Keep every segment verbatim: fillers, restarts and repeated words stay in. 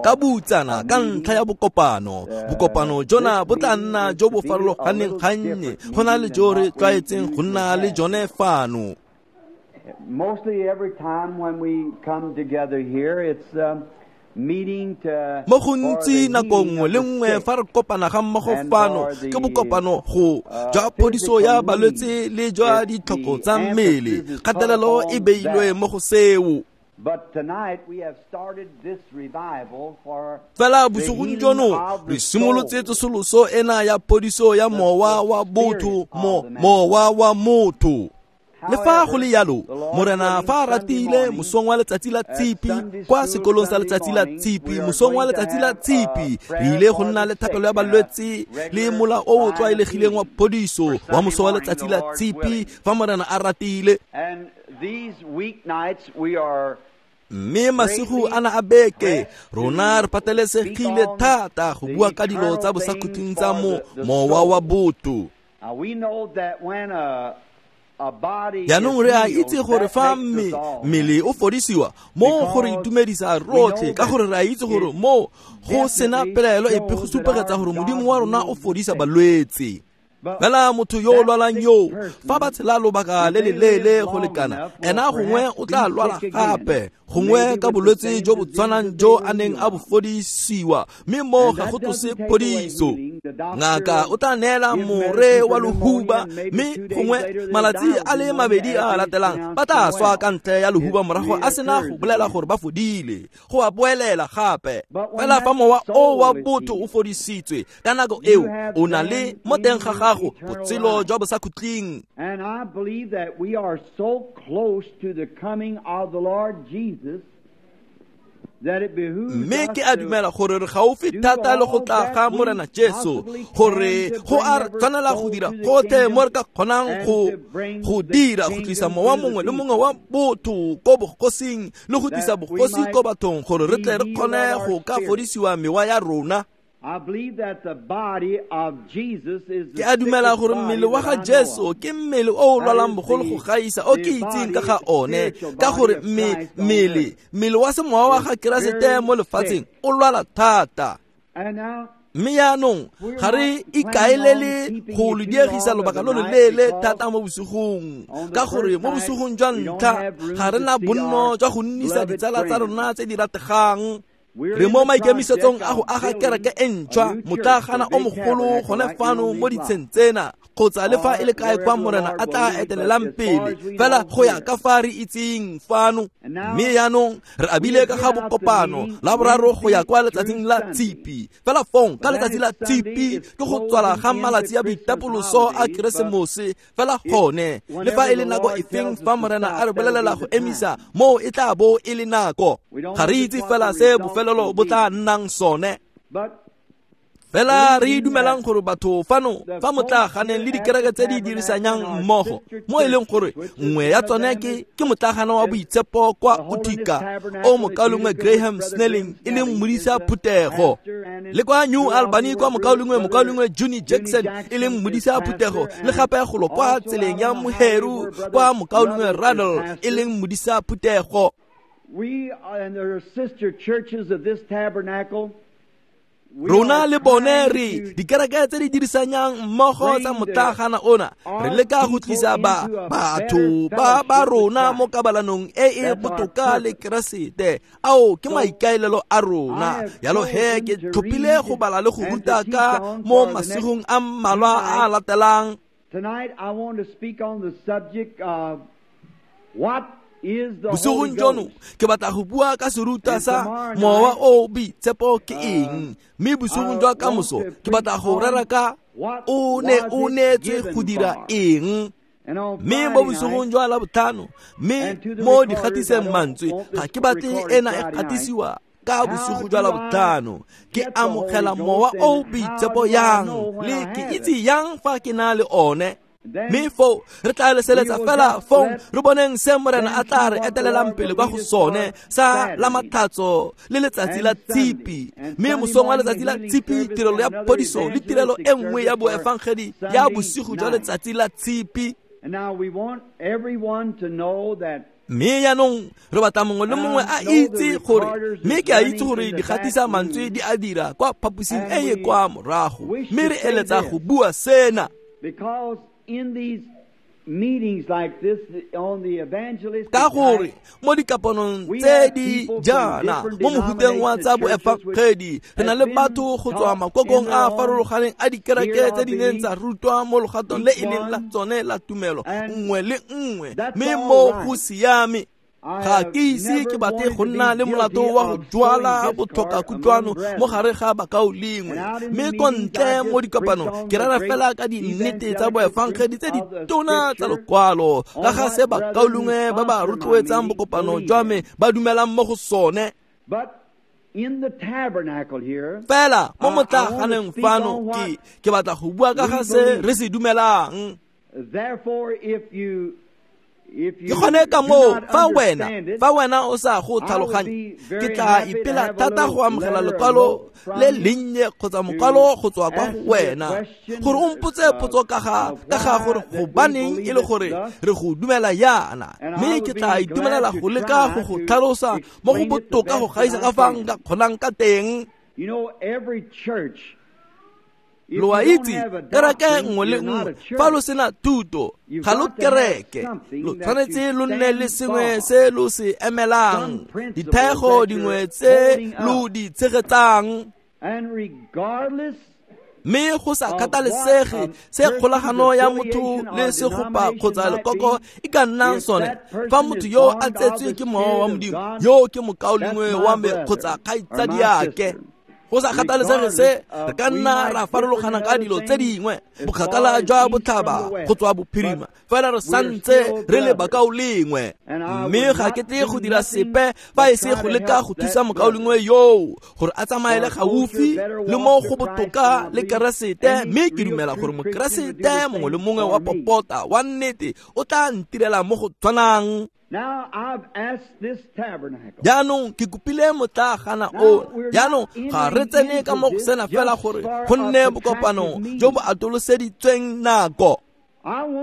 Ka boutsana ka ntlha ya bokopano, bokopano jona bo tla nna jo bo farologaneng gannye go na le jo re tlwaetseng go nna le jone fano. Mostly every time when we come together here, it's um, meeting to Mo gontsi nako nngwe le nngwe fa re kopana ga mmogo fano ke bokopano go jwa phodiso ya balwetse le jwa ditlhoko tsa mmele. Kgatelelo e beilwe mo go seo. But tonight we have started this revival for Fela bosigong jono re simolotse tsosoloso ena ya phodiso ya mowa wa botho mo mowa wa motho. Le fa go le jalo, Morena fa a ratile mosong wa letsatsi la Tshipi kwa sekolong sa letsatsi la Tshipi, mosong wa letsatsi la Tshipi re ile go nna le thapelo ya balwetse le mola o o tlwaelegileng wa phodiso wa moso wa letsatsi la Tshipi fa Morena a ratile. And these weeknights we are Mme masigo ana a beke rona re patelesegile thata go bua ka dilo tsa bosakhutleng tsa mo mowa wa botho. Now we know that when a a body Jaanong re a itse gore fa mme mmele o fodisiwa mo go re itumedisa rotlhe, ka gore re a itse gore mo go sena pelaelo epe go supegetsa gore Modimo wa rona o fodisa balwetse. Fela motho yo o lwalang yo, fa ba tshela lobaka le le leele go lekana, ena gongwe o tla lwala gape, gongwe ka bolwetse jo bo tshwanang jo a neng a bo fodisiwa, mme mo ga go tlose phodiso. Ngaka o tla neela more wa lehuba, mme gongwe malatsi a le mabedi a a latelang ba tla swa ka ntle ya lehuba morago a sena go bolela gore ba fodile, go a boelela gape. Fela fa mowa o wa botho o fodisitswe ka nako eo, o na le mo teng ga gago botshelo jwa bosakhutleng. And I believe that we are so close to the coming of the Lord Jesus that it behooves Mme us ke a to dumela gore re gaufi thata le go tla ga Morena Jesu, gore go a re tshwanela go dira gotlhe mo re ka kgonang go go dira go tlisa mowa mongwe le mongwe wa botho ko bogosing le go tlisa bogosi ko bathong, gore re tle re kgone go ka fodisiwa mewa ya rona. I believe that the body of Jesus is the Ke a dumela sickest gore body mmele wa that ga I know Jesu of. ke mmele o o lwalang bogolo go gaisa o ke itseng ka ga one, ka gore mme mmele mmele wa semowa wa ga Keresete mo lefatsheng o lwala thata. And now Mme jaanong ga re ikaelele go le diegisa lobaka lo lo leele thata mo bosigong, ka gore mo bosigong jwa ntlha ga re na bonno jwa go nnisa ditsala tsa rona tse di rategang. Re mo maikemisetsong a go aga kereke e ntšhwa, motlaagana o mogolo gone fano mo ditsheng tsena, kgotsa le fa e le kae kwa Morena a tla etelelang pele, fela go ya ka fa re itseng fano. Mme jaanong re abile ka ga bokopano la boraro go ya kwa letsatsing la Tshipi. Fela fong ka letsatsi la Tshipi ke go tswala ga malatsi a boitapoloso a Keresemose. Fela gone le fa e le nako efeng fa Morena a re bolelela go emisa, moo e tla bo e le nako. Ga re itse fela se bofelelo bo tla nnang sone. But Fela re dumelang gore batho fano fa motlaganeng le dikereke tse di dirisanyang mmogo, mo e leng gore nngwe ya tsone ke ke motlagana wa boitshepo kwa Utica, o mokaulengwe Graham Snelling e leng modisa phuthego, le kwa New Albany kwa mokaulengwe mokaulengwe Junie Jackson e leng modisa phuthego, le gape golo kwa tseleng ya Moheru kwa mokaulengwe Ruddell e leng modisa phuthego. we and there are sister churches of this tabernacle. We Rona are le bone trying re to dikereke tse di dirisanyang mmogo tsa motlagana ona, re leka go tlisa ba batho ba ba rona mo kabalanong e e botoka le Keresete. Ao ke maikaelelo a rona. Jalo he ke tlhophile go bala le go ruta ka mo masigong a mmalwa a a latelang. Tonight I want to speak on the subject of what is the Holy Bosigong jono Ghost. ke batla go bua ka serutwa sa mowa o o boitshepo ke eng, mme bosigong jwa kamoso ke batla go rera ka o ne o neetswe go dira eng. And on Mme mo Friday bosigong night, jwa Labotlhano, mme mo dikgatiseng mantswe, ga ke batle ena e gatisiwa ka bosigo jwa Labotlhano. Ke amogela mowa o o boitshepo yang, le ke itse yang fa ke na le one. Mme foo re tla leseletsa fela fong re boneng se Morena a tla re etelelang pele kwa go sone sa la Matlhatso le letsatsi la Tshipi. Mme mosong wa letsatsi la Tshipi, tirelo ya phodiso le tirelo e nngwe ya boefangedi ya bosigo jwa letsatsi la Tshipi. And now we want everyone to know that Mme jaanong re batla mongwe le mongwe a itse gore, mme ke a itse gore digatisa mantswe di a dira kwa phaposing e e kwa morago, mme re eletsa go bua sena. Ka gore mo dikapanong tse di jaana mo mofuteng wa tsa boefangedi re na le batho go tswa makokong a a farologaneng a dikereke tse di neng tsa rutwa mo logatong le e leng la tsone la tumelo nngwe le nngwe, mme mo go siame. Ga ke ise ke batle go nna le molato wa go jwala botlhokakutlwano mo gare ga bakaulengwe, mme ko ntle mo dikopanong ke rera fela ka dinnete tsa boefangedi tse di tona tsa lokwalo ka ga se bakaulengwe ba ba rotloetsang bokopano jwa me ba dumelang mo go sone. Fela mo motlaganeng fano ke ke batla go bua ka ga se re se dumelang. Ke gone ka moo fa wena fa wena o sa go tlhaloganye, ke tla ipela thata go amogela lekwalo le lennye kgotsa mokwalo go tswa kwa go wena gore o mpotse potso ka ga ka ga gore gobaneng e le gore re go dumela yana, mme ke tla itumelela go leka go go tlhalosa mo go botoka go gaisa ka fa nka kgonang ka teng. Lo a itse, kereke nngwe le nngwe fa lo sena thuto ga lo kereke, lo tshwanetse lo nne le sengwe se lo se emelang, dithego dingwe tse lo di tshegetsang. Mme go sa kgathalesege se kgolagano ya motho le segopa kgotsa lekoko e ka nnang sone, fa motho yo a tsetswe ke mowa wa Modimo, yo ke mokaulengwe wa me kgotsa kgaitsadiake. Go sa kgathalesege se, re ka nna ra farologana ka dilo tse dingwe, bokgakala jwa botlhaba go tswa bophirima, fela re santse re le bakaulengwe. Mme ga ke tle go dira sepe fa e se go leka go thusa mokaulengwe yoo gore a tsamaele gaufi le mo go botoka le Keresete, mme ke dumela gore Mokeresete mongwe le mongwe wa popota wa nnete o tla ntirela mo go tshwanang. Jaanong ke kopile motlagana o, jaanong ga re tsene ka mo go sena fela gore go nne bokopano jo bo atoloseditsweng nako.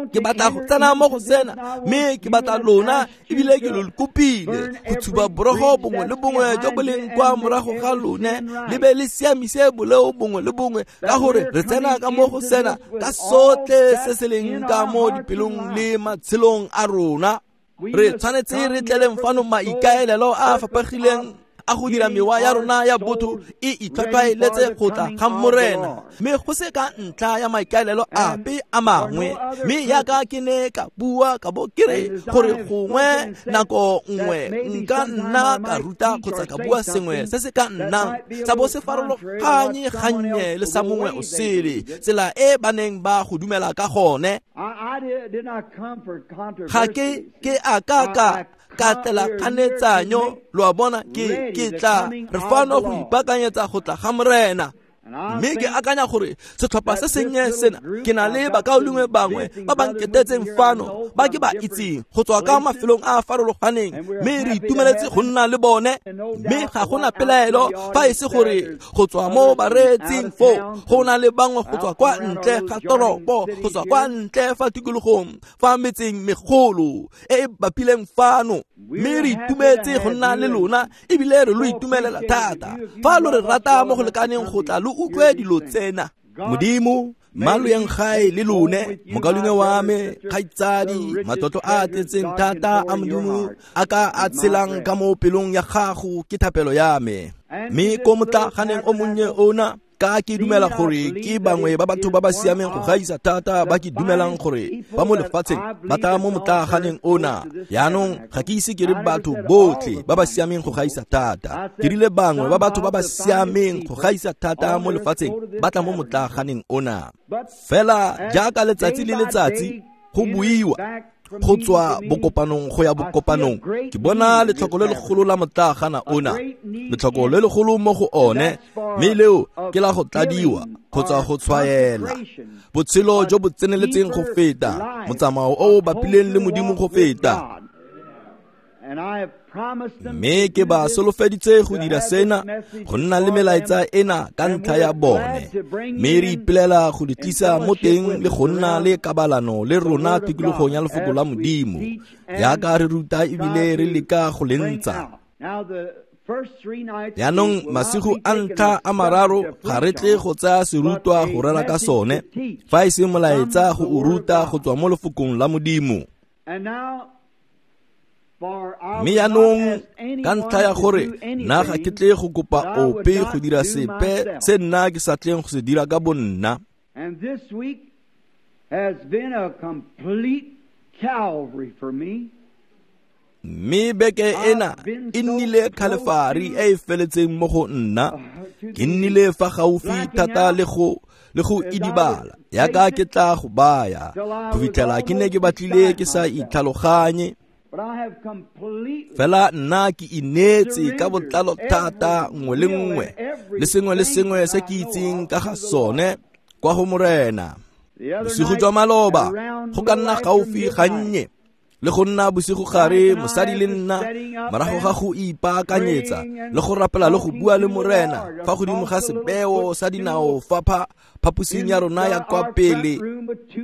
Ke batla go tsena mo go sena, mme ke batla lona ebile ke lo kopile go tshuba borogo bongwe le bongwe jo bo leng kwa morago ga lone, le be le siamise boleo bongwe le bongwe, ka gore re tsena ka mo go sena ka sotlhe se se leng ka mo dipelong le matshelong a rona. Re tshwanetse re tleleng fano maikaelelo a a fapegileng a go dira mewa ya rona ya botho e itlhwatlhwaeletse go tla ga Morena, mme go se ka ntlha ya maikaelelo ape a mangwe. Mme yaka ke ne ka bua ka bo ke re gore gongwe nako nngwe nka nna ka ruta kgotsa ka bua sengwe se se ka nnang sa bo se farologanye gannye le sa mongwe o sele, tsela e ba neng ba go dumela ka gone. Ga ke ke a ka ka ka tlela kganetsanyo, lo a bona, ke ke tla re fano go ipaakanyetsa go tla ga Morena. Mme ke akanya gore setlhopha se sennye sena, ke na le bakaulengwe bangwe ba ba nketetseng fano ba ke ba itseng go tswa ka mafelong a a farologaneng, mme re itumeletse go nna le bone. Mme ga gona pelaelo fa e se gore go tswa mo bareetsing foo go na le bangwe go tswa kwa ntle ga toropo, go tswa kwa ntle fa tikologong fa metseng megolo e e bapileng fano. Mme re itumetse go nna le lona ebile re lo itumelela thata fa lo re rata mo go lekaneng go tla lo utlwe dilo tsena. Modimo, mma lo yeng gae le lone, mokaulengwe wa me, kgaitsadi, matlotlo a a tletseng thata a Modimo a ka a tshelang ka mo pelong ya gago ke thapelo ya me. Mme ko motlaganeng o monnye ona, ka ke dumela gore ke bangwe ba batho ba ba siameng go gaisa thata ba ke dumelang gore ba mo lefatsheng ba tla mo motlaganeng ona. Jaanong ga ke ise ke re batho botlhe ba ba siameng go gaisa thata, ke rile bangwe ba batho ba ba siameng go gaisa thata mo lefatsheng ba tla mo motlaganeng ona. Fela jaaka letsatsi le letsatsi go buiwa go tswa bokopanong go ya bokopanong, ke bona letlhoko le legolo la motlagana ona, letlhoko le legolo mo go one, mme leo ke la go tladiwa kgotsa go tshwaela botshelo jo bo tseneletseng go feta, motsamao o o bapileng le Modimo go feta. Mme ke ba solofeditse go dira sena, go nna le melaetsa ena ka ntlha ya bone. Mme re ipelela go di tlisa mo teng le go nna le kabalano le rona tikologong ya lefoko la Modimo, jaaka re ruta ebile re leka go le ntsha. Jaanong masigo a ntlha a mararo ga re tle go tsaya serutwa go rera ka sone, fa e se molaetsa go o ruta go tswa mo lefokong la Modimo. Mme jaanong ka ntlha ya gore nna ga ke tle go kopa ope go dira sepe se nna ke sa tleng go se dira ka bonna. Mme beke ena e nnile khalefari e e feletseng mo go nna. Ke nnile fa gaufi thata le go le go idibala yaka ke tla go baya go fitlhela ke ne ke batlile ke sa itlhaloganye. Fela nna ke ineetse ka botlalo thata nngwe le nngwe le sengwe le sengwe se ke itseng ka ga sone kwa go Morena. Bosigo jwa maloba go ka nna gaufi gannye le go nna bosigo gare mosadi le nna morago ga go ipaakanyetsa le go rapela le go bua le Morena fa godimo ga sebeo sa dinao fa phaposing ya rona ya kwa pele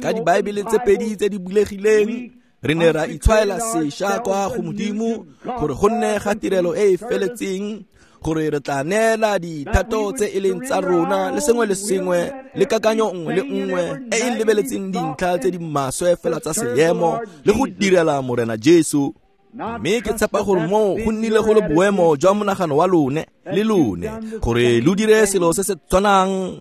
ka dibaebele tse pedi tse di bulegileng. Re ne ra itshwaela sešwa kwa go Modimo gore go nne ga tirelo e e feletseng, gore re tla neela dithato tse e leng tsa rona le sengwe le sengwe le kakanyo nngwe le nngwe e e lebeletseng dintlha tse di maswe fela tsa seemo le go direla Morena Jesu. Mme ke tshepa gore moo go nnile go le boemo jwa monagano wa lone le lone gore lo dire selo se se tshwanang.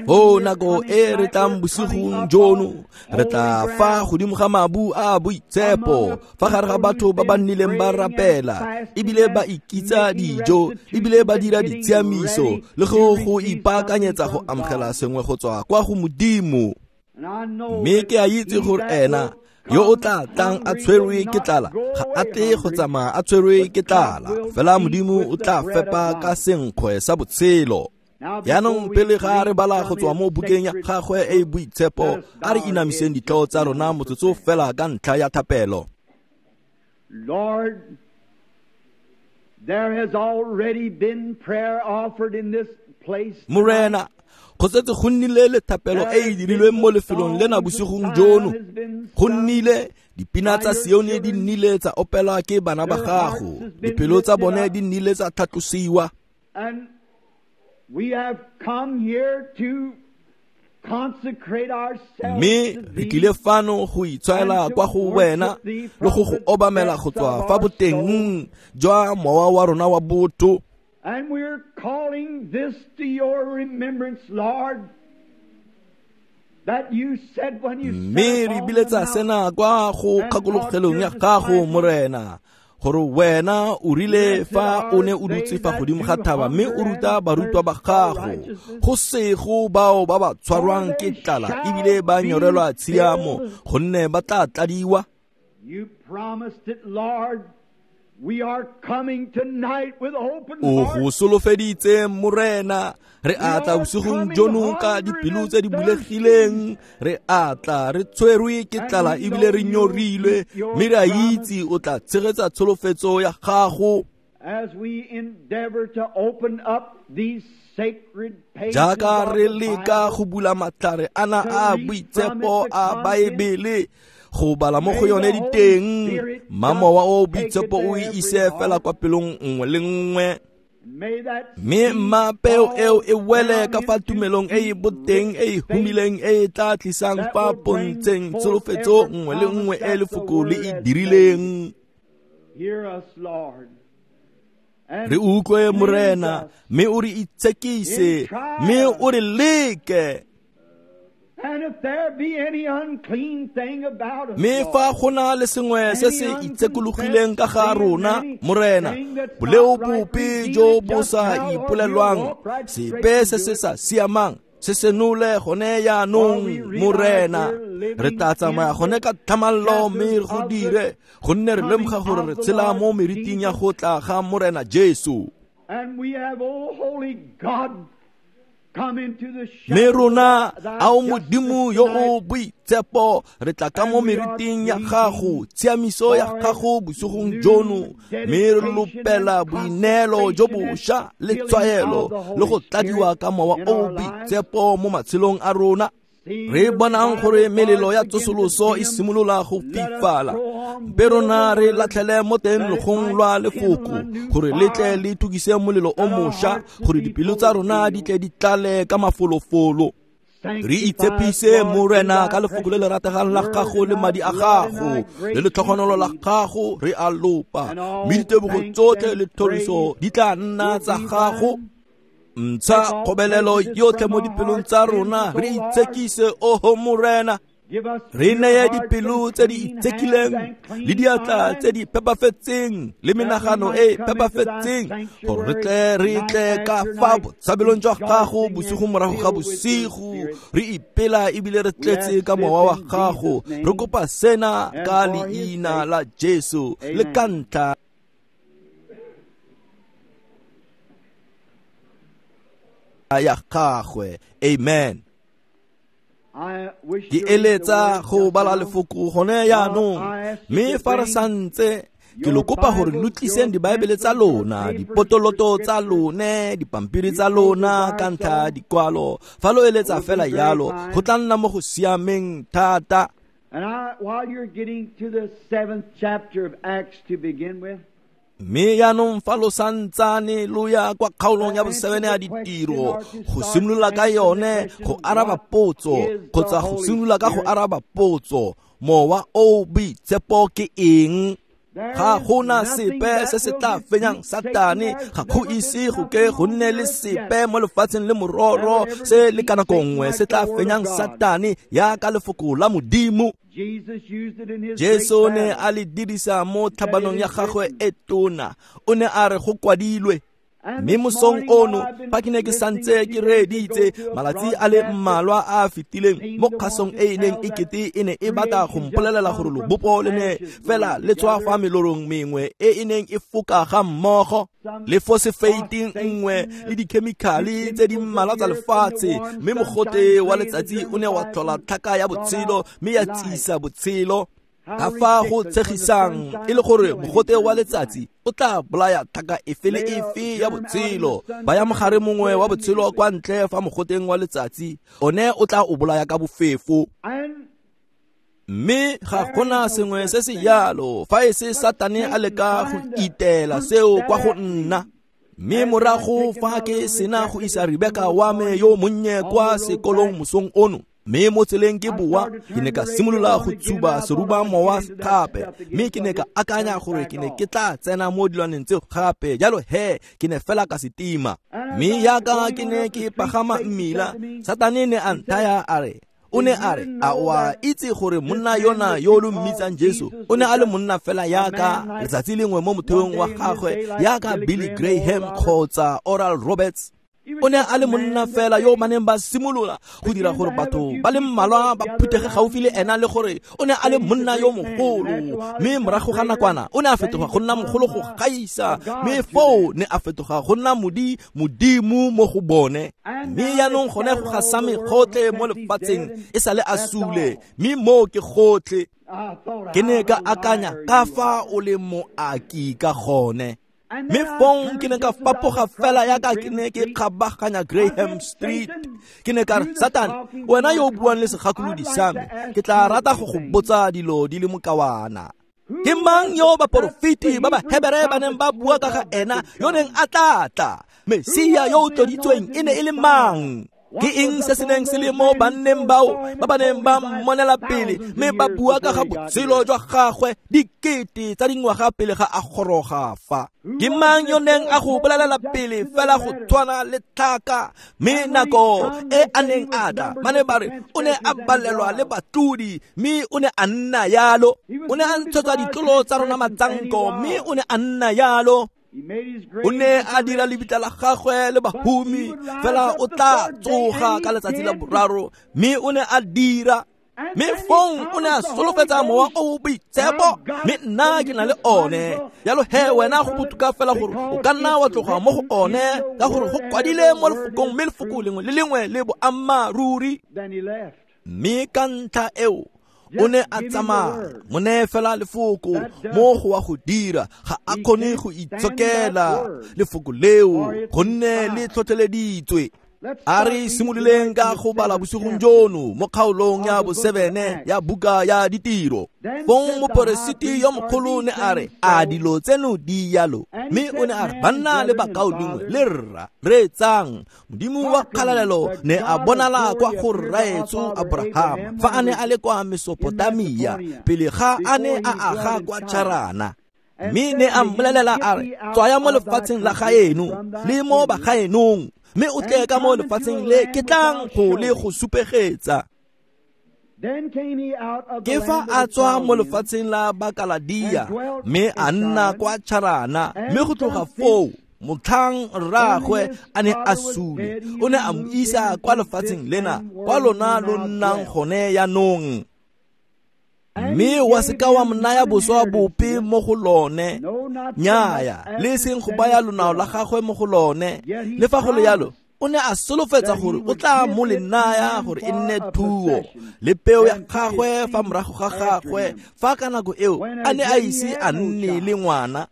O nako e re tlang bosigong jono re tla fa godimo ga mabu a boitshepo fa gare ga batho ba ba nnileng ba rapela ebile ba ikitsa dijo ebile ba dira ditshiamiso le go go ipaakanyetsa go amogela sengwe go tswa kwa go Modimo. Mme ke a itse gore ena yo o tla tlang a tshwerwe ke tlala ga a tle go tsamaya a tshwerwe ke tlala, fela Modimo o tla fepa ka senkgwe sa botshelo. Jaanong pele ga re bala go tswa mo bukeng ya gagwe e e boitshepo, a re inamiseng ditlhogo tsa rona motsotso fela ka ntlha ya thapelo. Lord, there has already been prayer offered in this place. Morena, go setse go nnile le thapelo e e dirilweng mo lefelong lena bosigong jono. Go nnile dipina tsa Sione di nnile tsa opelwa ke bana ba gago, dipelo tsa bone di nnile tsa tlhatlosiwa. We have come here to consecrate ourselves. Mme re tlile fano go itshwaela kwa go wena le go go obamela go tswa fa boteng jwa mowa wa rona wa botho. And we're calling this to your remembrance, Lord, that you said when you Mme re biletsa sena kwa go kgakologelong ya gago, Morena, gore wena o rile fa o ne o dutse fa godimo ga thaba mme o ruta barutwa ba gago go sego bao ba ba tshwarwang ke tlala ebile ba nyorelwa tshiamo gonne ba tla tladiwa. You promised it, Lord. We are coming tonight with open O hearts. go solofeditse, Morena, re a tla bosigong jono ka dipelo tse di bulegileng, re a tla re tshwerwe ke tlala ebile re nyorilwe, mme re a itse o tla tshegetsa tsholofetso ya gago. As we endeavor to open up these sacred pages Jaaka of re the leka Bible, go bula matlhare ana a boitshepo a Baebele go bala mo go yone diteng, mma mowa o boitshepo o e ise fela kwa pelong nngwe le nngwe. may that Mme seed mma peo fall eo e wele down ka fa into tumelong e e deep boteng e e humileng e e tla tlisang that fa will bring pontsheng forth tsholofetso every nngwe le nngwe promise e that the lefoko le word e has dirileng. made. Hear us, Lord. And Re utlwe, cleanse Morena, us. mme o re itshekise, mme o re leke. And if there be any unclean thing about us, Mme Lord, fa go na le sengwe se se itshekologileng ka ga rona, Morena, boleo bope jo bo sa ipolelwang, sepe se se sa siamang, se senole gone jaanong, Morena. Re tla tsamaya gone ka tlhamallo mme re go dire, gonne re lemoga gore re tshela mo meriting ya go tla ga Morena Jesu. And we have, oh, holy God, Mme rona a o Modimo yo o boitshepo, re tla ka mo meriting ya gago, tshiamiso ya gago bosigong jono, mme re lopela boineelo jo bošwa le tshwaelo le go tladiwa ka mowa o o boitshepo mo matshelong a rona. Re bonang gore melelo ya tsosoloso e simolola go fifala, mpe rona re latlhele mo teng logong lwa lefoko gore le tle le tukise molelo o mošwa, gore dipelo tsa rona di tle di tlale ka mafolofolo. Re itshepise Morena ka lefoko le le rategang la gago le madi a gago le letlhogonolo la gago, re a lopa, mme ditebogo tsotlhe le thoriso di tla nna tsa gago. Ntsha kgobelelo yotlhe mo dipelong tsa rona, re itshekise oho Morena. Re neye dipelo tse di itshekileng le diatla tse di phepafetseng le menagano e phepafetseng, gore re tle re tle ka fa botshabelong jwa gago bosigo morago ga bosigo, re ipela ebile re tletse ka mowa wa gago. Re kopa sena ka leina la Jesu le ka ntlha ya gagwe. Amen. Ke eletsa go bala lefoko gone jaanong, mme fa re santse ke lo kopa gore lo tliseng dibaebele tsa lona, dipotoloto tsa lone, dipampiri tsa lona ka ntlha dikwalo. Fa lo eletsa fela jalo, go tla nna mo go siameng thata. And I, while you're getting to the seventh chapter of Acts to begin with, Mme jaanong fa lo santsane lo ya kwa kgaolong ya bosebene ya ditiro go simolola ka yone go araba potso, kgotsa go simolola ka go araba potso, mowa o boitshepo ke eng? Ga gona sepe se se tla fenyang Satane, ga go ise go ke go nne le sepe mo lefatsheng le mororo se le ka nako nngwe se tla fenyang Satane yaka lefoko la Modimo. Jesu ne a le dirisa mo tlhabanong ya gagwe e tona, o ne a re go kwadilwe. Mme mosong ono fa ke ne ke santse ke reeditse malatsi a le mmalwa a a fetileng mo kgasong e e neng e kete e ne e batla go mpolelela gore lobopo le ne fela le tswa fa melorong mengwe e e neng e foka ga mmogo le fosefeiteng nngwe le dikhemikhale tse di mmalwa tsa lefatshe, mme mogote wa letsatsi o ne wa tlhola tlhaka ya botshelo mme ya tsisa botshelo. Ka fa go tshegisang e le gore mogote wa letsatsi o tla bolaya tlhaka efe le efe ya botshelo, ba ya mogare mongwe wa botshelo kwa ntle fa mogoteng wa letsatsi, one o tla o bolaya ka bofefo. Mme ga gona sengwe se se jalo fa e se Satane a leka go itela seo kwa go nna. Mme morago fa ke sena go isa Rebeka wa me yo monnye kwa sekolong mosong ono, mme mo tseleng ke boa, ke ne ka simolola go tshuba seruba mowa gape, mme ke ne ka akanya gore ke ne ke tla tsena mo dilwaneng tseo gape, jalo he ke ne fela ka setima. Mme yaka ke ne ke pagama mmila, Satane ne a nthaya a re, o ne a re, a o a itse gore monna yona yo lo mmitsang Jesu o ne a le monna fela yaka letsatsi lengwe mo motheong wa gagwe, yaka Billy Graham kgotsa Oral Roberts. O ne a le monna fela yo ba neng ba simolola go dira gore batho ba le mmalwa ba phuthege gaufi le ena, le gore o ne a le monna yo mogolo. Mme morago ga nakwana o ne a fetoga go nna mogolo go gaisa, mme foo ne a fetoga go nna modi modimo mo go bone. Mme jaanong gone go gasame gotlhe mo lefatsheng e sale a sule, mme moo ke gotlhe. Ke ne ka akanya ka fa o le moaki ka gone. Mme fong ke ne ka fapoga fela yaka ke ne ke kgabaganya Graham Street. Ke ne ka re, Satane, wena yo o buang le segakolodi sa me, ke tla rata go go botsa dilo di le mokawana. Ke mang yo baporofeti ba Bahebere ba neng ba bua ka ga ena yo neng a tla tla? Mesia yo o tloditsweng e ne e le mang? Ke eng se se neng se le mo banneng bao ba ba neng ba mmonela pele mme ba bua ka ga botshelo jwa gagwe dikete tsa dingwaga pele ga a goroga fa? Ke mang yo neng a go bolelela pele fela go tshwana le tlhaka? Mme nako e a neng a tla, ba ne ba re o ne a balelwa le batlodi, mme o ne a nna yalo. O ne a ntshetsa ditlolo tsa rona matsanko, mme o ne a nna yalo. O ne a dira lebitla la gagwe le bahumi, fela o tla tsoga ka letsatsi la boraro, mme o ne a dira. Mme fong o ne a solofetsa mowa o o boitshepo, mme nna ke na le one. Jalo he wena go botoka fela gore o ka nna wa tloga mo go one, ka gore go kwadile mo lefokong, mme lefoko lengwe le lengwe le boammaaruri. Mme ka ntlha eo o ne a tsamaya, mo neye fela lefoko mo go wa go dira, ga a kgone go itshokela lefoko leo gonne le tlhotlheleditswe. A re simololeng ka go bala bosigong jono mo kgaolong ya bosebene ya buka ya ditiro. Fong moperesiti yo mogolo ne a re, a dilo tseno di yalo? Mme o ne a re, banna le bakaulengwe le rra, reetsang, Modimo wa kgalalelo ne a bonala kwa go rraetsho Abraham fa a ne a le kwa Mesopotamia pele ga a ne a aga kwa Charana. Mme ne a mmolelela a re, tswaya mo lefatsheng la gaeno le mo bagaenong, mme o tle ka mo lefatsheng le ke tlang go le go supegetsa. Ke fa a tswa mo lefatsheng la Bakaladia, mme a nna kwa Charana, mme go tloga foo motlhang rraagwe a ne a sule, o ne a mo isa kwa lefatsheng lena kwa lona lo nnang gone yanong. Mme wa seka wa mo naya boswa bope mo go lone, nnyaya, le seng go baya lonao la gagwe mo go lone. Le fa go le yalo, o ne a solofetsa gore o tla mo le naya gore e nne thuo le peo ya gagwe fa morago ga gagwe, fa ka nako eo a ne a ise a nne le ngwana.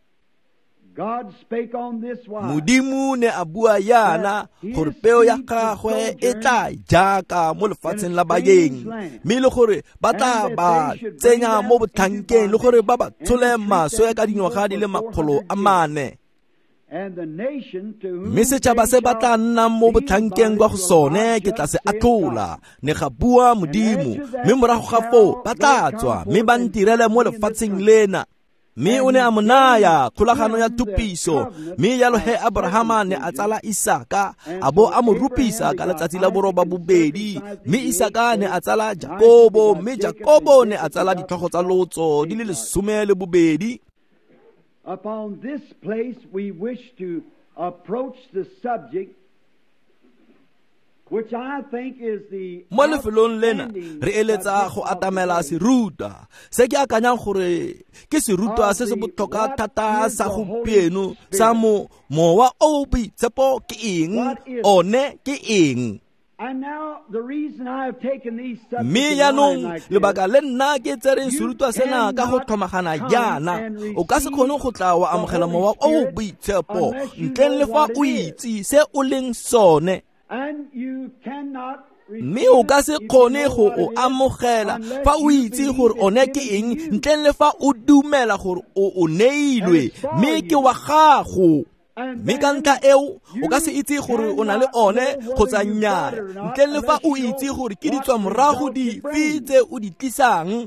Modimo ne a bua yana gore peo ya gagwe e tla jaaka mo lefatsheng la baeng, mme le gore ba tla ba tsenya mo botlhankeng, le gore ba ba tshole maswe ka dingwaga di le makgolo a mane. Mme setšhaba se ba tla nnang mo botlhankeng kwa go sone ke tla se atlhola, ne ga bua Modimo, mme morago ga foo ba tla tswa mme ba ntirele mo lefatsheng lena. Mme o ne a mo naya kgolagano ya thupiso, mme jalo he Abrahama ne a tsala Isaka, a bo a mo rupisa ka letsatsi la boroba bobedi. Mme Isaka ne a tsala Jakobo, mme Jakobo ne a tsala ditlhogo tsa lotso di le lesome le bobedi. Upon this place we wish to approach the subject which I think is the mo lefelong lena re eletsa go atamela serutwa se ke akanyang gore ke serutwa se se botlhokwa thata sa gompieno sa mo mowa o boitshepo ke eng, one ke eng. Mme jaanong lebaka le nna ke tsereng serutwa sena ka go tlhomagana jaana, o ka se kgone go tla wa amogela mowa o boitshepo ntleng le fa o itse se o leng sone. Mme o ka se kgone go o amogela fa o itse gore one ke eng ntleng le fa o dumela gore o o neilwe, mme ke wa gago. Mme ka ntlha eo o ka se itse gore o na le one kgotsa nnyaa ntleng le fa o itse gore ke ditswamorago dife tse o di tlisang.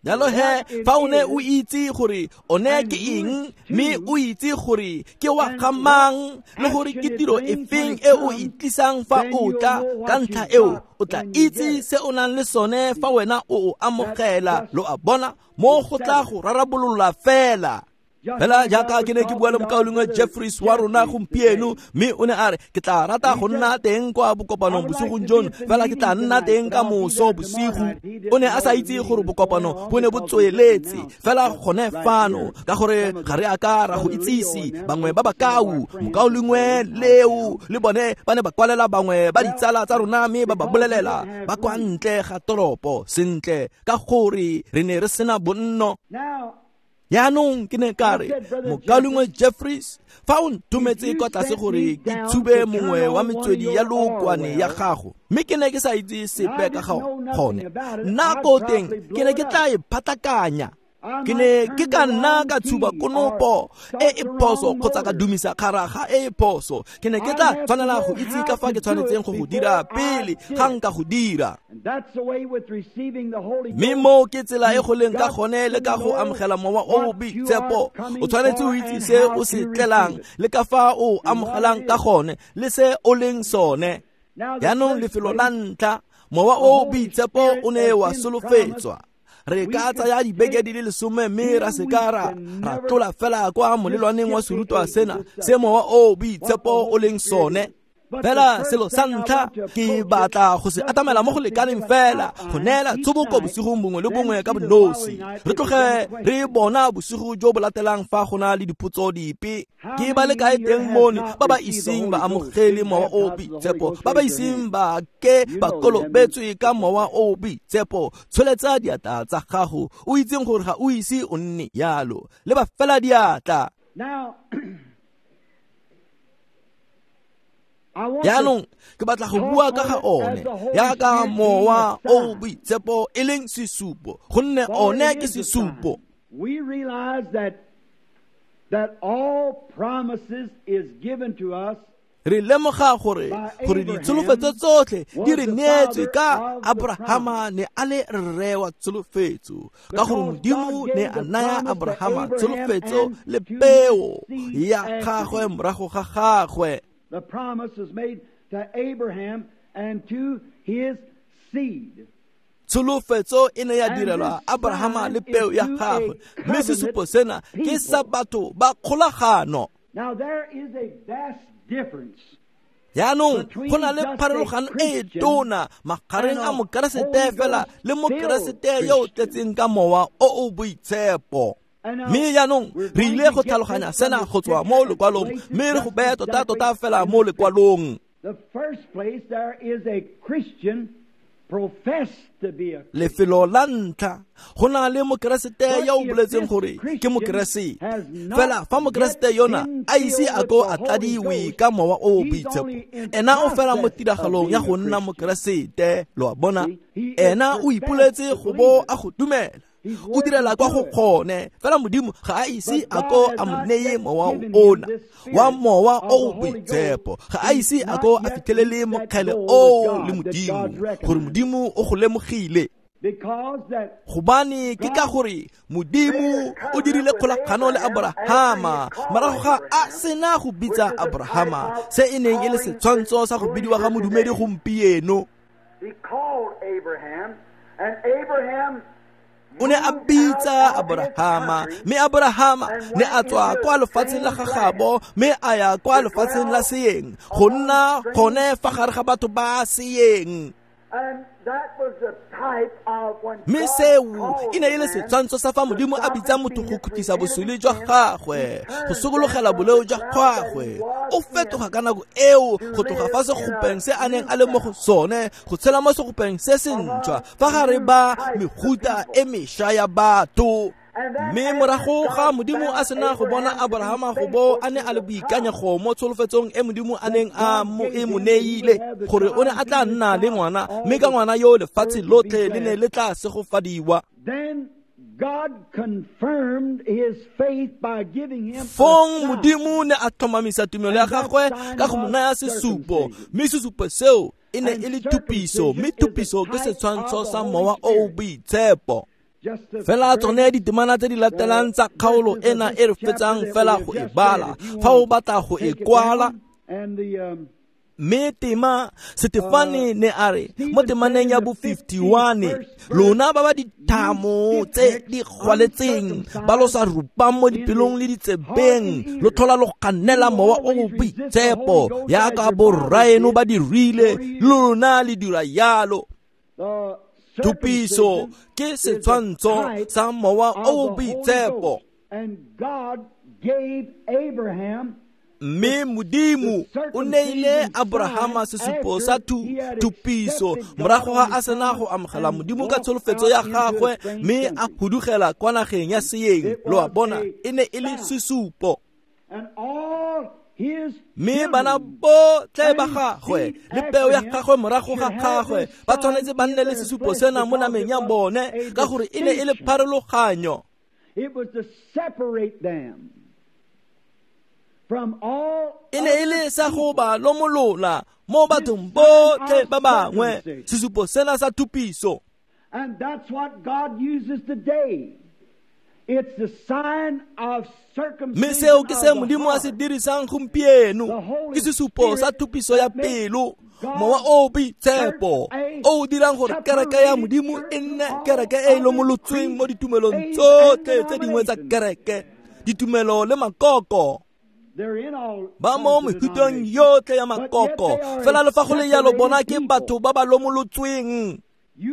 Jalo he fa o ne o itse gore one ke eng, mme o itse gore ke wa ga mang, le gore ke tiro efeng e o e tlisang fa o tla, ka ntlha eo o tla itse se o nang le sone fa wena o o amogela. Lo a bona, mo go tla go rarabolola fela. Fela jaaka ke ne ke bua le mokaulengwe Jeffries wa rona gompieno, mme o ne a re ke tla rata go nna teng kwa bokopanong bosigong jono, fela ke tla nna teng ka moso bosigo. O ne a sa itse gore bokopano bo ne bo tsweletse fela gone fano, ka gore ga re a ka ra go itsise bangwe ba bakau. Mokaulengwe leo le bone ba ne ba kwalela bangwe ba ditsala tsa rona, mme ba ba bolelela ba kwa ntle ga toropo sentle, ka gore re ne re sena bonno. Jaanong ke ne ka re, mokaulengwe Jeffries, fa o nthometse kwa tlase gore ke tshube mongwe wa metswedi ya lookwane ya gago, mme ke ne ke sa itse sepe ka ga gone, nna ko teng ke ne ke tla e phatlakanya. Ke ne ke ka nna ka tshuba konopo e e phoso kgotsa ka dumisa kgaraga e e phoso. Ke ne ke tla tshwanela go itse ka fa ke tshwanetseng go go dira pele ga nka go dira. Mme mo ke tsela e go leng ka gone le ka go amogela mowa o o boitshepo. O tshwanetse o itse se o se tlelang le ka fa o amogelang ka gone le se o leng sone. Jaanong lefelo la ntlha, mowa o o boitshepo o ne wa solofetswa. Re ka tsaya dibeke di le lesome mme ra se ka ra ra tlola fela kwa molelwaneng wa serutwa sena se mowa o boitshepo o leng sone. Fela selo sa ntlha ke batla go se atamela mo go lekaneng fela go neela tshoboko bosigong bongwe le bongwe ka bonosi. Re tloge re bona bosigo jo bo latelang fa go na le dipotso dipe. Ke ba le kae teng mono ba ba iseng ba amogele mowa o boitshepo, ba ba iseng ba ke ba kolobetswe ka mowa o boitshepo? Tsholetsa diatla tsa gago, o itseng gore ga o ise o nne yalo. Le ba fela diatla. Jaanong ke batla go bua ka ga one yaka mowa o boitshepo e leng sesupo, gonne one ke sesupo. We realize that that all promises is given to us. Re lemoga gore gore ditsholofetso tsotlhe di re neetswe ka Abrahama ne a le rre wa tsholofetso, ka gore Modimo ne a naya Abrahama tsholofetso le peo ya gagwe morago ga gagwe. The promise was made to Abraham and to his seed. Tsholofetso e ne ya direlwa Abrahama le peo ya gagwe, mme sesupo sena ke sa batho ba kgolagano. Now there is a vast difference. Jaanong go na le pharologano e e tona magareng a mokeresete fela le mokeresete yo o tletseng ka mowa o o boitshepo. Mme jaanong re ile go tlhaloganya sena go tswa mo lekwalong, mme re go beye tota-tota fela mo lekwalong. The first place there is a Christian professed to be a Lefelo la ntlha go na le mokeresete yo o boletseng gore ke mokeresete. Fela fa mokeresete yona a ise a ko a tladiwe ka mowa o o boitshepo, ena o fela mo tiragalong ya go nna mokeresete. Lo a bona, ena o ipoletse go bo a go dumela, o direla kwa go kgone, fela Modimo ga a ise a ko a mo neye mowa ona wa mowa o o boitshepo, ga a ise a ko a fitlhelele mokgele oo le Modimo, gore Modimo o go lemogile. Gobane ke ka gore Modimo o dirile kgolagano le Abrahama morago ga a sena go bitsa Abrahama, se e neng e le setshwantsho sa go bidiwa ga modumedi gompieno. He called Abraham, and Abraham O ne a bitsa Abrahama, mme Abrahama ne a tswa kwa lefatsheng la gagabo mme a ya kwa lefatsheng la seeng, go nna gone fa gare ga batho ba seeng. And that was the type of when Mme seo e ne e le setshwantsho sa fa Modimo a bitsa motho go khutlisa bosuli jwa gagwe, go sokologela boleo jwa gagwe. O fetoga ka nako eo go tloga fa segopeng se a neng a le mo go sone go tshela mo segopeng se se ntšhwa fa gare ba mehuta e mešwa ya batho. Mme morago ga Modimo a sena go bona Abrahama go bo a ne a le boikanyego mo tsholofetsong e Modimo a neng a mo e mo neile, gore o ne a tla nna le ngwana, mme ka ngwana yo lefatshe lotlhe le ne le tla segofadiwa. Then God confirmed his faith by giving him a Fong sign. Modimo ne a tlhomamisa tumelo ya gagwe ka go mo naya sesupo, mme sesupo seo e ne e le thupiso, mme thupiso ke setshwantsho sa mowa o o boitshepo. Just the Fela tsone ditemana tse di latelang tsa kgaolo ena e re fetsang fela go e bala, fa o batla go e kwala. And the um, Mme tema Setefane ne a re mo temaneng ya bo fifty-one, lona ba ba dithamo tse di gwaletseng, ba lo sa rupang mo dipelong le ditsebeng, lo tlhola lo kganela mowa o o boitshepo yaka borraeno ba dirile, lona le dira yalo. the Thupiso ke setshwantsho sa mowa o o boitshepo. And God gave Abraham Mme Modimo o neile Abrahama sesupo sa thupiso morago ga a sena go amogela Modimo ka tsholofetso ya gagwe, mme a hudugela kwa nageng ya seeng. Lo a bona, e ne e le sesupo. and all his Mme bana botlhe ba gagwe le peo ya gagwe morago ga gagwe ba tshwanetse ba nne le sesupo sena mo nameng ya bone, ka gore e ne e le pharologanyo. It was to separate them from all E ne e le sa go ba lomolola mo bathong botlhe ba bangwe, sesupo sena sa thupiso. And that's what God uses today. It's the sign of Mme circumcision seo ke se of the Modimo a se heart. dirisang gompieno, ke sesupo sa thupiso ya pelo, mowa o o boitshepo o o dirang gore kereke ya Modimo e nne kereke e e lomolotsweng mo ditumelong tsotlhe tse dingwe tsa kereke, ditumelo le makoko. Ba mo mefuteng yotlhe ya makoko, fela le fa go le jalo bona ke batho ba ba lomolotsweng.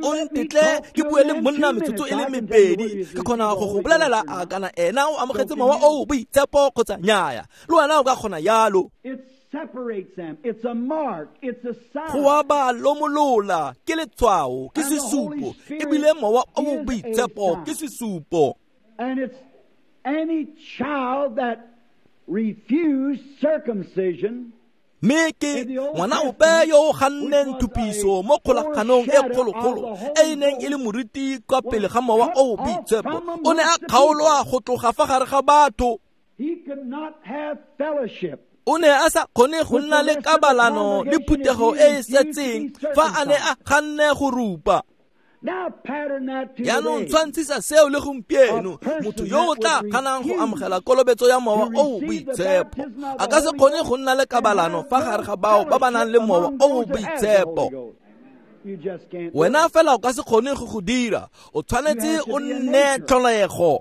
O ntetle ke bue le monna metsotso e le mebedi, ke kgona go go bolelela a kana ena o amogetse mowa o o boitshepo kgotsa nnyaya. Le wena o ka kgona jalo. Go a ba lomolola ke letshwao, ke sesupo, ebile mowa o o boitshepo ke sesupo. And it's any child that refused circumcision. Mme ke ngwana ope yo o ganneng thupiso mo kgolaganong e kgologolo e e neng e le moriti kwa pele ga mowa o o boitshepo, o ne a kgaolwa go tloga fa gare ga batho. O ne a sa kgone go nna le kabalano le phuthego e e setseng fa a ne a ganne go rupa. Jaanong tshwantshisa seo le gompieno, motho yo o tla kganang go amogela kolobetso ya mowa o o boitshepo a ka se kgone go nna le kabalano fa gare ga bao ba ba nang le mowa o o boitshepo. Wena fela o ka se kgone go go dira, o tshwanetse o nne tlholego.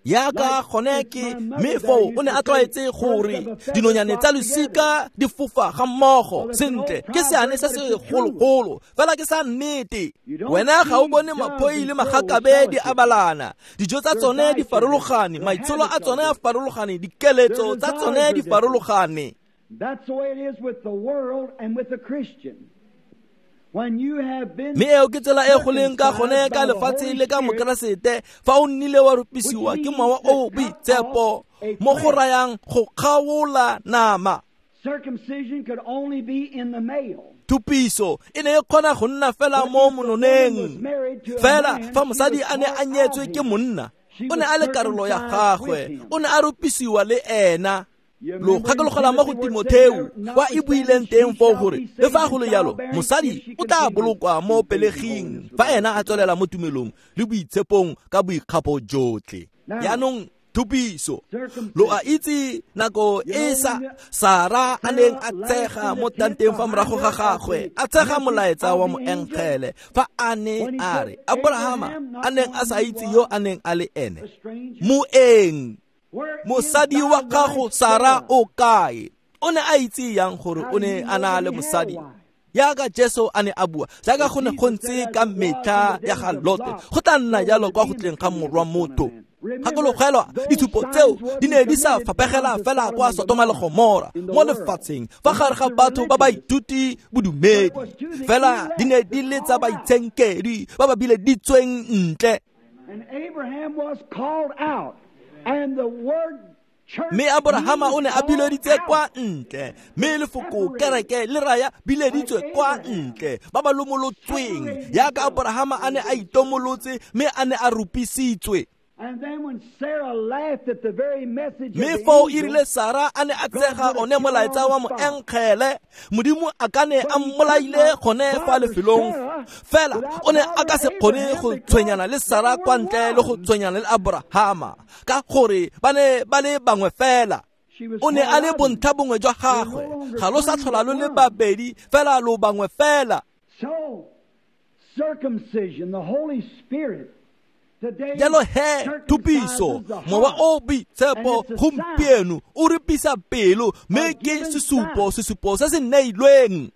Yaka gone ke mme foo o ne a tlwaetse gore dinonyane tsa losika di fofa ga mmogo sentle, ke seane se se gologolo fela ke sa nnete. Wena ga o bone maphoi le magakabe di abalana, dijo tsa tsone di farologane, maitsholo a tsone a farologane, dikeletso tsa tsone di farologane. That's the way it is with the world and with the Christian. Mme eo ke tsela e go leng ka gone ka lefatshe le ka mokeresete, fa o nnile wa rupisiwa ke mowa o o boitshepo mo go rayang go kgaola nama. Thupiso e ne e kgona go nna fela mo mononeng, fela fa mosadi a ne a nyetswe ke monna, o ne a le karolo ya gagwe, o ne a rupisiwa le ena. Lo gakologelwa mo go Timotheo kwa e buileng teng foo gore le fa go le jalo mosadi o tla bolokwa mo peleging fa ena a tswelela mo tumelong le boitshepong ka boikgapo jotlhe. Jaanong thupiso, lo a itse nako e sa Sara a neng a tshega mo tanteng fa morago ga gagwe, a tshega molaetsa wa moengele fa a ne a re Abrahama a neng a sa itse yo a neng a le ene, moeng, mosadi wa gago Sara o kae? O ne a itse yang gore o ne a na le mosadi? Yaka Jesu a ne a bua, jaaka go ne go ntse ka metlha ya ga Lote, go tla nna jalo kwa go tleng ga morwa motho. Gakologelwa ditshupo tseo di ne di sa fapegela fela kwa Sotoma le Gomora mo lefatsheng fa gare ga batho ba ba ithuti bodumedi, fela di ne di le tsa baitshenkedi ba ba bileditsweng ntle. And Abraham was called out. And the word Mme Abrahama o ne a bileditse kwa ntle, mme lefoko kereke le raya bileditswe kwa ntle, ba ba lomolotsweng yaka Abrahama a ne a itomolotse mme a ne a rupisitswe. Mme foo e rile Sara a ne a tsega one molaetsa wa moengele, Modimo a ka ne a mmolaile gone fa lefelong, fela o ne a ka se kgone go tshwenyana le Sara kwa ntle le go tshwenyana le Abrahama, ka gore ba ne ba le bangwe fela. O ne a le bontlha bongwe jwa gagwe, ga lo sa tlhola lo le babedi, fela lo bangwe fela. Circumcision, the Holy Spirit. Jalo he thupiso, mowa o boitshepo gompieno o rupisa pelo, mme ke sesupo, sesupo se se neilweng.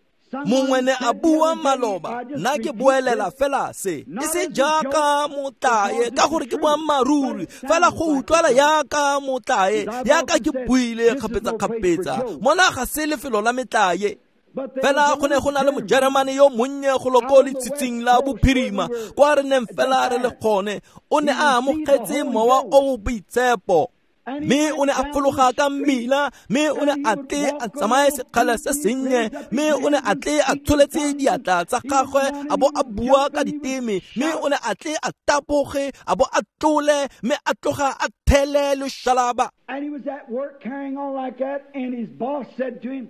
Mongwe ne a bua maloba, nna ke boelela fela se, e se jaaka motlae, ka gore ke boammaaruri, fela go utlwala jaaka motlae, jaaka ke buile kgapetsa-kgapetsa, mona ga se lefelo la metlae. Fela go ne go na le mojeremane yo monnye go lo ko letshitshing la bophirima kwa re neng fela re le gone, o ne a amogetse mowa o o boitshepo, mme o ne a fologa ka mmila, mme o ne a tle a tsamaye sekgala se sennye, mme o ne a tle a tsholetse diatla tsa gagwe a bo a bua ka diteme, mme o ne a tle a tapoge a bo a tlole, mme a tloga a thele loshalaba. And he was at work carrying on like that, and his boss said to him,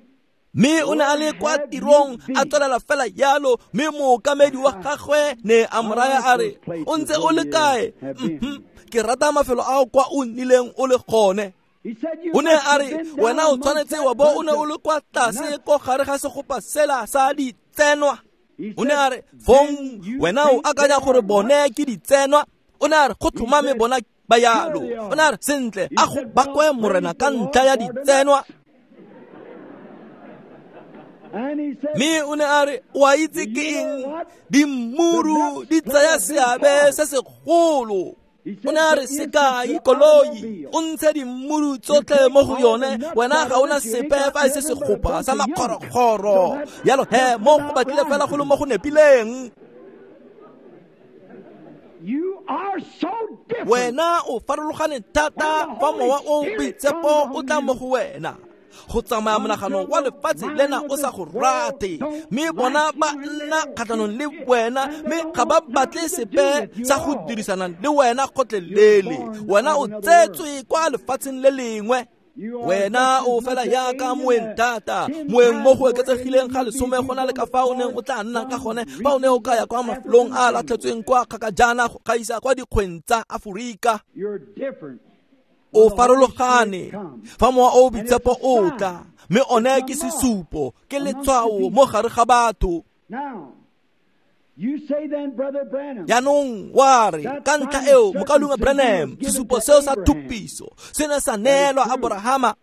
Mme o ne a le kwa tirong a tswelela fela jalo, mme mookamedi wa gagwe ne a mo raya a re, o ntse o le kae? Ke rata mafelo ao kwa o nnileng o le gone. O ne a re, wena o tshwanetse wa bo o ne o le kwa tlase ko gare ga segopa sela sa ditsenwa. O ne a re, fong wena o akanya gore bone ke ditsenwa? O ne a re, go tlhomame bona ba yalo. O ne a re sentle a go bakwe morena ka ntlha ya ditsenwa. Mme o ne a re o a itse ke eng, dimmuru di tsaya seabe se segolo. O ne a re sekai koloi o ntshe dimmuru tsotlhe mo go yone, wena ga ona sepe fa e se segopa sa makgorokgoro. Yalo he mo go batlile fela go le mo go nepileng. Wena o farologane thata fa mowa o boitshepo o tla mo go wena. Go tsamaya monagano wa lefatshe lena o sa go rate, mme bona ba nna kgatlhanong le wena, mme ga ba batle sepe sa go dirisana le wena gotlhelele. Wena o tsetswe kwa lefatsheng le lengwe. Wena o fela yaka moeng thata, moeng mo go oketsegileng ga lesome go na le ka fa o neng o tla nna ka gone fa o ne o ka ya kwa mafelong a latlhetsweng kwa kgakajana go gaisa kwa dikgweng tsa Aforika. O farologane fa mowa o boitshepo o tla, mme one ke sesupo, ke letshwao mo gare ga batho. Jaanong wa re ka ntlha eo mokaulengwe Branham, sesupo seo sa thupiso se ne sa neelwa Aborahama.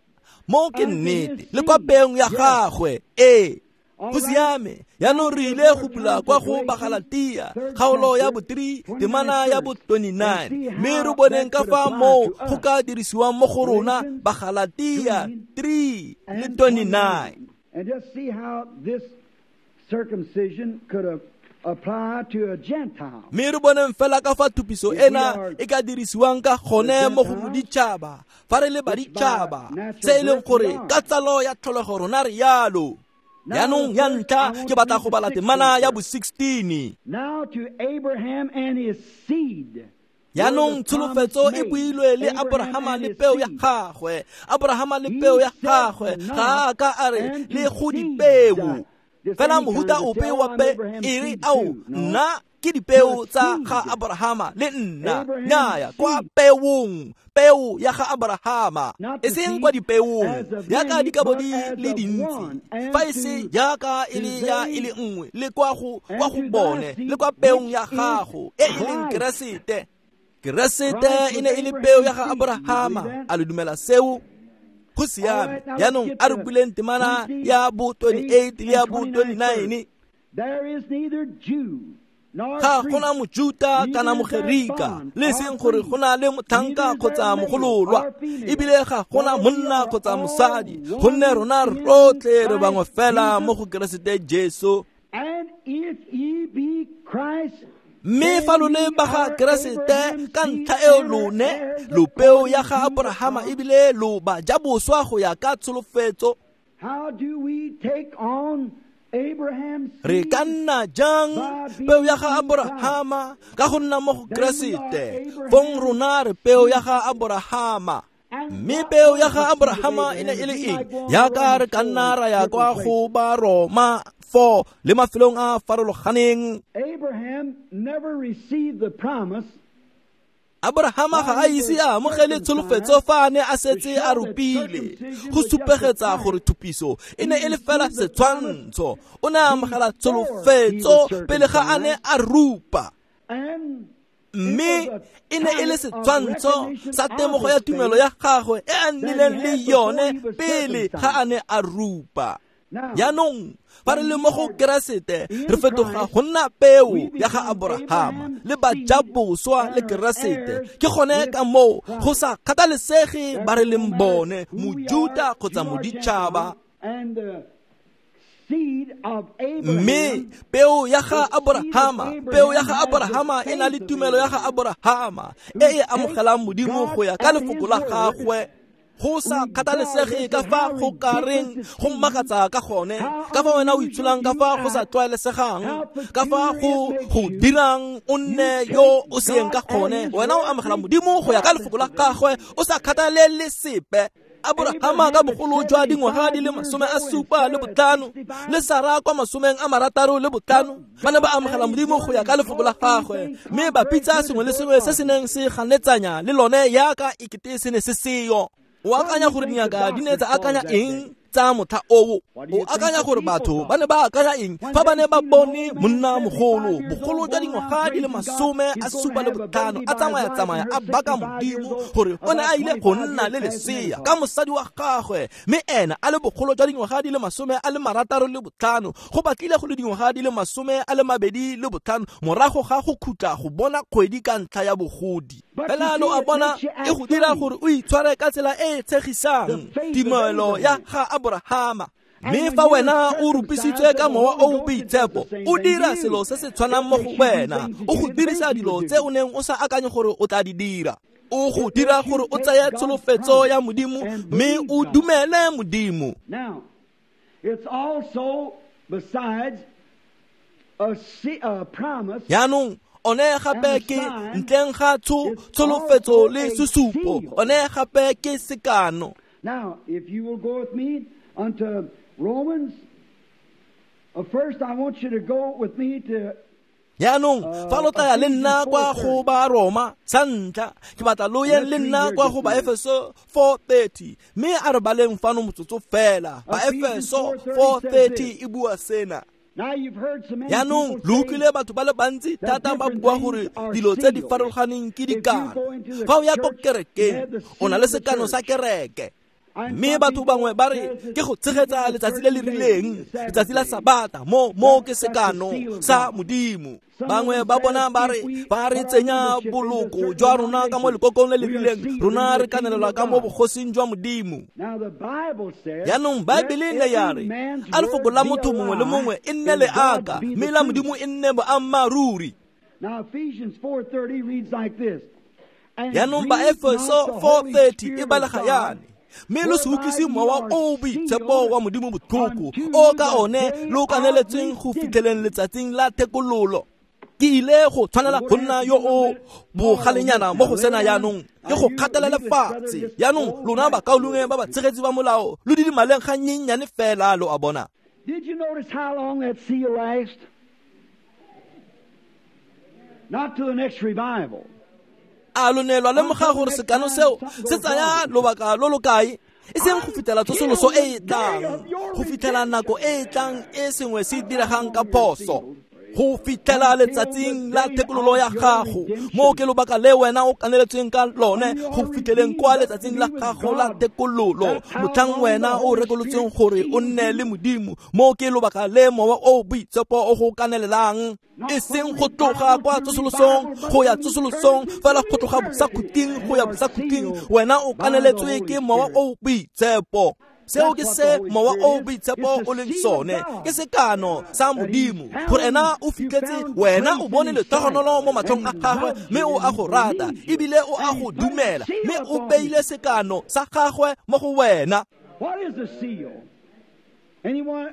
Mo ke nnete le kwa peong ya gagwe. Ee, go siame. Jaanong re ile go bula kwa go Bagalatia kgaolo ya bo three temana ya bo twenty-nine, mme re boneng ka fa moo go ka dirisiwang mo go rona. Bagalatia three le twenty-nine. And just see how this circumcision could have apply to a Gentile. Mme re boneng fela ka fa thupiso ena e ka dirisiwang ka gone mo go moditšhaba fa re le baditšhaba, se e leng gore ka tsalo ya tlholego rona re yalo. Jaanong ya ntlha ke batla go bala temana ya bo sixteen. Now to Abraham and his seed. Jaanong tsholofetso e builwe le Aborahama le peo ya gagwe. Aborahama le peo ya gagwe ga a ka a re le go dipeo. Fela mohuta ope wa pe e re ao nna ke dipeo tsa ga Aborahama le nna. Nnyaya, kwa peong, peo ya ga Aborahama, e seng kwa dipeong yaka di ka bo di le dintsi, fa e se yaka e le ya e le nngwe le kwa go kwa go bone le kwa peong ya gago e e leng Keresete. Keresete e ne e le peo ya ga Aborahama. A le dumela seo? Go siame. Jaanong a re buleng temana ya bo twenty-eight le ya bo twenty-nine. There is neither Jew Ga gona mojuta kana mogerika, le seng gore go na le motlhanka kgotsa mogololwa, ebile ga gona monna kgotsa mosadi, gonne rona rotlhe re bangwe fela mo go Keresete Jesu. Mme fa lo le ba ga Keresete ka ntlha eo lone lo peo ya ga Aborahama, ebile lo ba ja boswa go ya ka tsholofetso. How do we take on Re ka nna jang peo ya ga Aborahama ka go nna mo go Keresete? Fong rona re peo ya ga Aborahama. Mme peo ya ga Aborahama e ne e le eng? Yaka re ka nna ra ya kwa go ba Roma four le mafelong a farologaneng. Abraham never received the promise. Aborahama ga a ise a amogele tsholofetso fa a ne a setse a rupile, go supegetsa gore thupiso e ne e le fela setshwantsho. O ne a amogela tsholofetso pele ga a ne a rupa, mme e ne e le setshwantsho sa temogo ya tumelo ya gagwe e a nnileng le yone pele ga a ne a rupa. Jaanong fa re le mo go Keresete re fetoga go nna peo ya ga Aborahama le bajaboswa le Keresete. Ke gone ka moo go sa kgathalesege ba re leng bone, mojuta kgotsa moditšhaba. Mme peo ya ga Aborahama, peo ya ga Aborahama e na le tumelo ya ga Aborahama e e amogelang Modimo go ya ka lefoko la gagwe. Go sa kgathalesege ka fa go ka reng go mmakatsa ka gone, ka fa wena o itsholang ka fa go sa tlwaelesegang, ka fa go go dirang o nne yo o seeng ka gone, wena o amogela Modimo go ya ka lefoko la gagwe o sa kgathalele sepe. Aborahama ka bogolo jwa dingwaga di le masome a supa le botlhano le Sara kwa masomeng a marataro le botlhano ba ne ba amogela Modimo go ya ka lefoko la gagwe, mme ba pitsa sengwe le sengwe se se neng se ganetsanya le lone yaka ekete se ne se seyo. O akanya gore dingaka di ne tsa akanya eng tsa motlha oo. O akanya gore batho ba ne ba akanya eng fa ba ne ba bone monna mogolo bogolo jwa dingwaga di le masome a supa le botlhano a tsamaya-tsamaya a baka Modimo gore o ne a ile go nna le lesea ka mosadi wa gagwe, mme ena a le bogolo jwa dingwaga di le masome a le marataro le botlhano, go batlile go le dingwaga di le masome a le mabedi le botlhano morago ga go khutla go bona kgwedi ka ntlha ya bogodi. Fela lo a bona e go dira gore o itshware ka tsela e e tshegisang, tumelo ya ga Aborahama. Mme fa wena o rupisitswe ka mowa o o boitshepo, o dira selo se se tshwanang mo go wena, o go dirisa dilo tse o neng o sa akanye gore o tla di dira. O go dira gore o tseye tsholofetso ya Modimo mme o dumele Modimo. Now, it's also besides a, a promise. Jaanong one gape ke ntleng ga tsholofetso le sesupo, one gape ke sekano. Now, if you will go with me unto Romans, uh, first I want you to go with me to Jaanong fa lo tlaya le nna kwa go ba Roma sa ntlha, ke batla lo yeng le nna kwa go ba Efeso four thirty, mme a re baleng fano motsotso fela. Ba Efeso four thirty e bua sena. Jaanong lo utlwile batho ba le bantsi thata ba bua gore dilo tse di farologaneng ke dikano. Fa o ya ko kerekeng, o na le sekano sa kereke. Mme batho bangwe ba re ke go tshegetsa letsatsi le le rileng, letsatsi la Sabata, mo mo ke sekano sa Modimo. Bangwe ba bona ba re ba re tsenya boloko jwa rona ka mo lekokong le le rileng, rona re kanelelwa ka mo bogosing jwa Modimo. Jaanong Baebele ne ya re a lefoko la motho mongwe le mongwe e nne leaka, mme la Modimo e nne boammaaruri. Now Ephesians four thirty reads like this. Jaanong ba Efeso four thirty e balega yana: mme lo se utlwise mowa o o boitshepo wa Modimo botlhoko, o ka one lo kaneletsweng go fitlheleng letsatsing la thekololo. Ke ile go tshwanela go nna yo o bogalenyana mo go sena jaanong, ke go kgatelela lefatshe. Jaanong lona bakaulengwe ba batshegetsi ba molao lo didimaleng ga nnyenyane fela, lo a bona. Did you notice how long that seal lasts? Not to the next revival. A lo ne lwa lemoga gore sekano seo se tsaya lobaka lo lo kae? E seng go fitlhela tsosoloso e e tlang, go fitlhela nako e e tlang e sengwe se diregang ka phoso, go fitlhela letsatsing la thekololo ya gago. Mo ke lobaka le wena o kaneletsweng ka lone go fitlheleng kwa letsatsing la gago la thekololo, motlhang wena o rekolotsweng gore o nne le Modimo. Mo ke lobaka le mowa o boitshepo o go kanelelang, e seng go tloga kwa tsosolosong go ya tsosolosong, fela go tloga bosakhuting go ya bosakhuting. Wena o kaneletswe ke mowa o boitshepo. Seo ke se mowa o boitshepo o leng sone, ke sekano sa Modimo, gore ena o fitlhetse wena o bone letogonolo mo matlhong a gagwe, mme o a go rata ebile o a go dumela, mme o beile sekano sa gagwe mo go wena.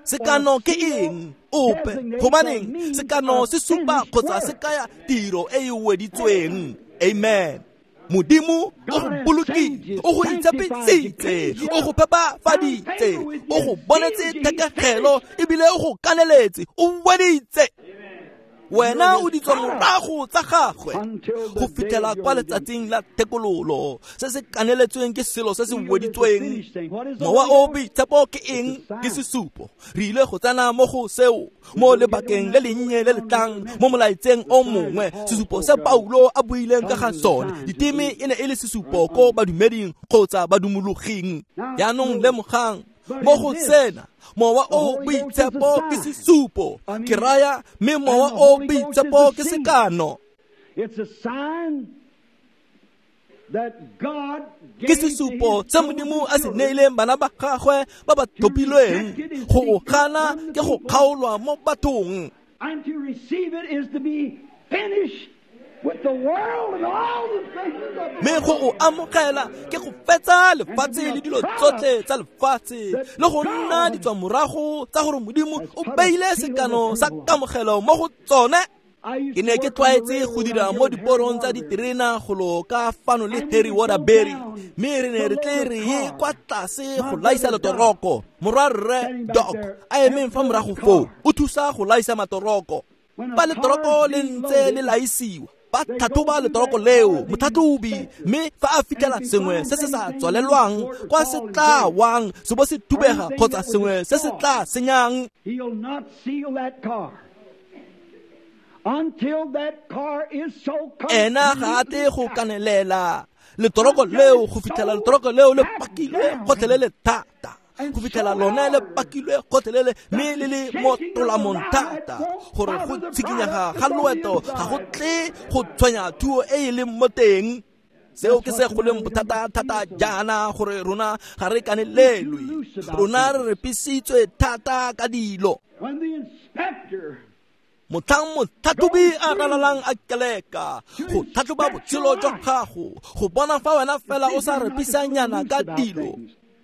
Sekano ke eng? Ope. Gobaneng sekano se supa kgotsa se kaya tiro e e weditsweng. Amen. Modimo o go bolokile, o go itshepisitse, o go phepafaditse, o go bonetse thekegelo ebile o go kaneletse, o weditse. Wena o ditswa morago tsa gagwe go fitlhela kwa letsatsing la thekololo. Se se kaneletsweng ke selo se se weditsweng. Mowa o boitshepo ke eng? Ke sesupo. Re ile go tsena mo go seo mo lebakeng le lennye le le tlang mo molaetseng o mongwe. Sesupo se Paulo a buileng ka ga sone, diteme e ne e le sesupo ko badumeding kgotsa badumologing. Jaanong lemogang mo go sena, mowa o boitshepo ke sesupo, ke raya, mme mowa o boitshepo ke sekano. Ke sesupo se Modimo a se neileng bana ba gagwe ba ba tlhophilweng. Go o gana ke go kgaolwa mo bathong. And to receive it is to be finished with the world and all the things of Mme go o amogela ke go fetsa lefatshe le dilo tsotlhe tsa lefatshe, le go nna ditswamorago tsa gore Modimo o beile sekano sa kamogelo mo go tsone. Ke ne ke tlwaetse go dira mo diporong tsa diterena go ka fano le Harry Waterbury, mme re ne re tle re ye kwa tlase go laisa letoroko. Morwarre Doc a emeng fa morago foo o thusa go laisa matoroko. Fa letoroko le ntse le laisiwa, Ba tlhatlhoba letoroko leo motlhatlhobi, mme fa a fitlhela sengwe se se sa tswalelwang kwa se tla wang se bo se thubega kgotsa sengwe se se tla senyang, ena ga a tle go kanelela letoroko leo go fitlhela letoroko leo le pakilwe gotlhelele thata, go fitlhela lone le pakilwe gotlhelele mme le le mo tolamong thata gore go tshikinyega ga loeto ga go tle go tshwenya thuo e e leng mo teng. Seo ke se go leng bothata thata jaana gore rona ga re kanelelwe, rona re repisitswe thata ka dilo. Motlhang motlhatlhobi a ralalang a keleka go tlhatlhoba botshelo jwa gago go bona fa wena fela o sa repisanyana ka dilo,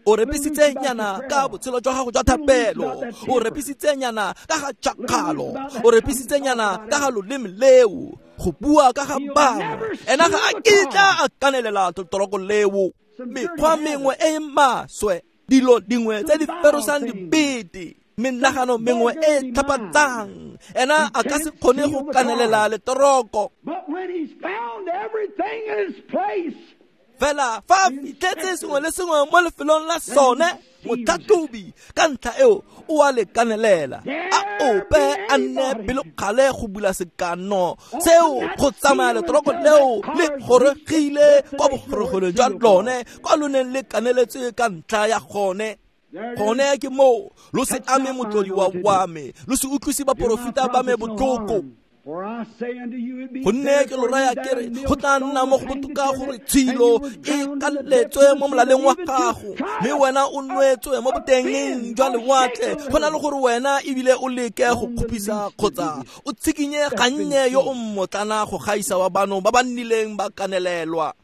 o repisitsenyana ka botshelo jwa gago jwa thapelo, o repisitsenyana ka ga tšhakgalo, o repisitsenyana ka ga loleme leo go bua ka ga bangwe, ena ga a kitla a kanelela letoroko leo. Mekgwa mengwe e e maswe, dilo dingwe tse di ferosang dibete, menagano mengwe e tlhapatsang, ena a ka se kgone go kanelela letoroko. Fela fa a fitlhetse sengwe le sengwe mo lefelong la sone, motlhatlhobi ka ntlha eo o a le kanelela, a ope a nne pelokgale go bula sekano seo go tsamaya letoroko leo le goregile kwa bogorogelong jwa lone kwa lo neng le kaneletswe ka ntlha ya gone. Gone ke moo lo se ame motlodiwa wa me, lo se utlwise baporofeta ba me botlhoko. Gonne ke lo raya ke re go tla nna mo go botoka gore tshilo e kaletswe mo molaleng wa gago mme wena o nwetswe mo botengeng jwa lewatle, go na le gore wena ebile o leke go kgopisa kgotsa o tshikinye gannye yo o mmotlana go gaisa wa bano ba ba nnileng ba kanelelwa.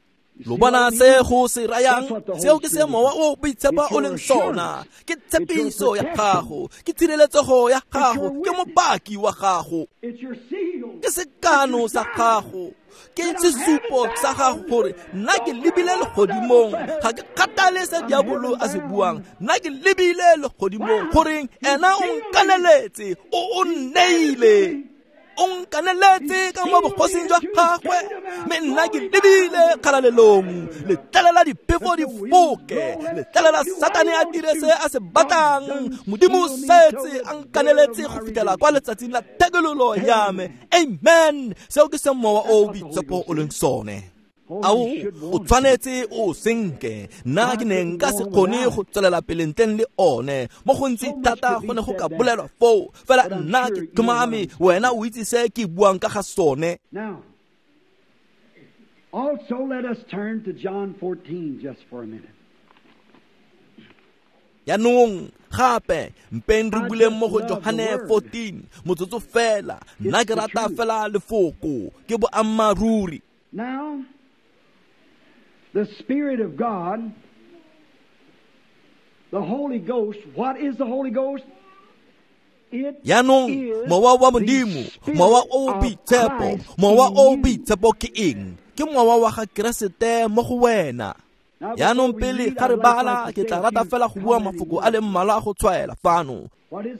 Lo bona se go se rayang? Seo ke se mowa o boitshepo o leng sona. Ke tshepiso ya gago, ke tshireletsego ya gago, ke mopaki wa gago, ke sekano sa gago, ke sesupo sa gago gore nna ke lebile legodimong, ga ke kgathale se diabolo a se buang, nna ke lebile legodimong goreng ena o nkaneletse, o o nneile, o nkaneletse ka mo bogosing jwa gagwe, mme nna ke lebile kgalalelong. Letlelela diphefo di foke, letlelela Satane a dire se a se batlang, Modimo o setse a nkaneletse go fitlhela kwa letsatsing la thekololo ya me. Amen. Seo ke se mowa o boitshepo o leng sone. Ao, o tshwanetse o senke. Nna ke ne nka se kgone go tswelela pele ntleng le one mo gontsi thata go ne go ka bolelwa foo, fela nna ke tlhomame wena o itse se ke buang ka ga sone. Also let us turn to John fourteen just for a minute. Yaanong gape mpeng re buleng mo go Johane fourteen motsotso fela. Nna ke rata fela lefoko, ke boammaaruri. Now, the Spirit of God, the Holy Ghost, what is the Holy Ghost? It Yaanong mowa wa Modimo, mowa o boitshepo, mowa o boitshepo ke eng? Ke mowa wa ga Keresete mo go wena. Yaanong pele ga re bala, ke tla rata fela go bua mafoko a le mmalwa a go tshwaela fano.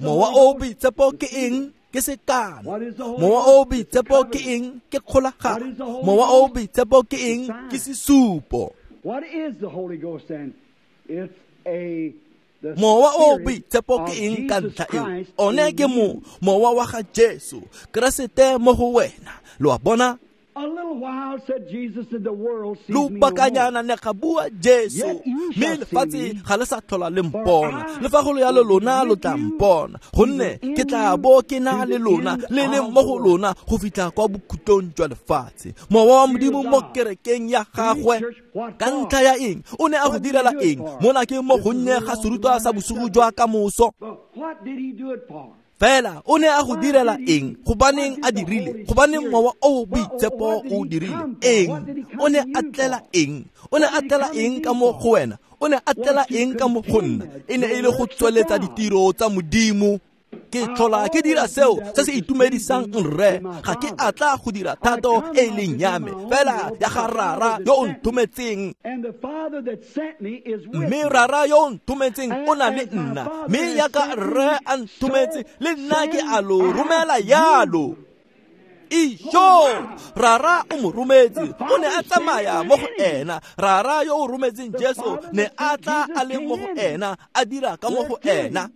Mowa o boitshepo ke eng? Ke sekano. Mowa o boitshepo ke eng? Ke kgolagano. Mowa o boitshepo ke eng? Ke sesupo. What is the Holy Ghost then? It's a Mowa o boitshepo ke eng ka ntlha eo? One ke mo mowa wa ga Jesu Keresete mo go wena. Lo a bona? A little while, said Jesus, and the world sees me no more. Lobakanyana ne ga bua Jesu, mme lefatshe ga le sa tlhola le mpona. Le fa go le yalo lona lo tla mpona, gonne ke tla bo ke na le lona, le leng mo go lona go fitlha kwa bokhutlong jwa lefatshe. Mowa wa Modimo mo kerekeng ya gagwe ka ntlha ya eng? O ne a go direla eng? Mona ke mo gonnye ga serutwa sa bosigo jwa kamoso. What did he do it for? Fela o ne a go direla eng? Gobaneng a dirile? Gobaneng mowa o boitshepo o dirile eng? O ne a tlela eng? O ne a tlela eng ka mo go wena? O ne a tlela eng ka mo go nna? E ne e le go tsweletsa ditiro tsa Modimo. Ke tlhola ke dira seo se se itumedisang rre. Ga ke a tla go dira thato e e leng ya me, fela ya ga Rara yo o nthometseng. Mme Rara yo o nthometseng o na le nna, mme yaka rre a nthometse, le nna ke a lo romela yalo. Ijo Rara o mo rometse, o ne a tsamaya mo go ena. Rara yo o rometseng Jesu ne a tla a le mo go ena, a dira ka mo go ena.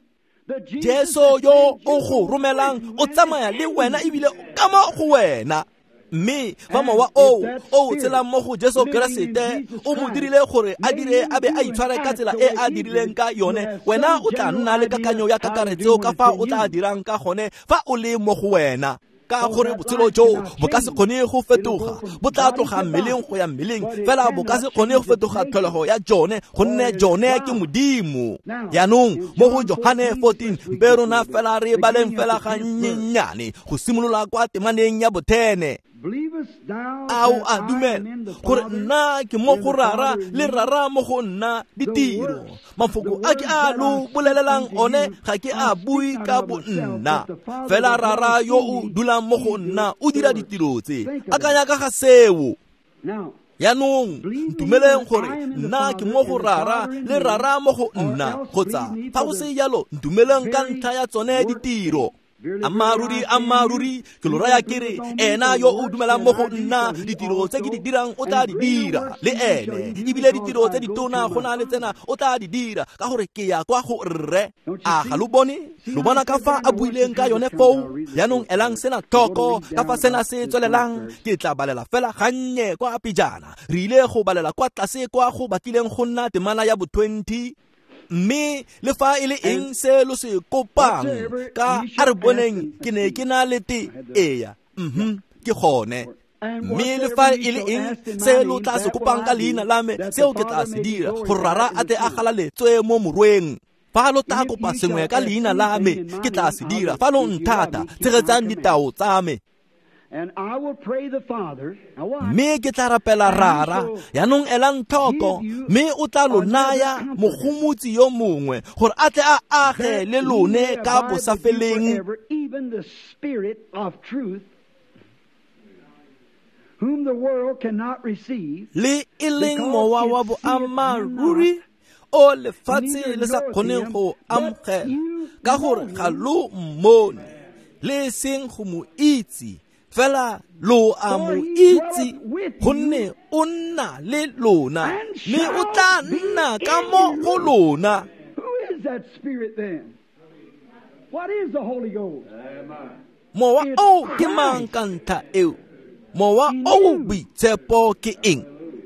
Jesu yo o go romelang o tsamaya le wena ebile ka mo go wena. Mme fa mowa oo o tshelang mo go Jesu Keresete o mo dirile gore a dire a be a itshware ka tsela e a dirileng ka yone, wena o tla nna le kakanyo ya kakaretso ka fa o tla dirang ka gone fa o le mo go wena. Ka gore botshelo joo bo ka se kgone go fetoga, bo tla tloga mmeleng go ya mmeleng, fela bo ka se kgone go fetoga tlholego ya jone, gonne jone ke Modimo. Jaanong mo go Johane fourteen, mpe rona fela re baleng fela gannyenyane go simolola kwa temaneng ya bothene. A o a dumela gore nna ke mo go Rara le Rara mo go nna? Ditiro mafoko a ke a lo bolelelang one ga ke a bue ka bo nna, fela Rara yo o dulang mo go nna o dira ditiro tse. Akanya ka ga seo. Jaanong ntumeleng gore nna ke mo go Rara le Rara mo go nna, kgotsa fa go se jalo ntumeleng ka ntlha ya tsone ditiro. Ammaaruri, ammaaruri, ke lo raya ke re, ena yo o dumelang mo go nna, ditiro tse ke di dirang o tla di dira le ene, ebile ditiro tse ditona go na le tsena o tla di dira, ka gore ke ya kwa go Rre. A ga lo bone? Lo bona ka fa a buileng ka yone foo? Jaanong elang sena tlhoko ka fa sena se tswelelang. Ke tla balela fela gannye kwa pejana. Re ile go balela kwa tlase kwa go batlileng go nna temana ya bo twenty. Mme le fa e le eng se lo se kopang ka a re boneng ke ne ke na le te eya, mhm, ke gone. Mme le fa e le eng se lo tla se kopang ka leina la me, seo ke tla se dira, gore Rara a tle a galaletswe mo morweng. Fa lo tla kopa sengwe ka leina la me, ke tla se dira. Fa lo nthata, tshegetsang ditao tsa me. Mme ke tla rapela Rara, jaanong elang tlhoko, mme o tla lo naya mogomotsi yo mongwe gore a tle a age le lone ka bosafeleng, le e leng mowa wa boammaaruri o lefatshe le sa kgoneng go amogela, ka gore ga lo mmone le seng go mo itse, fela lo a mo itse, gonne o nna le lona, mme o tla nna ka mo go lona. Mowa o ke mang ka ntlha eo? Mowa o boitshepo ke eng?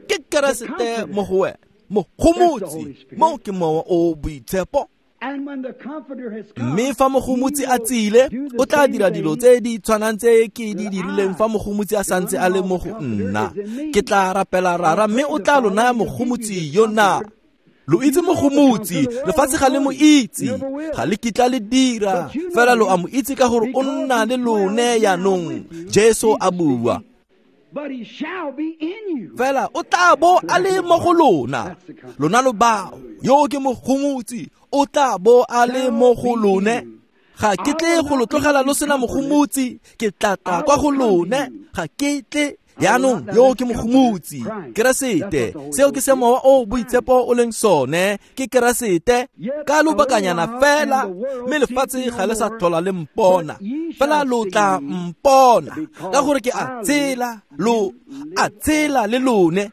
Ke Keresete mo go wena, mogomotsi. Mo ke mowa o boitshepo. Mme fa mogomotsi a tsile, o tla dira dilo tse di tshwanang tse ke di dirileng fa mogomotsi a santse a le mo go nna. Ke tla rapela Rara, mme o tla lo naya mogomotsi yo na. Lo itse mogomotsi, lefatshe ga le mo itse, ga le kitla le dira, fela lo a mo itse ka gore o nna le lone jaanong. Jesu a bua. Fela o tla bo a le mo go lona. Lona lo bao, yo ke mogomotsi, o tla bo a le mo go lone. Ga ke tle go lo tlogela lo sena mogomotsi, ke tla tla kwa go lone. Ga ke tle. Jaanong yo ke mogomotsi, Keresete. Seo ke se mowa o boitshepo o leng sone, ke Keresete. Ka lobakanyana fela, mme lefatshe ga le sa tlhola le mpona, fela lo tla mpona, ka gore ke a tshela, lo a tshela le lone.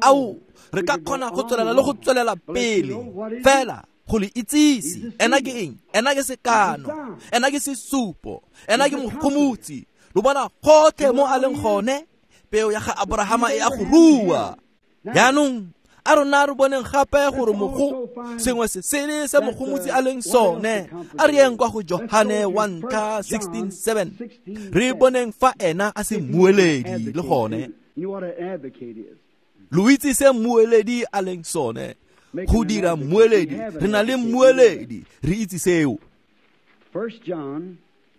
Ao, re ka kgona go tswelela le go tswelela pele, fela go le itsise. Ena ke eng? Ena ke sekano, ena ke sesupo, ena ke mogomotsi. Lo bona gotlhe mo a leng gone, peo ya ga Abrahama e a go rua. Jaanong a rona re boneng gape gore mogo sengwe se sele se mogomotsi a leng sone. A re yeng kwa go Johane wa ntlha sixteen seven, re boneng fa ena a se mmueledi le gone. Lo itse se mmueledi a leng sone. Go dira mmueledi, re na le mmueledi, re itse seo.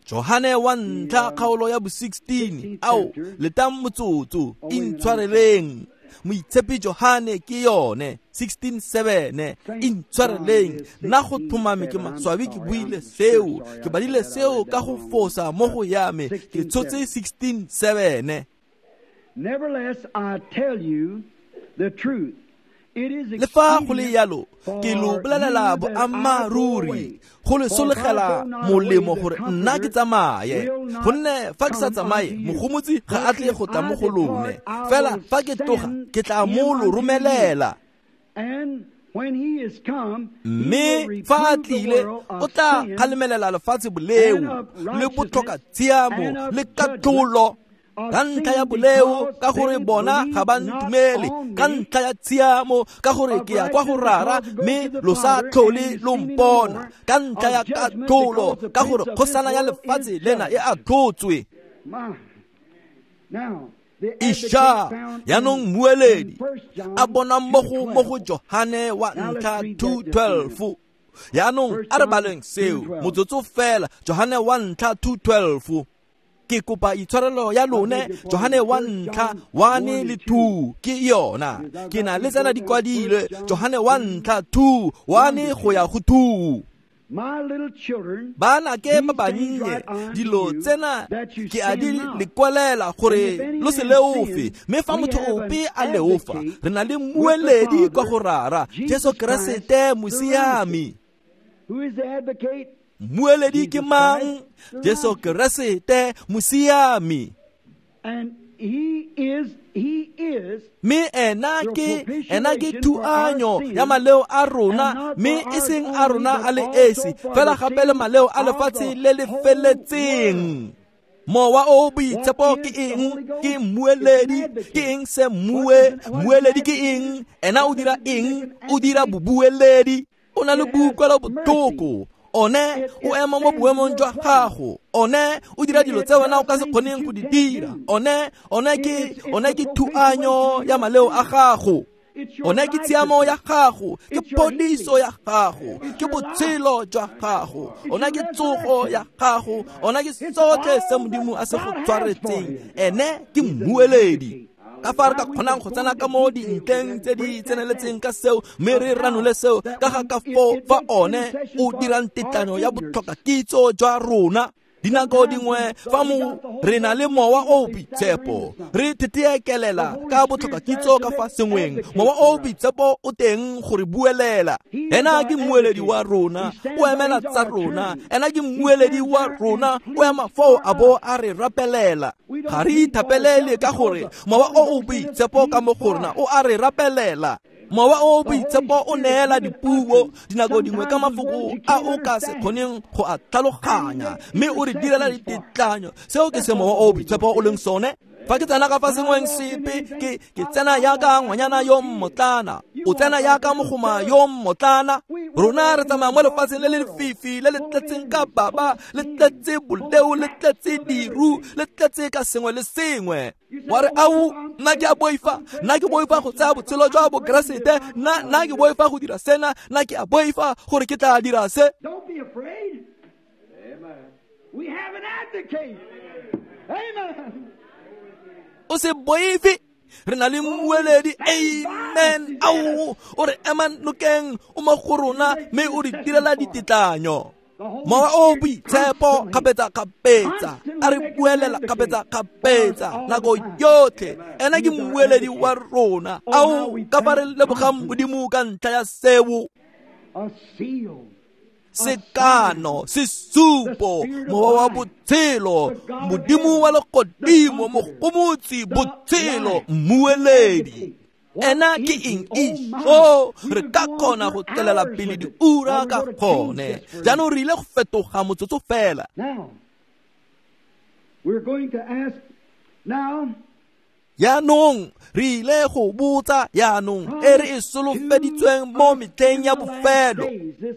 Johane wa ntlha kgaolo ya bo sixteen, ao letang motsotso, intshwareleng. Moitshepi Johane ke yone sixteen seven, intshwareleng. Nna go tlhomame ke maswabi ke buile seo, ke badile seo ka go fosa mo go ya me, ke tshotse sixteen seven. Nevertheless, I tell you the truth. Le fa go le yalo ke lo bolelela boammaaruri, go le solegela molemo gore nna ke tsamaye, gonne fa ke sa tsamaye mogomotsi ga a tle go tla mo go lone, fela fa ke tloga ke tla mo lo romelela. Mme fa a tlile o tla kgalemelela lefatshe boleo le botlhoka tshiamo le katlholo, ka ntlha ya boleo ka gore bona ga ba ntumele, ka ntlha ya tshiamo ka gore ke ya kwa go Rara mme lo sa tlhole lo mpona, ka ntlha ya katlholo ka gore kgosana ya lefatshe lena e atlhotswe. Isha yaanong mmueledi a bona mmogo mo go Johane wa ntlha two twelve. Yaanong a re baleng seo motsotso fela, Johane wa ntlha two twelve. Ke kopa itshwarelo ya lone, Johane wa ntlha one le two ke yona, ke na le tsena di kwadilwe, Johane wa ntlha two one go ya go two. Bana ke ba bannye, dilo tsena ke a di le kwalela gore lo se leofe, mme fa motho ope a leofa re na le mmueledi kwa go Rara, Jesu Keresete mosiami. Mmueledi ke mang? Jesu Keresete mosiami. Mme ena ke ena ke thuanyo ya maleo a rona, mme e seng a rona a le esi, fela gape le maleo a lefatshe le le feletseng. Mowa o boitshepo ke eng? Ke mmueledi. Ke eng se mmue? Mmueledi ke eng? Ena o dira eng? O dira bobueledi. O na le boutlwelo botlhoko. One o ema mo boemong jwa gago, one o dira dilo tse wena o ka se kgoneng go di dira, one one ke one ke thuanyo ya maleo a gago, one ke tshiamo ya gago, ke phodiso ya gago, ke botshelo jwa gago, one ke tsogo ya gago, one ke sotlhe se Modimo a se go tshwaretseng. Ene ke mmueledi. Ka fa re ka kgonang go tsena ka mo dintleng tse di tseneletseng ka seo, mme re ranole seo ka ga ka foo fa one o dirang tetlanyo ya botlhoka kitso jwa rona. Dinako dingwe fa mo re na le mowa o boitshepo re thetheekelela ka botlhoka kitso ka fa sengweng, mowa o boitshepo o teng go re buelela. Ena ke mmueledi wa rona, o emela tsa rona. Ena ke mmueledi wa rona, o ema foo a bo a re rapelela. Ga re ithapelele ka gore mowa o o boitshepo ka mo go rona o a re rapelela. Mowa o boitshepo o neela dipuo dinako dingwe ka mafoko a o ka se kgoneng go a tlhaloganya, mme o re direla ditetlanyo. Seo ke se mowa o boitshepo o leng sone. Fa ke tsena ka fa sengweng sepe, ke ke tsena yaka ngwanyana yo mmotlana, o tsena yaka mogoma yo mmotlana. Rona re tsamaya mo lefatsheng le le lefifi, le le tletseng ka baba, le tletse boleo, le tletse diru, le tletse ka sengwe le sengwe. Wa re au, nna ke a boifa, nna ke boifa go tsaya botshelo jwa bokeresete, nna nna ke boifa go dira sena, nna ke a boifa gore ke tla dira se. Don't be afraid. Amen. We have an advocate. Amen. O se boife, re na le mmueledi. Amen. Ao, o re ema nokeng, o mo go rona, mme o re direla ditetlanyo. Mowa o boitshepo kgapetsa-kgapetsa a re buelela kgapetsa-kgapetsa nako yotlhe. Ena ke mmueledi wa rona. Ao, ka fa re lebogang Modimo ka ntlha ya seo. Sekano, sesupo, mowa wa botshelo, Modimo wa legodimo, mogomotsi, botshelo, mmueledi. Ena ke eng? Isho, re ka kgona go tswelela pele diura ka gone. Jaanong re ile go fetoga motsotso fela. Yaanong re ile go botsa yaanong e re e solofeditsweng mo metlheng ya bofelo.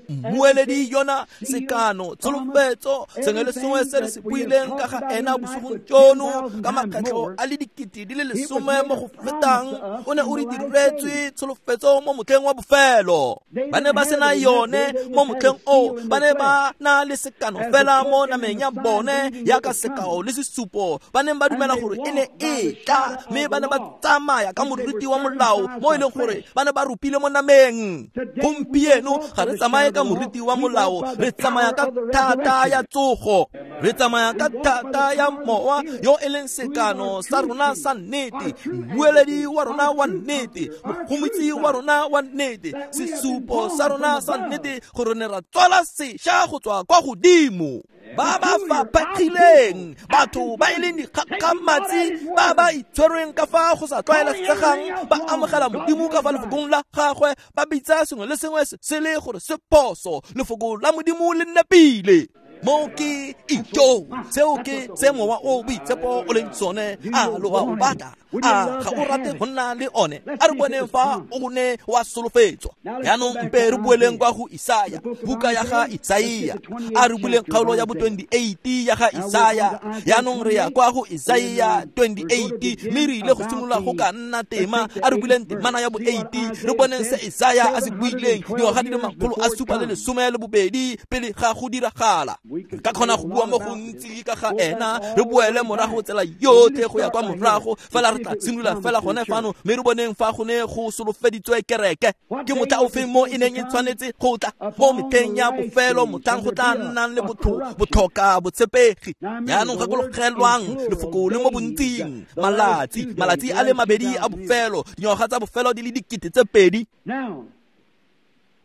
Mmueledi yona sekano, tsholofetso, sengwe le sengwe se re se buileng ka ga ena bosigong jono ka makgetlho a le dikete di le lesome mo go fetang, o ne o re diretswe tsholofetso mo motlheng wa bofelo. Ba ne ba sena yone mo motlheng oo, ba ne ba na le sekano fela mo nameng ya bone yaka sekao le sesupo. Ba neng ba dumela gore e ne e tla, mme ba ne ba tsamaya ka moriti wa molao mo e leng gore ba ne ba rupile mo nameng. Gompieno ga re tsamaye ka moriti wa molao, re tsamaya ka thata ya tsogo. Re tsamaya ka thata ya mowa yo e leng sekano sa rona sa nnete, mmueledi wa rona wa nnete, mogomotsi wa rona wa nnete, sesupo sa rona sa nnete gore ne ra tswala sešwa go tswa kwa godimo. Ba ba faphegileng, batho ba e leng dikgakgamatsi, ba ba itshwerweng ka fa go sa tlwaelesegang, ba amogela Modimo ka fa lefokong la gagwe, ba bitsa sengwe le sengwe se le gore se phoso, lefoko la Modimo le nepile. Mo ke ijo, seo ke se mowa o boitshepo o leng sone. A lo a o batla? A ga o rate go nna le one? A re boneng fa o ne wa solofetswa. Jaanong mpe re boeleng kwa go Isaya, buka ya ga Isaia. A re buleng kgaolo ya bo twenty-eight ya ga Isaya. Jaanong re ya kwa go Isaia twenty-eight, mme re ile go simolola go ka nna tema. A re buleng temana ya bo eight, re boneng se Isaya a se buileng dingwaga di le makgolo a supa le lesome le bobedi pele ga go diragala. Re ka kgona go bua mo gontsi ka ga ena, re boele morago tsela yotlhe go ya kwa morago, fela re tla simolola fela gone fano, mme re boneng fa go ne go solofeditswe kereke. Ke motlha ofeng mo e neng e tshwanetse go tla? Mo metlheng ya bofelo, motlhang go tla nnang le botho botlhoka botshepegi. Jaanong gakologelwang lefoko le mo bontsing, malatsi malatsi a le mabedi a bofelo, dingwaga tsa bofelo di le dikete tse pedi. Now,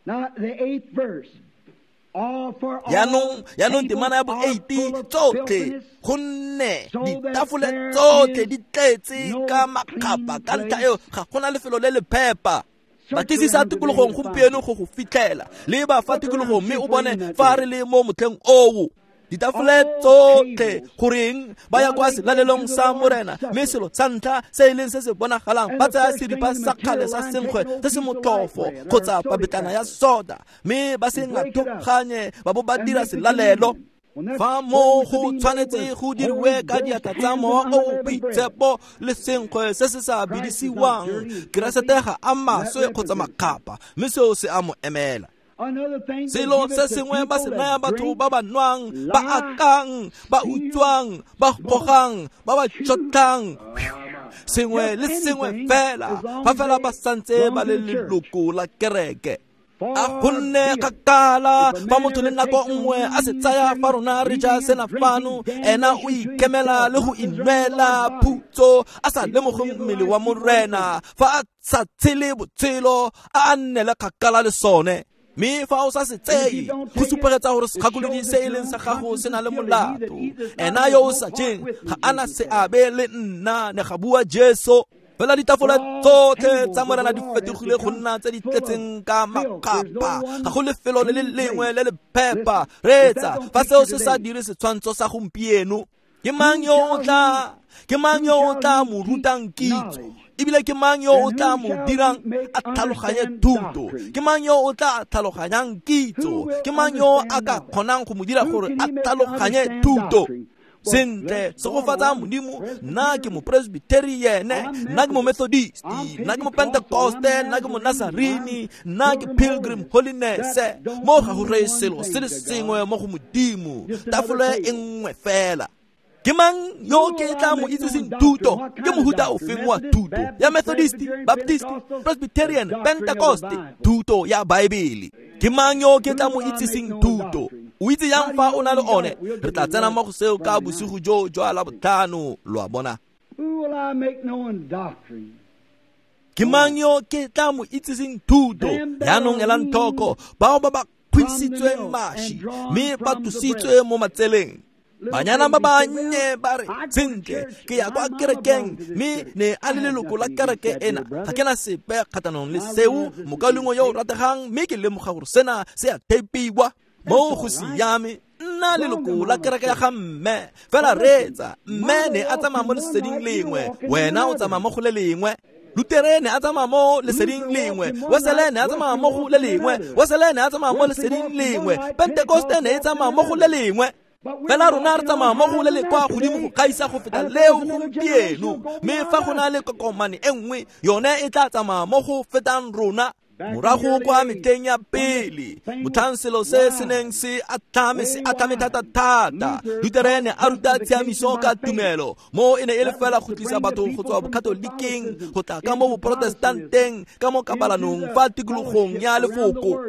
now the eighth verse. Jaanong jaanong temana ya bo eight, tsotlhe gonne ditafole tsotlhe di tletse ka makgapa, ka ntlha eo ga gona lefelo le le phepa. Batlisisa tikologong gompieno go go fitlhela, leba fa tikologong mme o bone fa re le mo motlheng oo. Ditafole tsotlhe, goreng ba ya kwa selalelong sa Morena, mme selo sa ntlha se e leng se se bonagalang, ba tsaya seripa sa kgale sa senkgwe se se motlhofo kgotsa papetlana ya soda, mme ba se ngathoganye ba bo ba dira selalelo. Fa mo go tshwanetse go diriwe ka diatla tsa mowa o o boitshepo le senkgwe se se sa bidisiwang, Keresete ga a maswe kgotsa makgapa, mme seo se a mo emela. Selo se sengwe ba se naya batho ba ba nwang, ba akang, ba utswang, ba gogang, ba ba tšhotlang, sengwe le sengwe fela, fa fela ba santse ba le leloko la kereke. A gonne kgakala fa motho le nako nngwe a se tsaya fa rona re ja sena fano, ena o ikemela le go inwela phutso a sa lemoge mmele wa Morena, fa a sa tshele botshelo a a nnele kgakala le sone. Mme fa o sa se tseye, go supegetsa gore segakolodi se e leng sa gago se na le molato. Ena yo o sa jeng ga a na seabe le nna, ne ga bua Jesu. Fela ditafole tsotlhe tsa Morena di fetogile go nna tse di tletseng ka makgapa, ga go lefelo le le lengwe le le phepa. Reetsa, fa seo se sa dire setshwantsho sa gompieno, ke mang yo o tla ke mang yo o tla mo rutang kitso? Ebile ke mang yo o tla mo dirang a tlhaloganye thuto? Ke mang yo o tla tlhaloganyang kitso? Ke mang yo a ka kgonang go mo dira gore a tlhaloganye thuto? Sentle, segofatsa Modimo, nna ke mopresbyterian, nna ke momethodist, nna ke mopentecoste, nna ke monazarini, nna ke Pilgrim Holiness. Mo ga go reye selo se le sengwe mo go Modimo, tafole e nngwe fela. Ke mang yo ke tla mo itsiseng thuto? Ke mohuta ofeng wa thuto? Ya Methodist, Baptist, Presbyterian, Pentecost, thuto ya Baebele. Ke mang yo ke tla mo itsiseng thuto? O itse yang fa o na le one? Re tla tsena mo go seo ka bosigo jo jwa Labotlhano, lo a bona. Ke mang yo ke tla mo itsiseng thuto? Jaanong elang tlhoko, bao ba ba kgwisitsweng mašwi mme ba tlositswe mo matseleng. Banyana ba bannye ba re, sentle, ke ya kwa kerekeng, mme ne a le leloko la kereke ena. Ga ke na sepe kgatlhanong le seo, mokaulengwe yo o rategang, mme ke lemoga gore sena se a thepiwa. Mo go siame, nna leloko la kereke ya ga mme. Fela reetsa, mme ne a tsamaya mo leseding lengwe, wena o tsamaya mo go le lengwe. Lutere ne a tsamaya mo leseding lengwe, Wesele ne a tsamaya mo go le lengwe, Wesele ne a tsamaya mo leseding lengwe, Pentecoste ne e tsamaya mo go le lengwe. Fela rona re tsamaya mo go le le kwa godimo go gaisa go feta leo gompieno, mme fa go na le kokomane e nngwe, yone e tla tsamaya mo go fetang rona. Morago kwa metlheng ya pele, motlhang selo se se neng se atlhame se atlhame thata-thata, Lutere ne a ruta tshiamiso ka tumelo, mo e ne e le fela go tlisa batho go tswa bokatoliking go tla ka mo boprotestanteng ka mo kabalanong fa tikologong ya lefoko.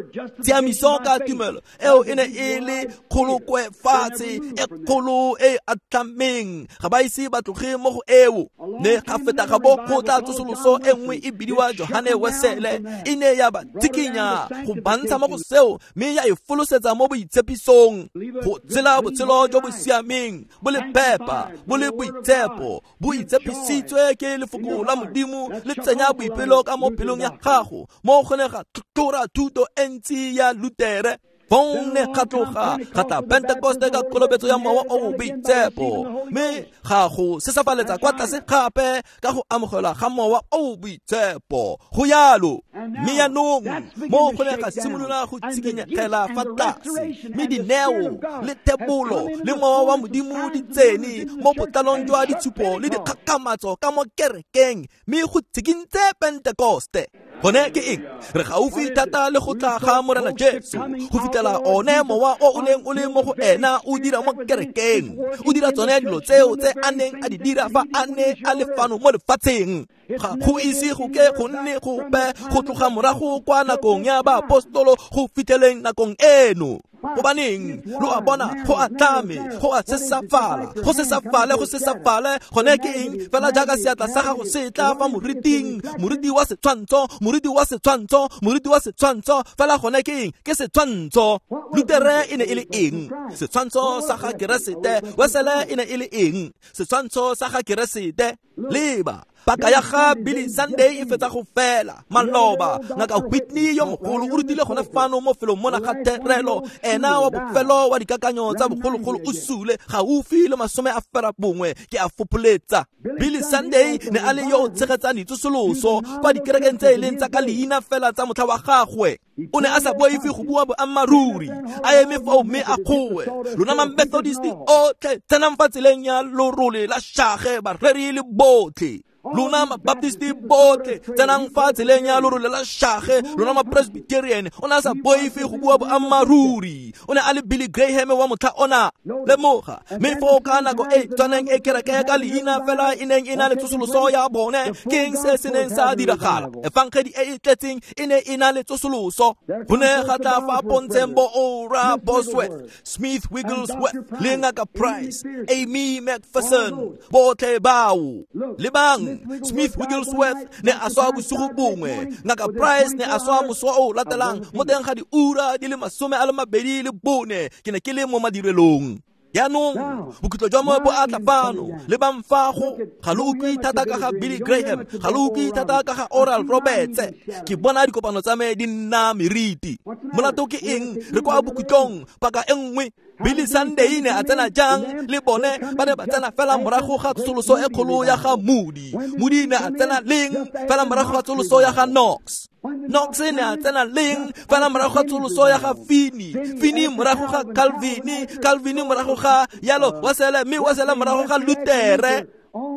Tshiamiso ka tumelo eo e ne e le kgolokwe fatshe e kgolo e atlhameng, ga ba ise ba tloge mo go eo. Ne ga feta ga bo go tla tsosoloso e nngwe e bidiwa Johane Wesele, e ne ya ba tsikinya go bantsha mo go seo mme ya e folosetsa mo boitshepisong, go tshela botshelo jo bo siameng, bo le phepa, bo le boitshepo, bo itshepisitswe ke lefoko la Modimo, le tsenya boipelo ka mo pelong ya gago, mo go ne ga tlhotlhora thuto e ntsi ya Lutere. Fong ne ga tloga ga tla Pentekoste ka kolobetso ya mowa o o boitshepo, mme ga go sesafaletsa kwa tlase gape ka go amogelwa ga mowa o o boitshepo. Go yalo. Mme jaanong mo go ne ga simolola go tshikinyegela fa tlase, mme dineo le thebolo le mowa wa Modimo di tsene mo botlalong jwa ditshupo le dikgakgamatso ka mo kerekeng, mme go tshikintse Pentekoste. Gone ke eng? Re gaufi thata le go tla ga Morena Jesu, go fitlhela one mowa o o neng o le mo go ena o dira mo kerekeng, o dira tsone dilo tseo tse a neng a di dira fa a ne a le fano mo lefatsheng. Ga go ise go ke go nne gope go tloga morago kwa nakong ya baapostolo go fitlheleng nakong eno. Gobaneng lo a bona go atlhame, go a sesafala, go sesafale, go sesafale. Gone ke eng? Fela jaaka seatla sa gago se tla fa moriting, moriti wa setshwantsho, moriti wa setshwantsho, moriti wa setshwantsho. Fela gone ke eng? Ke setshwantsho. Lutere e ne e le eng? Setshwantsho sa ga Keresete. Wesele e ne e le eng? Setshwantsho sa ga Keresete. Leba paka ya ga Billy Sunday e fetsa go fela. Maloba ngaka Whitney yo mogolo o rutile gone fano mo felong mona ga terelo, ena wa bofelo wa dikakanyo tsa bogologolo o sule gaufi le masome a fera bongwe ke a fopholetsa. Billy Sunday ne a le yo o tshegetsang ditsosoloso kwa dikerekeng tse e leng tsa ka leina fela tsa motlha wa gagwe. O ne a sa boife go bua boammaaruri, a eme fao mme a kgowe. Lona ma-Methodist otlhe tsenang fa tseleng ya lorole la shage, bareri le botlhe. Lona ma-Baptist botlhe tsenang fa tseleng ya lorole la shage, lona ma-Presbyterian. O ne a sa boife go bua boammaaruri. O ne a le Billy Graham wa motlha ona. Lemoga, mme foo ka nako e tshwaneng e kereke ka leina fela e neng e na le tsosoloso ya bone, ke eng se se neng sa diragala? Efangedi e e tletseng e ne e na le tsosoloso. Go ne ga tla fa pontsheng bo Ora Bosworth, Smith Wigglesworth, le Ngaka Price, Amy McPherson, botlhe bao. Lebang, Smith Wigglesworth ne a swa bosigo bongwe, Ngaka Price ne a swa moso o latelang mo teng ga diura di le masome a le mabedi le bone. Ke ne ke le mo madirelong. Jaanong bokhutlo jwa mo bo a tla fano. Lebang fa go ga lo utlwe thata ka ga Billy Graham, ga lo utlwe thata ka ga Oral Roberts. Ke bona dikopano tsa me di nna meriti. Molato ke eng? Re kwa bokhutlong paka e nngwe. Billy Sunday ne a tsena jang le bone? Ba ne ba tsena fela morago ga tsosoloso e kgolo ya ga Moody. Moody ne a tsena leng? Fela morago ga tsosoloso ya ga Knox. Knox ne a tsena leng? Fela morago ga tsosoloso ya ga Finney. Finney morago ga Calvin, Calvin morago ga yalo Wesele, mme Wesele morago ga Lutere.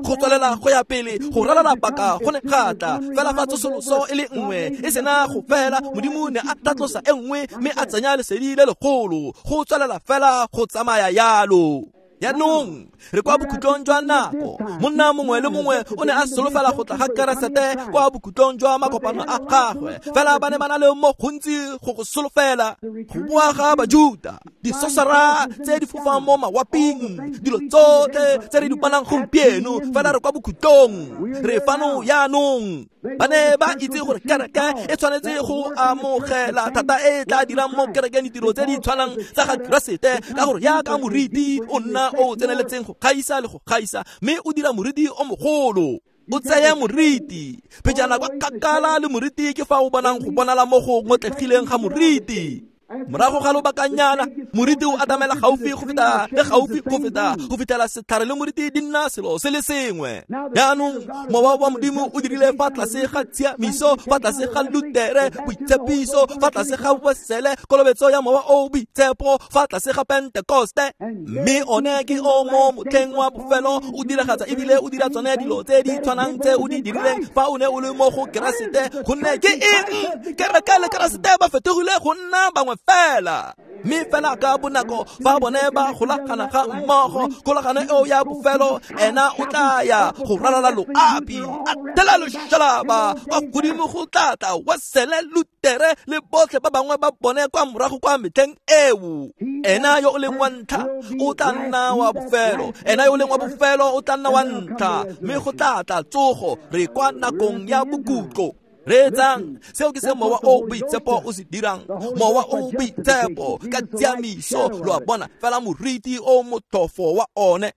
Go tswelela go ya pele go ralala paka go ne ga tla fela fa tsosoloso e le nngwe e sena go fela, Modimo ne a tlatlosa e nngwe mme a tsenya lesedi le legolo. Go tswelela fela go tsamaya yalo. Jaanong re kwa bokhutlong jwa nako. Monna mongwe le mongwe o ne a solofela go tla ga Keresete kwa bokhutlong jwa makopano a gagwe, fela ba ne ba na le mo gontsi go go solofela. Go boa ga Bajuta, disosara tse di fofang mo mawaping, dilo tsotlhe tse re di bonang gompieno, fela re kwa bokhutlong, re fano jaanong. Ba ne ba itse gore kereke e tshwanetse go amogela thata e tla dirang mo kerekeng ditiro tse di tshwanang tsa ga Keresete, ka gore jaaka moriti o nna o tseneletseng go gaisa le go gaisa, mme o dira moriti o mogolo. O tseye moriti pejana kwa kgakala le moriti, ke fa o bonang go bonala mo go ngotlegileng ga moriti. Morago ga lobakanyana moriti o atamela gaufi go feta le gaufi go feta go fitlhela setlhare le moriti di nna selo se le sengwe. Jaanong mowa wa Modimo o dirile fa tlase ga tshiamiso, fa tlase ga Lutere, boitshepiso, fa tlase ga Wesele, kolobetso ya mowa o boitshepo, fa tlase ga Pentekoste. Mme one ke o mo motlheng wa bofelo o diragatsa ebile o dira tsone dilo tse di tshwanang tse o di dirileng fa o ne o le mo go Keresete. Gonne ke eng? Kereke le Keresete ba fetogile go nna bangwe fela. Mme fela ka bonako fa bone ba golagana ga mmogo, kgolagano eo ya bofelo, ena o tla ya go ralala loapi, a thela loshalaba kwa godimo go tla tla Wesele, Lutere le botlhe ba bangwe ba bone kwa morago kwa metlheng eo. Ena yo o leng wa ntlha o tla nna wa bofelo, ena yo o leng wa bofelo o tla nna wa ntlha, mme go tla tla tsogo. Re kwa nakong ya bokutlo. Reetsang, seo ke se mowa o boitshepo o se dirang. Mowa o boitshepo ka tshiamiso, lo a bona, fela moriti o motlhofo wa one.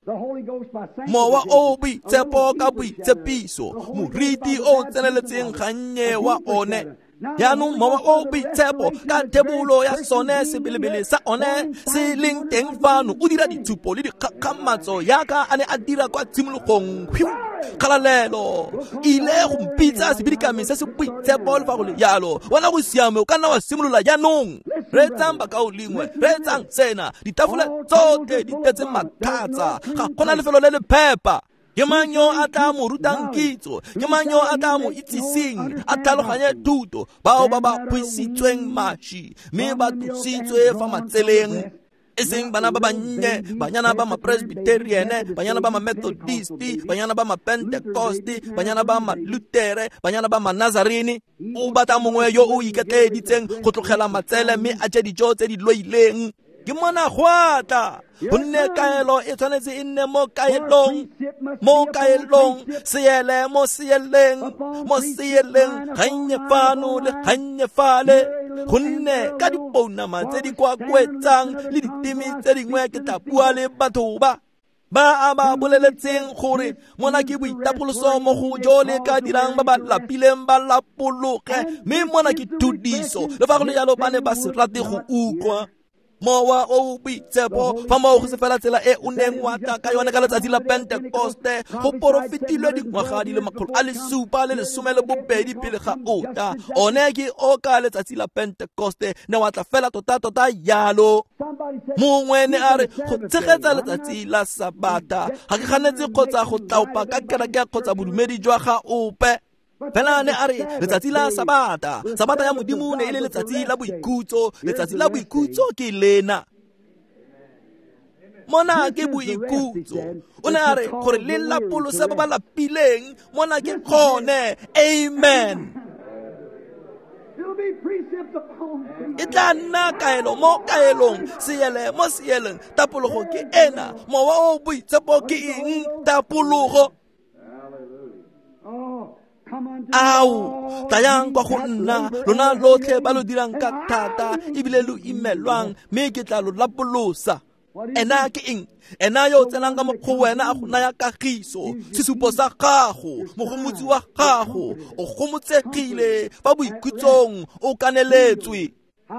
Mowa o boitshepo ka boitshepiso, moriti o tseneletseng gannye wa one. Jaanong mowa o boitshepo ka thebolo ya sone sebelebele sa one se leng teng fano o dira ditshupo le dikgakgamatso yaka a ne a dira kwa tshimologong. Kgalalelo ile go mpitsa sebidikami se se boitshepo le fa go le jalo. Wena go siame, o ka nna wa simolola jaanong. Reetsang bakaulengwe, reetsang sena. Ditafole tsotlhe di tletse matlhatsa, ga gona lefelo le le phepa. Ke mang yo a tla mo rutang kitso? Ke mang yo a tla mo itsiseng a tlhaloganye thuto? Bao ba ba kgwisitsweng maši mme ba tlositswe fa matseleng, e seng bana ba bannye, banyana ba ma-Presbyterian, banyana ba ma-Methodisti, banyana ba ma-Pentecoste, banyana ba ma-Lutere, banyana ba ma-Nazarene. O batla mongwe yo o iketleeditseng go tlogela matsele mme a je dijo tse di loileng. Ke mona go a tla, gonne kaelo e tshwanetse e nne mo kaelong, mo kaelong, seele mo seeleng, mo seeleng, gannye fano le gannye fale. Gonne ka dipounama tse di kwakwetsang le diteme tse dingwe ke tla bua le batho ba ba a ba boleletseng gore mona ke boitapoloso mo go jo le ka dirang ba ba lapileng ba lapologe, mme mona ke thudiso. Le fa go le jalo ba ne ba se rate go utlwa. Mowa o boitshepo fa moo go se fela tsela e o neng wa tla ka yone ka letsatsi la Pentekoste, go porofetilwe dingwaga di le makgolo a le supa le lesome le bobedi pele ga o tla. One ke o ka letsatsi la Pentekoste ne wa tla fela tota-tota jalo. Mongwe ne a re go tshegetsa letsatsi la Sabata ga ke ganetse kgotsa go tlaopa ka kereke kgotsa bodumedi jwa ga ope. Fela ne a re letsatsi la Sabata, Sabata ya Modimo ne e le letsatsi la boikhutso, letsatsi la boikhutso ke lena. Mona ke boikhutso. O ne a re gore le lapolose ba ba lapileng, mona ke gone. Amen. E tla nna kaelo mo kaelong, seele mo seeleng. Tapologo ke ena. Mowa o boitshepo ke eng? Tapologo. Ao, tlayang kwa go nna, lona lotlhe ba lo dirang ka thata ebile lo imelwang, mme ke tla lo lapolosa. Ena ke eng? Ena yo o tsenang ka mo go wena a go naya kagiso, sesupo sa gago, mogomotsi wa gago, o gomotsegile fa boikhutsong, o kaneletswe.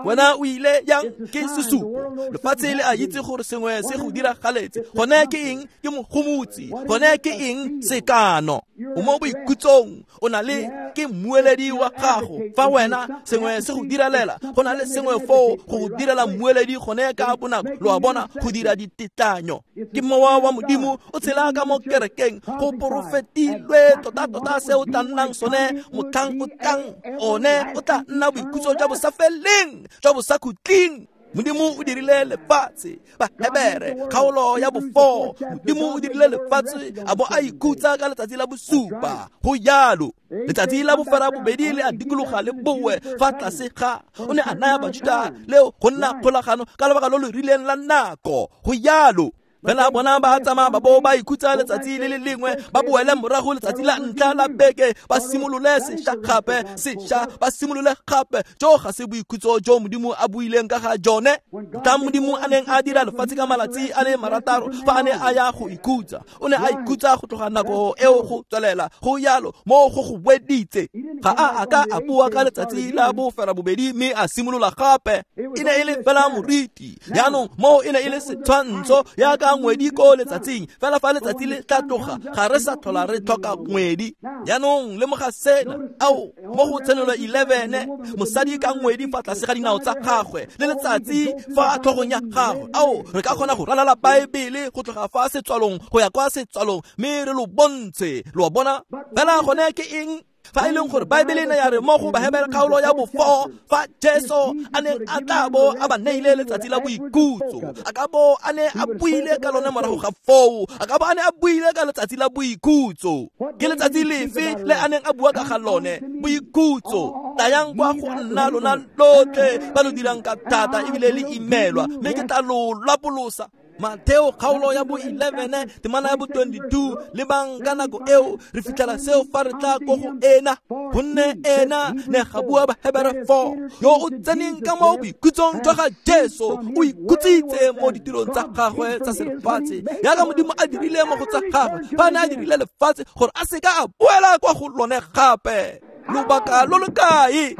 Wena o ile yang ke sesupo. Lefatshe le a itse gore sengwe se go diragaletse. Gone ke eng? Ke mogomotsi. Gone ke eng? Sekano. O mo boikhutsong, o na le ke mmueledi wa gago. Fa wena sengwe se go diralela, go na le sengwe foo go go direla mmueledi gone ka bonako. Lo a bona, go dira ditetlanyo. Ke mowa wa Modimo o tshela ka mo kerekeng. Go porofetilwe tota-tota se o tla nnang sone motlhang o tlang. One o tla nna boikhutso jwa bosafeleng, jwa bosakhutleng. Modimo o dirile lefatshe, Bahebere kgaolo ya bofo. Modimo o dirile lefatshe a bo a ikhutsa ka letsatsi la bosupa. Go jalo. Letsatsi la bofera bobedi le a dikologa le bowe fa tlase ga o ne a naya Bajuda leo go nna kgolagano ka lebaka lo lo rileng la nako. Go jalo. Fela bona ba tsamaya ba bo ba ikhutsa letsatsi le le lengwe, ba boele morago letsatsi la ntlha la beke, ba simolole sešwa gape, sešwa ba simolole gape. Jo ga se boikhutso jo Modimo a buileng ka ga jone. Tla Modimo a neng a dira lefatshe ka malatsi a le marataro fa a ne a ya go ikhutsa, o ne a ikhutsa go tloga nako eo go tswelela go yalo mo go go weditse. Ga a a ka a bua ka letsatsi la bofera bobedi mme a simolola gape. E ne e le fela moriti. Jaanong mo e ne e le setshwantsho ya ka ngwedi ko letsatsing, fela fa letsatsi le tla tloga ga re sa tlhola re tlhoka ngwedi. Jaanong lemoga sena, ao mo go Tshenolo eleven, mosadi ka ngwedi fa tlase ga dinao tsa gagwe le letsatsi fa tlhogong ya gagwe. Ao re ka kgona go ralala Baebele go tloga fa setswalong go ya kwa setswalong mme re lo bontshe, lo bona. Fela gone ke eng? Fa e leng gore Baebele e ne ya re mo go Bahebere kgaolo ya bofo, fa Jesu a neng a tla bo a ba neile letsatsi la boikhutso, a ka bo a ne a buile ka lone morago ga foo, a ka bo a ne a buile ka letsatsi la boikhutso. Ke letsatsi lefe le a neng a bua ka ga lone? Boikhutso. Tlayang kwa go nna lona lotlhe ba lo dirang ka thata ebile le imelwa, mme ke tla lo lapolosa. Mateo kgaolo ya bo eleven temana ya bo twenty-two, lebang ka nako eo re fitlhela seo fa re tla ko go ena, gonne ena ne ga bua Bahebere four, yo o tseneng ka mo boikhutsong jwa ga Jesu o ikhutsitse mo ditirong tsa gagwe tsa selefatshe, jaaka Modimo a dirile mo go tsa gagwe fa a ne a dirile lefatshe gore a seka a boela kwa go lone gape. Lobaka lo lo kae?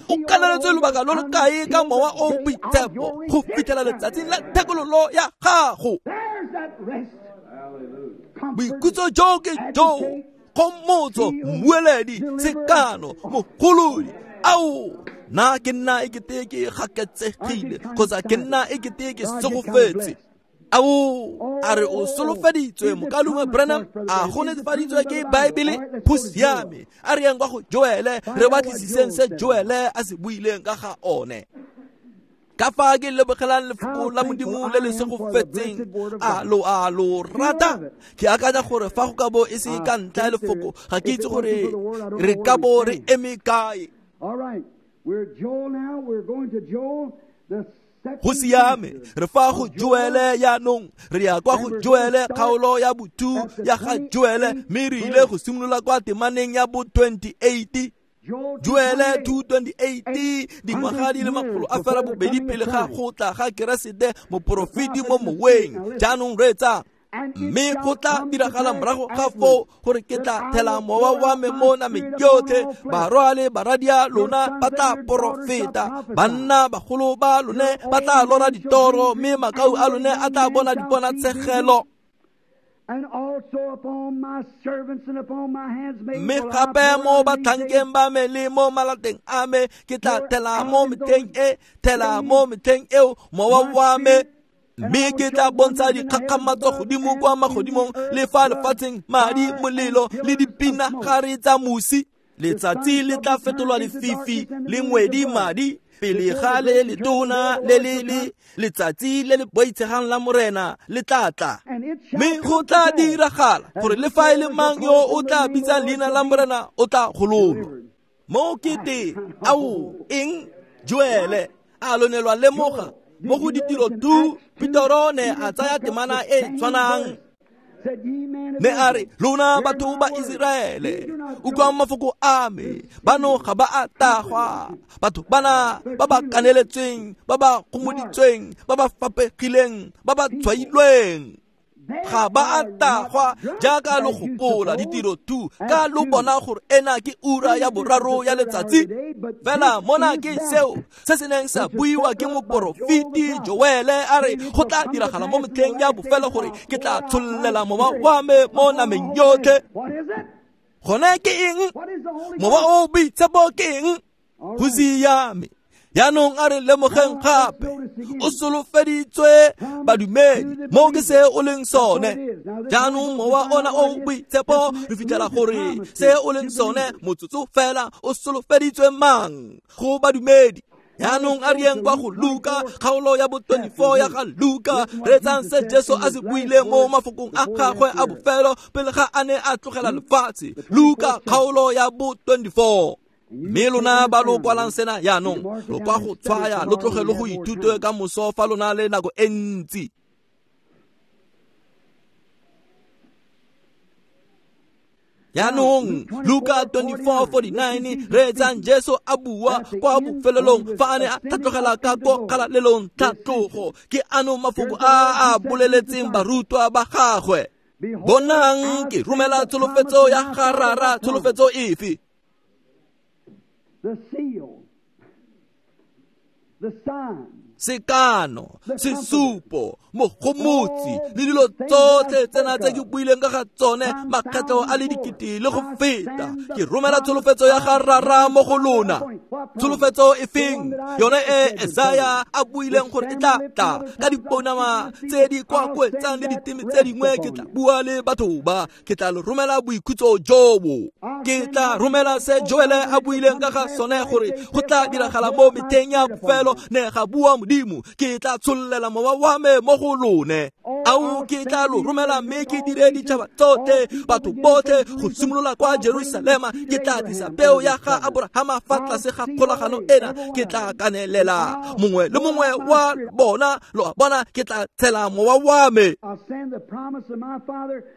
O kaneletswe lobaka lo lo kae ka mowa o boitshepo go fitlhela letsatsing la thekololo ya gago? Boikhutso jo ke jo, kgomotso, mmueledi, sekano, mogolodi. Ao, nna ke nna ekete ke gaketsegile kgotsa ke nna ekete ke segofetse. Ao, a re o solofeditswe mokalungwe Branham, a go netefaditswe ke Baebele? Go siame. A re yang kwa go Joele, re batlisiseng se Joele a se buileng ka ga one. Ka fa ke lebogelang lefoko la Modimo le le segofetseng, a lo a lo rata. Ke akanya gore fa go ka bo e se ka ntlha ya lefoko, ga ke itse gore re ka bo re eme kae. All right, we're Joel now. We're going to Joel, the Go siame, re fa go Joele jaanong, re ya kwa go Joele kgaolo ya bo two ya ga Joele, mme re ile go simolola kwa temaneng ya bo twenty-eight. Joele two twenty-eight, dingwaga di le makgolo a fela bobedi pele ga go tla ga Keresete moporofeti mo moweng. Jaanong reetsa, mme go tla diragala morago ga foo gore ke tla thela mowa wa me mo nameng yotlhe, barwa le baradia lona ba tla porofeta, banna bagolo ba lone ba tla lora ditoro, mme makau a lone a tla bona diponatshegelo. Mme gape mo batlhankeng ba me le mo malateng a me ke tla thela mo metlheng e, thela mo metlheng eo mowa wa me, mme ke tla bontsha dikgakgamatso godimo kwa magodimong le fa lefatsheng, madi, molelo le dipinagare tsa mosi. Letsatsi le tla fetolwa lefifi le ngwedi madi, pele ga le letona le le le letsatsi le le boitshegang la Morena le tla tla. Mme go tla diragala gore le fa e le mang yo o tla bitsang leina la Morena o tla gololwa. Mo ke teng, ao eng? Joele a lonelwa lemoga mo go ditiro two, Petero ne a tsaya temana e tshwanang, mme a re, lona batho ba Iseraele, utlwang mafoko a me, bano ga ba a tagwa, batho bana ba ba kaneletsweng, ba ba gomoditsweng, ba ba fapegileng, ba ba tshwailweng, ga ba a tagwa jaaka lo gopola. Ditiro two, ka lo bona gore ena ke ura ya boraro ya letsatsi. Fela mona ke seo se se neng sa buiwa ke moporofeti Joele, a re go tla diragala mo metlheng ya bofelo gore ke tla tshollela mowa wa me mo nameng yotlhe. Gone ke eng? Mowa o boitshepo ke eng? Go siame. Jaanong a re lemogeng gape, o solofeditswe badumedi, mo ke se o leng sone. Jaanong mowa ona o boitshepo, re fitlhela gore se o leng sone motsotso fela o solofeditswe mang? Go badumedi. Jaanong a re yeng kwa go Luka, kgaolo ya bo twenty-four ya ga Luka, reetsang se Jesu a se buileng mo mafokong a gagwe a bofelo pele ga a ne a tlogela lefatshe. Luka kgaolo ya bo twenty-four. Mme lona ba lo kwalang sena jaanong, lo kwa go tshwaya, lo tloge lo go ithute ka moso fa lona le nako e ntsi. Jaanong Luka twenty-four forty-nine reetsang Jesu a bua kwa bofelelong fa a ne a tlhatlogela ka ko kgalalelong tlhatlogo. Ke ano mafoko a a boleletseng barutwa ba gagwe. Bonang ke romela tsholofetso ya ga Rara. Tsholofetso efe? The seal, the sign, Sekano, sesupo, mogomotsi le dilo tsotlhe tsena tse ke buileng ka ga tsone makgetlo a le dikete le go feta. Ke romela tsholofetso ya ga Rara mo go lona. Tsholofetso e feng? Yone e Esaya a buileng gore e tla tla ka dipounama tse di kwakwetsang le diteme tse dingwe. Ke tla bua le batho ba, ke tla lo romela boikhutso jobo. Ke tla romela se Joele a buileng ka ga sone gore go tla diragala mo metlheng ya bofelo, ne ga bua Modimo, ke tla tshollela mowa wa me mo go lone. Ao ke tla lo romela mme ke dire ditšhaba tsotlhe, batho botlhe, go simolola kwa Jerusalema. Ke tla tlisa peo ya ga Aborahama fa tlase ga kgolagano ena. Ke tla kanelela mongwe le mongwe wa bona, lo a bona, ke tla tshela mowa wa me.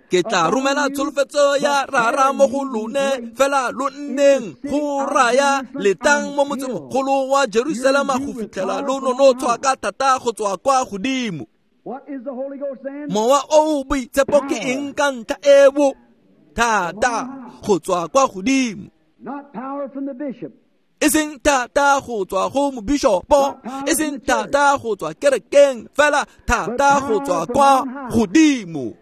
Ke tla romela tsholofetso ya Rara mo go lone, fela lo nneng go raya letang mo motsemogolo wa Jerusalema go fitlhela lo nonotshwa ka thata go tswa kwa godimo. Mowa o boitshepo ke eng ka ntlha eo? Thata go tswa kwa godimo. E seng thata go tswa go mobishopo, e seng thata go tswa kerekeng, fela thata go tswa kwa godimo.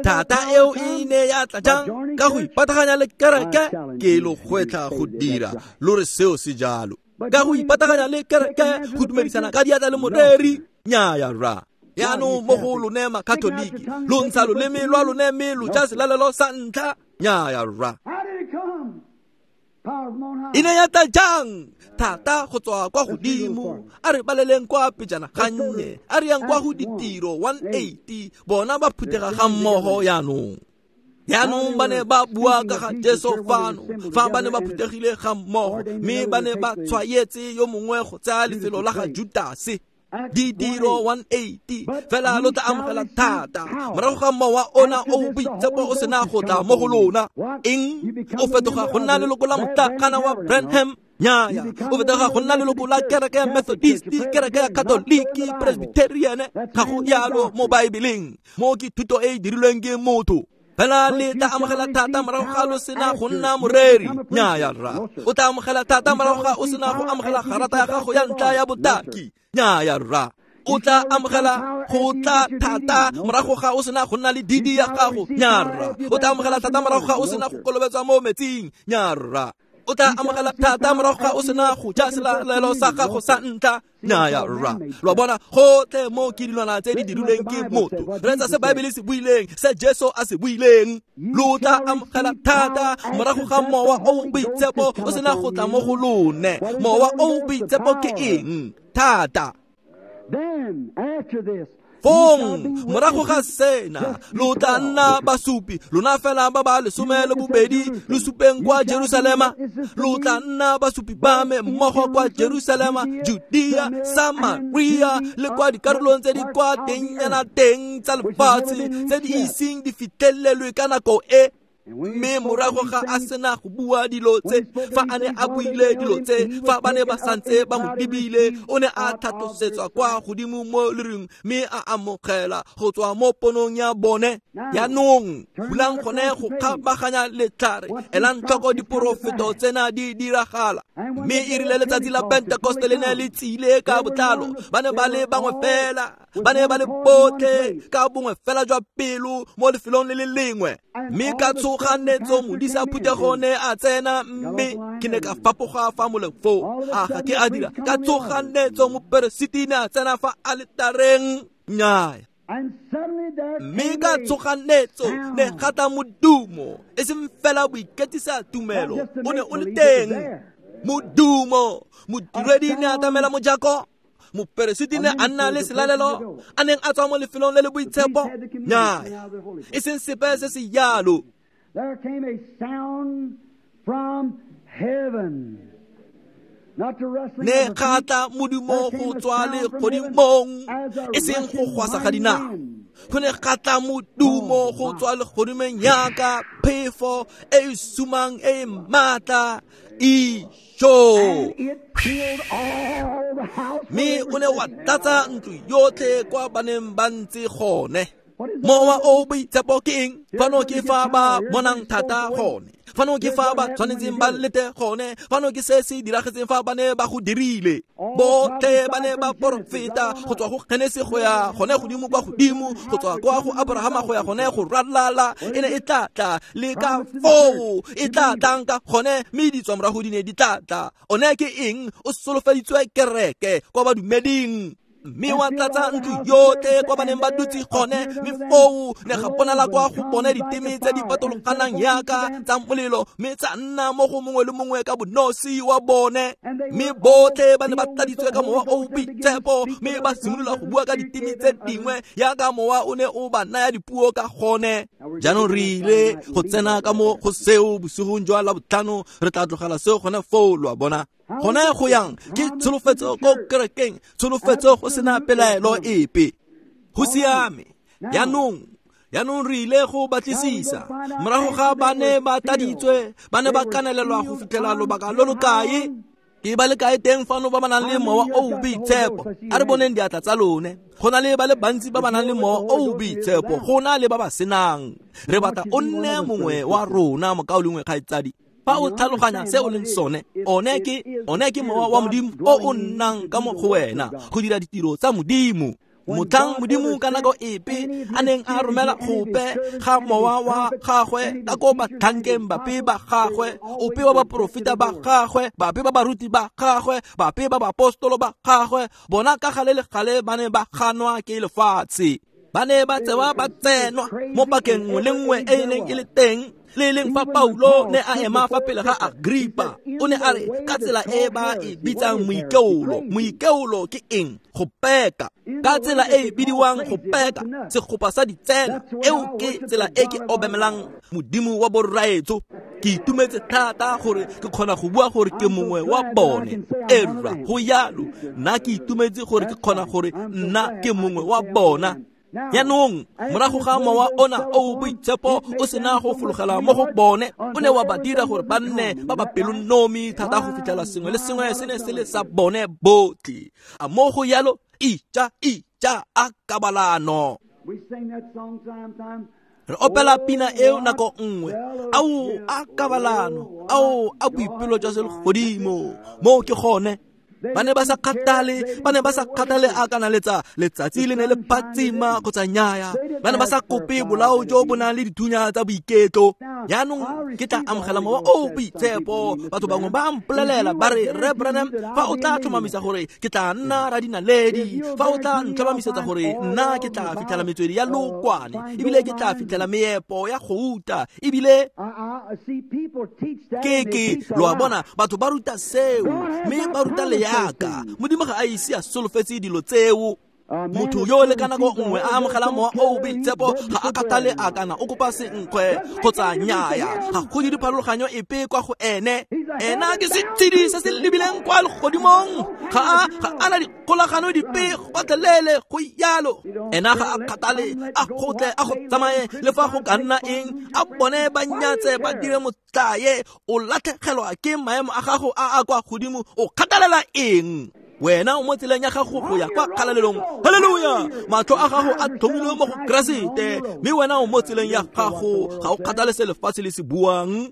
Thata eo e ne ya tla jang? Ka go ipataganya le kereke? Ke lo gwetlha go dira lo re seo se jalo. Ka go ipataganya le kereke, go dumedisana ka diatla le moreri? Nnyaya rra. Jaanong mo go lone makatoliki, lo ntsha loleme lwa lone mme lo ja selalelo sa ntlha? Nnyaya rra. E ne ya tla jang? Thata go tswa kwa godimo. A re baleleng kwa pejana gannye, a re yang kwa go ditiro one eighty, bona ba phuthega ga mmogo jaanong. Jaanong ba ne ba bua ka ga Jesu fano, fa ba ne ba phuthegile ga mmogo, mme ba ne ba tshwaetse yo mongwe go tsaya lefelo la ga Judase. Ditiro one eighty, fela lo tla amogela thata morago ga mowa ona o boitshepo o sena go tla mo go lona. Eng? O fetoga go nna leloko la motlakana wa Branham? Nnyaya. O fetoga go nna leloko la kereke ya Methodist, kereke ya Katoliki, Presbyterian? Ga go jalo mo Baebeleng. Mo ke thuto e e dirilweng ke motho. Fela le tla amogela thata morago ga lo sena go nna moreri? Nnyaya rra. O tla amogela thata morago ga o sena go amogela garata ya gago ya ntlha ya botaki? Nnyaya rra. O tla amogela go tla thata morago ga o sena go nna le didi ya gago? Nnyaya rra. O tla amogela thata morago ga o sena go kolobetswa mo metsing? Nnyaya rra. O tla amogela thata morago ga o sena go ja selalelo sa gago sa ntlha? Nnyaya rra. Lo a bona, gotlhe mo ke dilwana tse di dirilweng ke motho. Reetsa se Baebele se buileng, se Jesu a se buileng. Lo tla amogela thata morago ga mowa o boitshepo o sena go tla mo go lone. Mowa o boitshepo ke eng? Thata. Fong morago ga sena lo tla nna basupi, lona fela ba ba lesome le bobedi lo supeng kwa Jerusalema. Lo tla nna basupi ba me mmogo kwa Jerusalema, Judea, Samaria le kwa dikarolong tse di kwa tengnyana teng tsa lefatshe tse di iseng di fitlhelelwe ka nako e. Mme morago ga a sena go bua dilo tse, fa a ne a buile dilo tse, fa ba ne ba santse ba mo lebile, o ne a tlhatlosetswa kwa godimo mo lerung mme a amogela go tswa mo ponong ya bone. Jaanong bulang gone go kgabaganya letlhare, elang tlhoko diporofeto tsena di diragala. Mme e rile letsatsi la Pentekoste le ne le tsile ka botlalo, ba ne ba le bangwe fela, ba ne ba le botlhe ka bongwe fela jwa pelo mo lefelong le le lengwe. Mme ka tshoganetso modisa phuthego ne a tsena, mme ke ne ka fapoga fa moleng foo. A ga ke a dira? Ka tshoganetso moperesiti ne a tsena fa aletareng? Nnyaya. Mme ka tshoganetso ne ga tla modumo, e seng fela boiketsisa tumelo, o ne o le teng. Modumo, modiredi ne a atamela mojako, moperesiti ne a nna le selalelo, a neng a tswa mo lefelong le le boitshepo? Nnyaya, e seng sepe se se jalo. There came a sound from heaven. Ne ga tla modumo go tswa legodimong, e seng go gwasa ga dinao. Go ne ga tla modumo go tswa legodimong yaka phefo e e sumang e e maatla ijo. Mme o ne wa tlatsa ntlo yotlhe kwa ba neng ba ntse gone. Mowa o boitshepo ke eng? Fano ke fa ba bonang thata gone. Fano ke fa ba tshwanetseng ba lete gone. Fano ke se se diragetseng fa ba ne ba go dirile. Botlhe ba ne ba porofeta go tswa go Genesi go ya gone godimo kwa godimo, go tswa kwa go Abrahama go ya gone go ralala. E ne e tla tla le ka foo e tla tlang ka gone, mme ditswamorago di ne di tla tla. One ke eng? O solofeditswe kereke kwa badumeding. Mme wa tlatsa ntlo yotlhe kwa ba neng ba dutse gone, mme foo ne ga bonala kwa go bone diteme tse di patologanang yaka tsa molelo, mme tsa nna mo go mongwe le mongwe ka bonosi wa bone. Mme botlhe ba ne ba tladitswe ka mowa o o boitshepo, mme ba simolola go bua ka diteme tse dingwe yaka mowa o ne o ba naya dipuo ka gone. Jaanong re ile go tsena ka mo go seo bosigong jwa Labotlhano, re tla tlogela seo gone foo, lo a bona. Gone go yang ke tsholofetso ko kerekeng, tsholofetso go sena pelaelo epe. Go siame. Jaanong, jaanong re ile go batlisisa. Morago ga ba ne ba tladitswe, ba ne ba kanelelwa go fitlhela lobaka lo lo kae? Ke ba le kae teng fano ba ba nang le mowa o o boitshepo? A re boneng diatla tsa lone. Go na le ba le bantsi ba ba nang le mowa o o boitshepo, go na le ba ba senang. Re batla o nne mongwe wa rona, mokaulengwe kgaitsadi. Fa o tlhaloganya se o leng sone, one ke one ke mowa wa Modimo o o nnang ka mo go wena go dira ditiro tsa Modimo. Motlhang Modimo ka nako epe a neng a romela gope ga mowa wa gagwe ka ko batlhankeng bape ba gagwe, ope wa baporofeta ba gagwe, bape ba baruti ba gagwe, bape ba baapostolo ba gagwe, bona ka gale le gale ba ne ba ganwa ke lefatshe. Ba ne ba tsewa ba tsenwa mo pakeng nngwe le nngwe e e neng e le teng. Le leng fa Paulo ne a ema fa pele ga Agripa, o ne a re ka tsela e ba e bitsang moikeolo. Moikeolo ke eng? Go peka. Ka tsela e e bidiwang go peka, segopa sa ditsela. Eo ke tsela e ke obamelang Modimo wa borraetsho. Ke itumetse thata gore ke kgona go bua gore ke mongwe wa bone. Erra, go yalo. Nna ke itumetse gore ke kgona gore nna ke mongwe wa bona. Jaanong morago ga mowa ona o o boitshepo o sena go fologela mo go bone, o ne wa ba dira gore ba nne ba ba pelonomi thata go fitlhela sengwe le sengwe se ne se le sa bone botlhe. A mo go yalo, ija ija a kabalano. Re opela pina eo nako nngwe, ao a kabalano, ao a boipelo jwa selegodimo. Moo ke gone. Ba ne ba sa kgathale, ba ne ba sa kgathale a kana letsa letsatsi le ne le phatsima kgotsa nnyaya. Ba ne ba sa kope bolao jo bo nang le dithunya tsa boiketlo. Jaanong ke tla amogela mowa o o boitshepo. Batho bangwe ba mpolelela ba re, Rre Branham, fa o tla tlhomamisa gore ke tla nna radinaledi, fa o tla ntlhomamisetsa gore nna ke tla fitlhela metswedi ya lookwane, ebile ke tla fitlhela meepo ya gouta, ebile ke ke lo a bona, batho ba ruta seo, mme ba ruta le yaka. Modimo ga a ise a solofetse dilo tseo. Motho yo le ka nako nngwe a amogela mowa o o boitshepo ga a kgathale a kana o kopa senkgwe kgotsa nnyaya, ga go dire pharologanyo epe kwa go ene. Ena ke setshedi se se lebileng kwa legodimong, ga a ga a na dikgolagano dipe gotlhelele go yalo. Ena ga a kgathale, a gotle a go tsamaye le fa go ka nna eng, a bone ba nyatse ba dire motlae. O latlhegelwa ke maemo a gago a a kwa godimo, o kgathalela eng? Wena o mo tseleng ya gago go ya kwa kgalalelong. Haleluya! Matlho a gago a tlhomilwe mo go Keresete, mme wena o mo tseleng ya gago, ga o kgathale se lefatshe le se buang.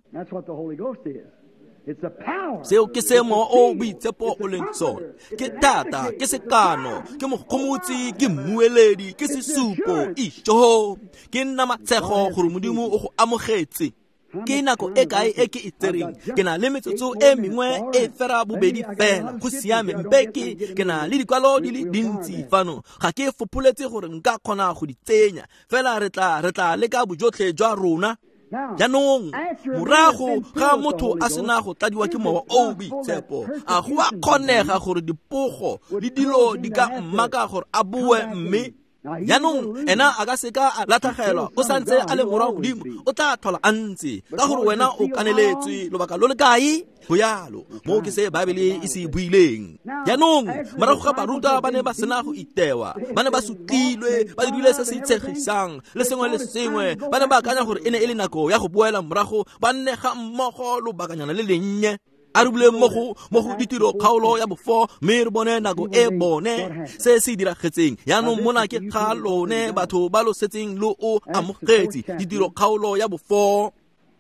Seo ke se mowa o o boitshepo o leng sone. Ke thata, ke sekano, ke mogomotsi, ke mmueledi, ke sesupo. Ijo, ke nna matshego gore Modimo o go amogetse. Ke nako e kae e ke e tsereng? Ke na le metsotso e mengwe e fera bobedi fela. Go siame, mpe ke ke na le dikwalo di le dintsi fano. Ga ke fopholetse gore nka kgona go di tsenya, fela re tla re tla leka bojotlhe jwa rona. Jaanong morago ga motho a sena go tladiwa ke mowa o o boitshepo, a go a kgonega gore dipogo le dilo di ka mmaka gore a boe mme Jaanong ena a ka seka a latlhegelwa, o santse a le morwa Modimo, o tla tlhola a ntse ka gore wena o kaneletswe lobaka lo le kae. Go yalo mo ke se Baebele e se buileng. Jaanong morago ga barutwa ba ne ba sena go itewa, ba ne ba sutlilwe, ba dirile se se itshegisang le sengwe le sengwe, ba ne ba akanya gore e ne e le nako ya go boela morago ba nne ga mmogo lobakanyana le lennye. A re buleng mo go mo go ditiro kgaolo ya bofo mme re bone nako e bone se se diragetseng. Jaanong mona ke ga lone batho ba lo setseng lo o amogetse ditiro kgaolo ya bofo.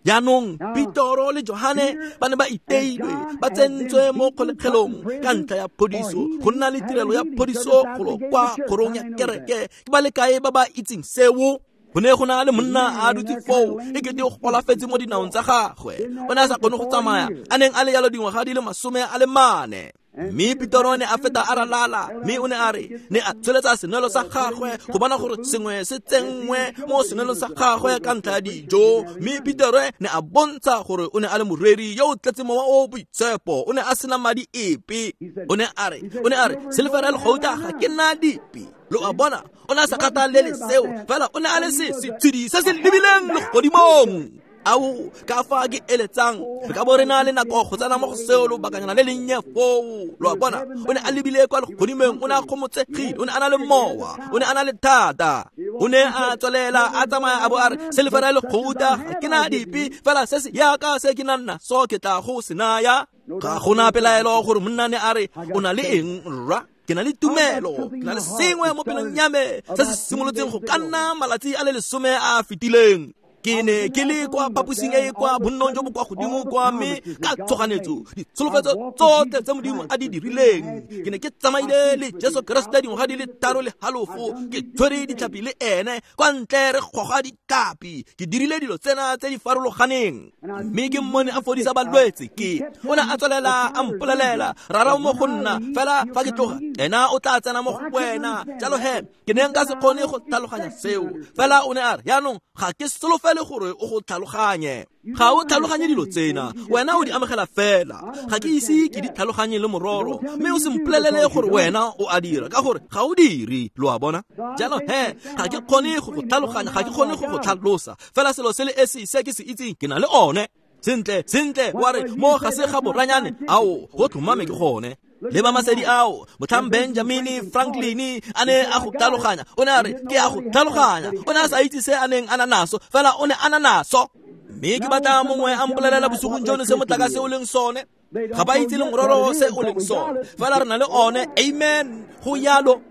Jaanong Petoro le Johane ba ne ba iteilwe, ba tsentswe mo kgolegelong ka ntlha ya phodiso, go nna le tirelo ya phodiso golo kwa kgorong ya kereke. Ke ba le kae ba ba itseng seo? Go ne go na le monna a dutse foo e kete o golafetse mo dinaong tsa gagwe, o ne a sa kgone go tsamaya, a neng a le jalo dingwaga di le masome a le mane. Mme Petoro ne a feta a ralala, mme o ne a re ne a tsholetsa senwelo sa gagwe go bona gore sengwe se tsenngwe mo senwelong sa gagwe ka ntlha ya dijo. Mme Petoro ne a bontsha gore o ne a le moreri yo o tletse mowa o boitshepo, o ne a sena madi epe. O ne a re o ne a re silefera le gauta ga ke na dipe. Lo a bona, o ne a sa kgathalele seo, fela o ne a le se setshedi se se lebileng legodimong. Ao ka fa ke eletsang re ka bo re na le nako go tsena mo go seo lobakanyana le lennye foo. Lo a bona, o ne a lebile kwa legodimong, o ne a kgomotsegile, o ne a na le mowa, o ne a na le thata. O ne a tswelela a tsamaya a bo a re silefera le gauta ga ke na dipe, fela se se yaka se ke nang naso ke tla go se naya. Ga gona pelaelo gore monna ne a re o na le eng rra? Ke na le tumelo, ke na le sengwe mo pelong ya me se se simolotseng go ka nna malatsi a le lesome a a fetileng. Ke ne ke le kwa phaposing e e kwa bonnong jo bo kwa godimo kwa, mme ka tshoganetso ditsholofetso tsotlhe tse Modimo a di dirileng. Ke ne ke tsamaile le Jesu Keresete dingwaga di le tharo le halofo, ke tshwere ditlhapi le ene kwa ntle re goga ditlhapi, ke dirile dilo tsena tse di farologaneng, mme ke mmone a fodisa balwetse. Ke o ne a tswelela a mpolelela, rara mo go nna fela fa ke tloga ena o tla tsena mo go wena. Jalo he ke ne nka se kgone go tlhaloganya seo, fela o ne a re jaanong ga ke solofele gore o go tlhaloganye. Ga o tlhaloganye dilo tsena, wena o di amogela fela. Ga ke ise ke di tlhaloganye le mororo, mme o se mpolelele gore wena o a dira, ka gore ga o dire. Lo a bona? Jalo he ga ke kgone go go tlhaloganya, ga ke kgone go go tlhalosa, fela selo se le esi se ke se itseng ke na le one. Sentle sentle wa re mo ga se ga boranyane, ao go tlhomame ke gone. Le ba masedi ao motlhang Benjamin Franklin a ne a go tlhaloganya, o ne a re ke a go tlhaloganya. O ne a sa itse se a neng a na naso, fela o ne a na naso. Mme ke batla mongwe a mpolelela bosigong jono se motlakase o leng sone. Ga ba itse le mororo se o leng sone, fela re na le one. Amen. Go yalo.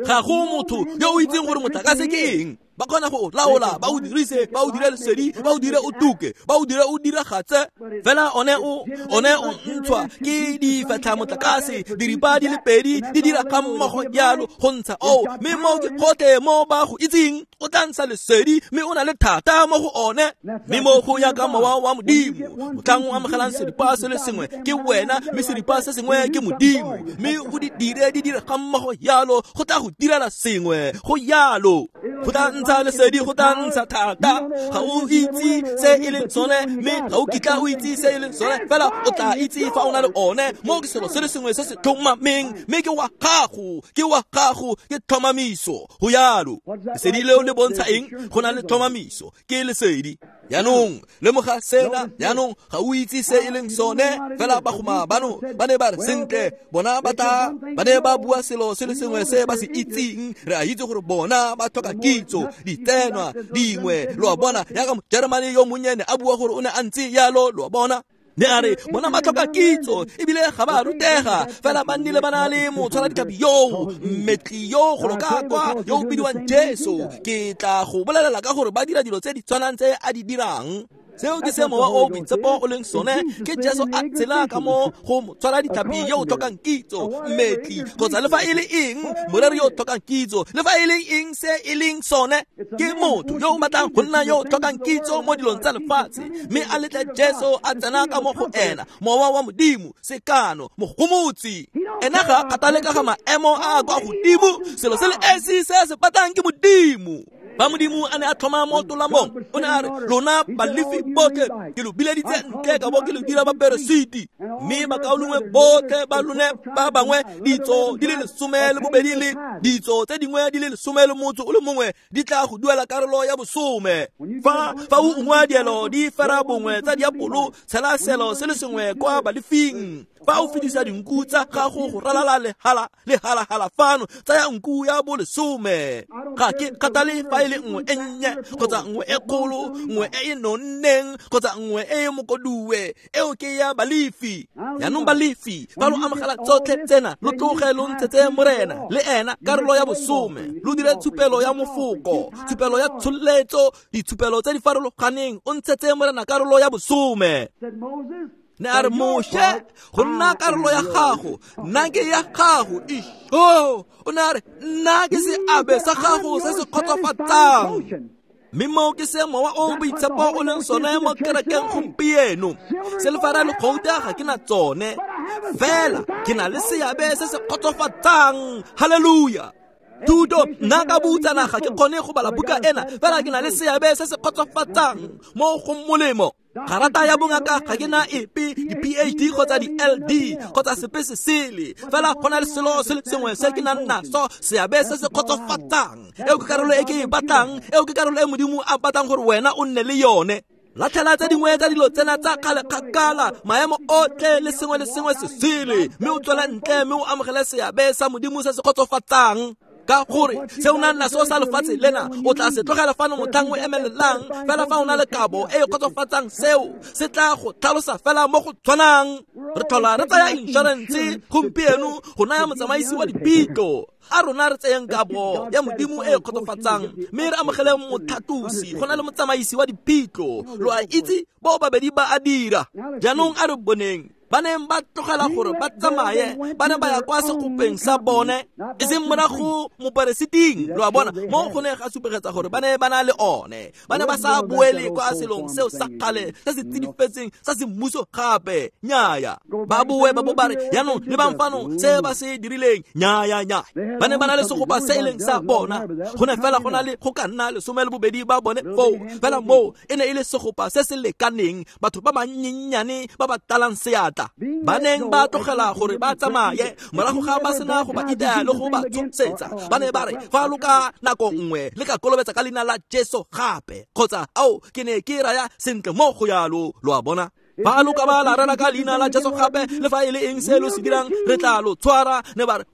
Ga go motho yo o itseng gore motlakase ke eng. Ba kgona go laola, ba o dirise, ba o dire lesedi, ba o dire o tuke, ba o dire o diragatse, fela one o one o ntshwa ke difetlha motlakase, diripa di le pedi di dira ga mmogo jalo go ntsha oo. Mme mo ke gotlhe mo ba go itseng, o tla ntsha lesedi, mme o na le thata mo go one. Mme mo go ya ka mowa wa Modimo, motlhang o amogelang seripa se le sengwe ke wena, mme seripa se sengwe ke Modimo, mme o di dire di dire ga mmogo jalo go tla go direla sengwe. Go yalo go tla ntsha lesedi, go tla ntsha thata. Ga o itse se e leng sone, mme ga o kitla o itse se e leng sone, fela o tla itse fa o na le one. Mo ke selo se le sengwe se se tlhomameng, mme ke wa gago, ke wa gago, ke tlhomamiso. Go yalo. Lesedi leo le bontsha eng? Go na le tlhomamiso, ke lesedi. Jaanong lemoga sena. Jaanong ga o itse se e leng sone, fela bagoma bano ba ne ba re sentle, bona ba tla ba ne ba bua selo se le sengwe se ba se itseng. Re a itse gore bona ba tlhoka kitso, ditsenwa dingwe. Lo a bona, yaka Mojeremane yo monnyane a bua gore o ne a ntse yalo. Lo a bona, ne a re bona ba tlhoka kitso ebile ga ba rutega, fela ba nnile ba na le motshwara ditlhapi yoo, mmetli yo golo ka kwa yo o bidiwang Jesu. Ke tla go bolelela ka gore ba dira dilo tse di tshwanang tse a di dirang. Seo ke se mowa o boitshepo o leng sone, ke Jesu a tshela ka mo go motshwara ditlhapi yo o tlhokang kitso, mmetli kgotsa le fa e le eng, moreri yo o tlhokang kitso, le fa e le eng se e leng sone. Ke motho yo o batlang go nna yo o tlhokang kitso mo dilong tsa lefatshe, mme a letle Jesu a tsena ka mo go ena, mowa wa Modimo, sekano, mogomotsi. Ena ga a kgathale ka ga maemo a a kwa godimo, selo se le esi se se batlang ke Modimo. Ba Modimo a ne a tlhoma mo tolamong, o ne a re lona Balefi botlhe ke lo bileditse ntle ka bo ke lo dira baperesiti, mme bakaulengwe botlhe ba lone ba bangwe ditso di le lesome le bobedi le ditso tse dingwe di le lesome le motso o le mongwe di tla go duela karolo ya bosome. Fa fa o ungwa dielo di fera bongwe tsa diapolo, tshela selo se le sengwe kwa Balefing. Fa o fetisa dinku tsa gago go ralala lehala lehalahala fano, tsaya nku ya bolesome. Ga ke kgathale fa e le nngwe e nnye kgotsa nngwe e kgolo, nngwe e e nonneng kgotsa nngwe e e mokoduwe, eo ke ya Balefi. Jaanong Balefi fa lo amogela tsotlhe tsena, lo tloge lo ntshetse Morena le ena karolo ya bosome, lo dire tshupelo ya mofoko, tshupelo ya tsholetso, ditshupelo tse di farologaneng, o ntshetse Morena karolo ya bosome. Ne a re Moshe, go nna karolo ya gago, nna ke ya gago. Isho, o ne a re nna ke seabe sa gago se se kgotsofatsang. Mme moo ke se Mowa o o Boitshepo o leng sone mo kerekeng gompieno. Selefara le gouta ga ke na tsone, fela ke na le seabe se se kgotsofatsang. Haleluya! Thuto, nna ka boutsana ga ke kgone go bala buka ena, fela ke na le seabe se se kgotsofatsang mo go molemo. Garata ya bongaka ga ke na epe, di-P H D kgotsa di-L D kgotsa sepe se sele, fela go na le selo se le sengwe se ke nang naso, seabe se se kgotsofatsang. Eo ke karolo e ke e batlang, eo ke karolo e Modimo a batlang gore wena o nne le yone. Latlhela tse dingwe tsa dilo tsena tsa kgale kgakala, maemo otlhe le sengwe le sengwe se sele, mme o tswele ntle mme o amogele seabe sa Modimo se se kgotsofatsang. Ka gore se o nang naso sa lefatshe lena o tla se tlogela fano motlhang o emelelang, fela fa o na le kabo e e kgotsofatsang, seo se tla go tlhalosa fela mo go tshwanang. Re tlhola re tsaya inšorense gompieno go naya motsamaisi wa dipitlo. A rona re tseyeng kabo ya Modimo e e kgotsofatsang, mme re amogele motlhatlosi go na le motsamaisi wa dipitlo. Lo a itse bao babedi ba a dira. Jaanong a re boneng ba neng ba tlogela gore ba tsamaye, ba ne ba ya kwa segopeng sa bone, e seng morago moperesiting. Lo a bona, mo go ne ga supegetsa gore ba ne ba na le one, ba ne ba sa boele kwa selong seo sa kgale se se tsidifetseng sa semmuso gape. Nnyaya, ba boe ba bo ba re jaanong lebang fano se ba se dirileng. Nnyaya, nnyaya, ba ne ba na le segopa se e leng sa bona. Go ne fela go na le go ka nna lesome le bobedi ba bone foo, fela moo e ne e le segopa se se lekaneng, batho ba bannyenyane ba ba talang seatla. Ba neng ba tlogela gore ba tsamaye morago ga ba sena go ba itaya le go ba tshosetsa. Ba ne ba re fa lo ka nako nngwe le ka kolobetsa ka leina la Jesu gape, kgotsa ao ke ne ke raya sentle mo go yalo. Lo a bona, fa lo ka ba la rera ka leina la Jesu gape, le fa e le eng se lo se dirang, re tla lo tshwara. Ne ba re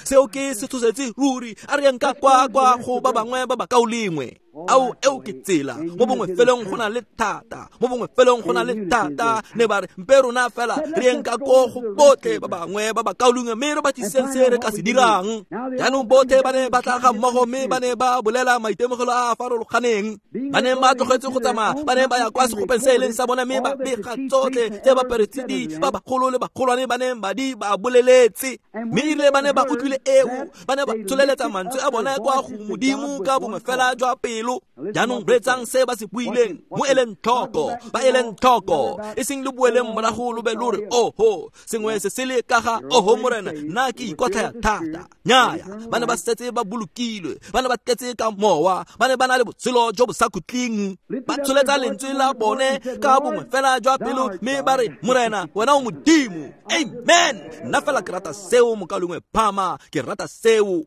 seo ke se tshosetse ruri, a re yang ka kwa kwa go ba bangwe ba bakaulengwe. Ao eo ke tsela, mo bongwe feleng go na le thata, mo bongwe feleng go na le thata. Ne ba re mpe rona fela re yeng ka ko go botlhe ba bangwe ba bakaulengwe, mme re batliseng se re ka se dirang. Jaanong botlhe ba ne ba tla ga mmogo, mme ba ne ba bolela maitemogelo a a farologaneng. Ba ne ba tlogetse go tsamaya, ba ne ba ya kwa segopeng se e leng sa bone, mme ba bega tsotlhe tse baperesiti ba bagolo le bagolwane ba neng ba di ba boleletse. Mme erile ba ne ba utlwile eo, ba ne ba tsholeletsa mantswe a bone kwa go Modimo ka bongwe fela jwa pelo. Jaanong reetsang se ba se buileng, mo eleng tlhoko, ba eleng tlhoko, e seng le boeleng morago lo be lo re oho sengwe se sele ka ga oho Morena, nna ke ikotlhaya thata. Nnyaya, ba ne ba setse ba bolokilwe, ba ne ba tletse ka mowa, ba ne ba na le botshelo jo bo sa khutleng. Ba tsholetsa lentswe la bone ka bongwe fela jwa pelo, mme ba re Morena wena o Modimo. Amen. Nna fela ke rata seo, mokaulengwe Phama, ke rata seo.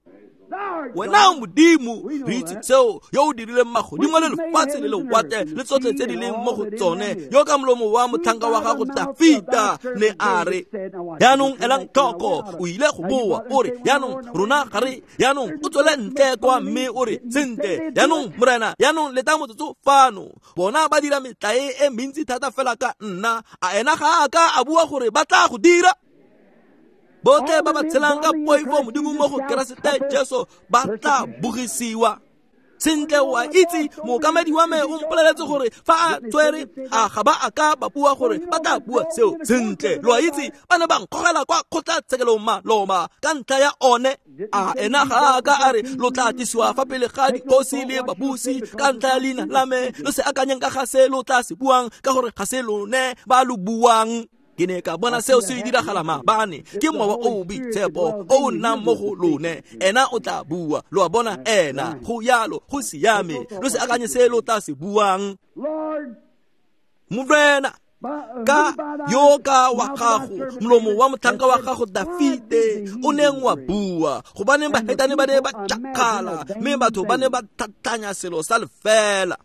Wena o Modimo, re itse seo, yo o dirileng magodimo le lefatshe le lewatle le tsotlhe tse di leng mo go tsone, yo ka molomo wa motlhanka wa gago Dafita ne a re. Jaanong elang tlhoko, o ile go boa o re jaanong rona ga re, jaanong o tswele ntle kwa mme o re sentle jaanong Morena, jaanong leta motsotso fano. Bona ba dira metlae e mentsi thata fela ka nna, a ena ga a ka a bua gore ba tla go dira? Botlhe ba ba tshelang ka poifo Modimo mo go Keresete Jesu ba tla bogisiwa. Sentle o a itse, mookamedi wa me o mpoleletse gore fa a tswere a ga ba a ka ba bua gore ba tla bua seo. Sentle lo a itse, ba ne ba nkgogela kwa kgotlatshekelong maloba ka ntlha ya one. A ena ga a ka a re lo tla tlisiwa fa pele ga dikgosi le babusi ka ntlha ya leina la me, lo se akanyeng ka ga se lo tla se buang, ka gore ga se lone ba lo buang. Ke ne ka bona seo se diragala maabane. Ke mowa o o boitshepo o o nnang mo go lone. Ena o tla bua. Lo a bona ena. Go yalo, go siame. Lo se akanye se lo tla se buang. Morena, ka yo ka wa gago molomo wa motlhanka wa gago Dafite o neng wa bua, gobaneng bahetane ba ne ba tšakgala mme batho ba ne ba tlhatlhanya selo sa lefela.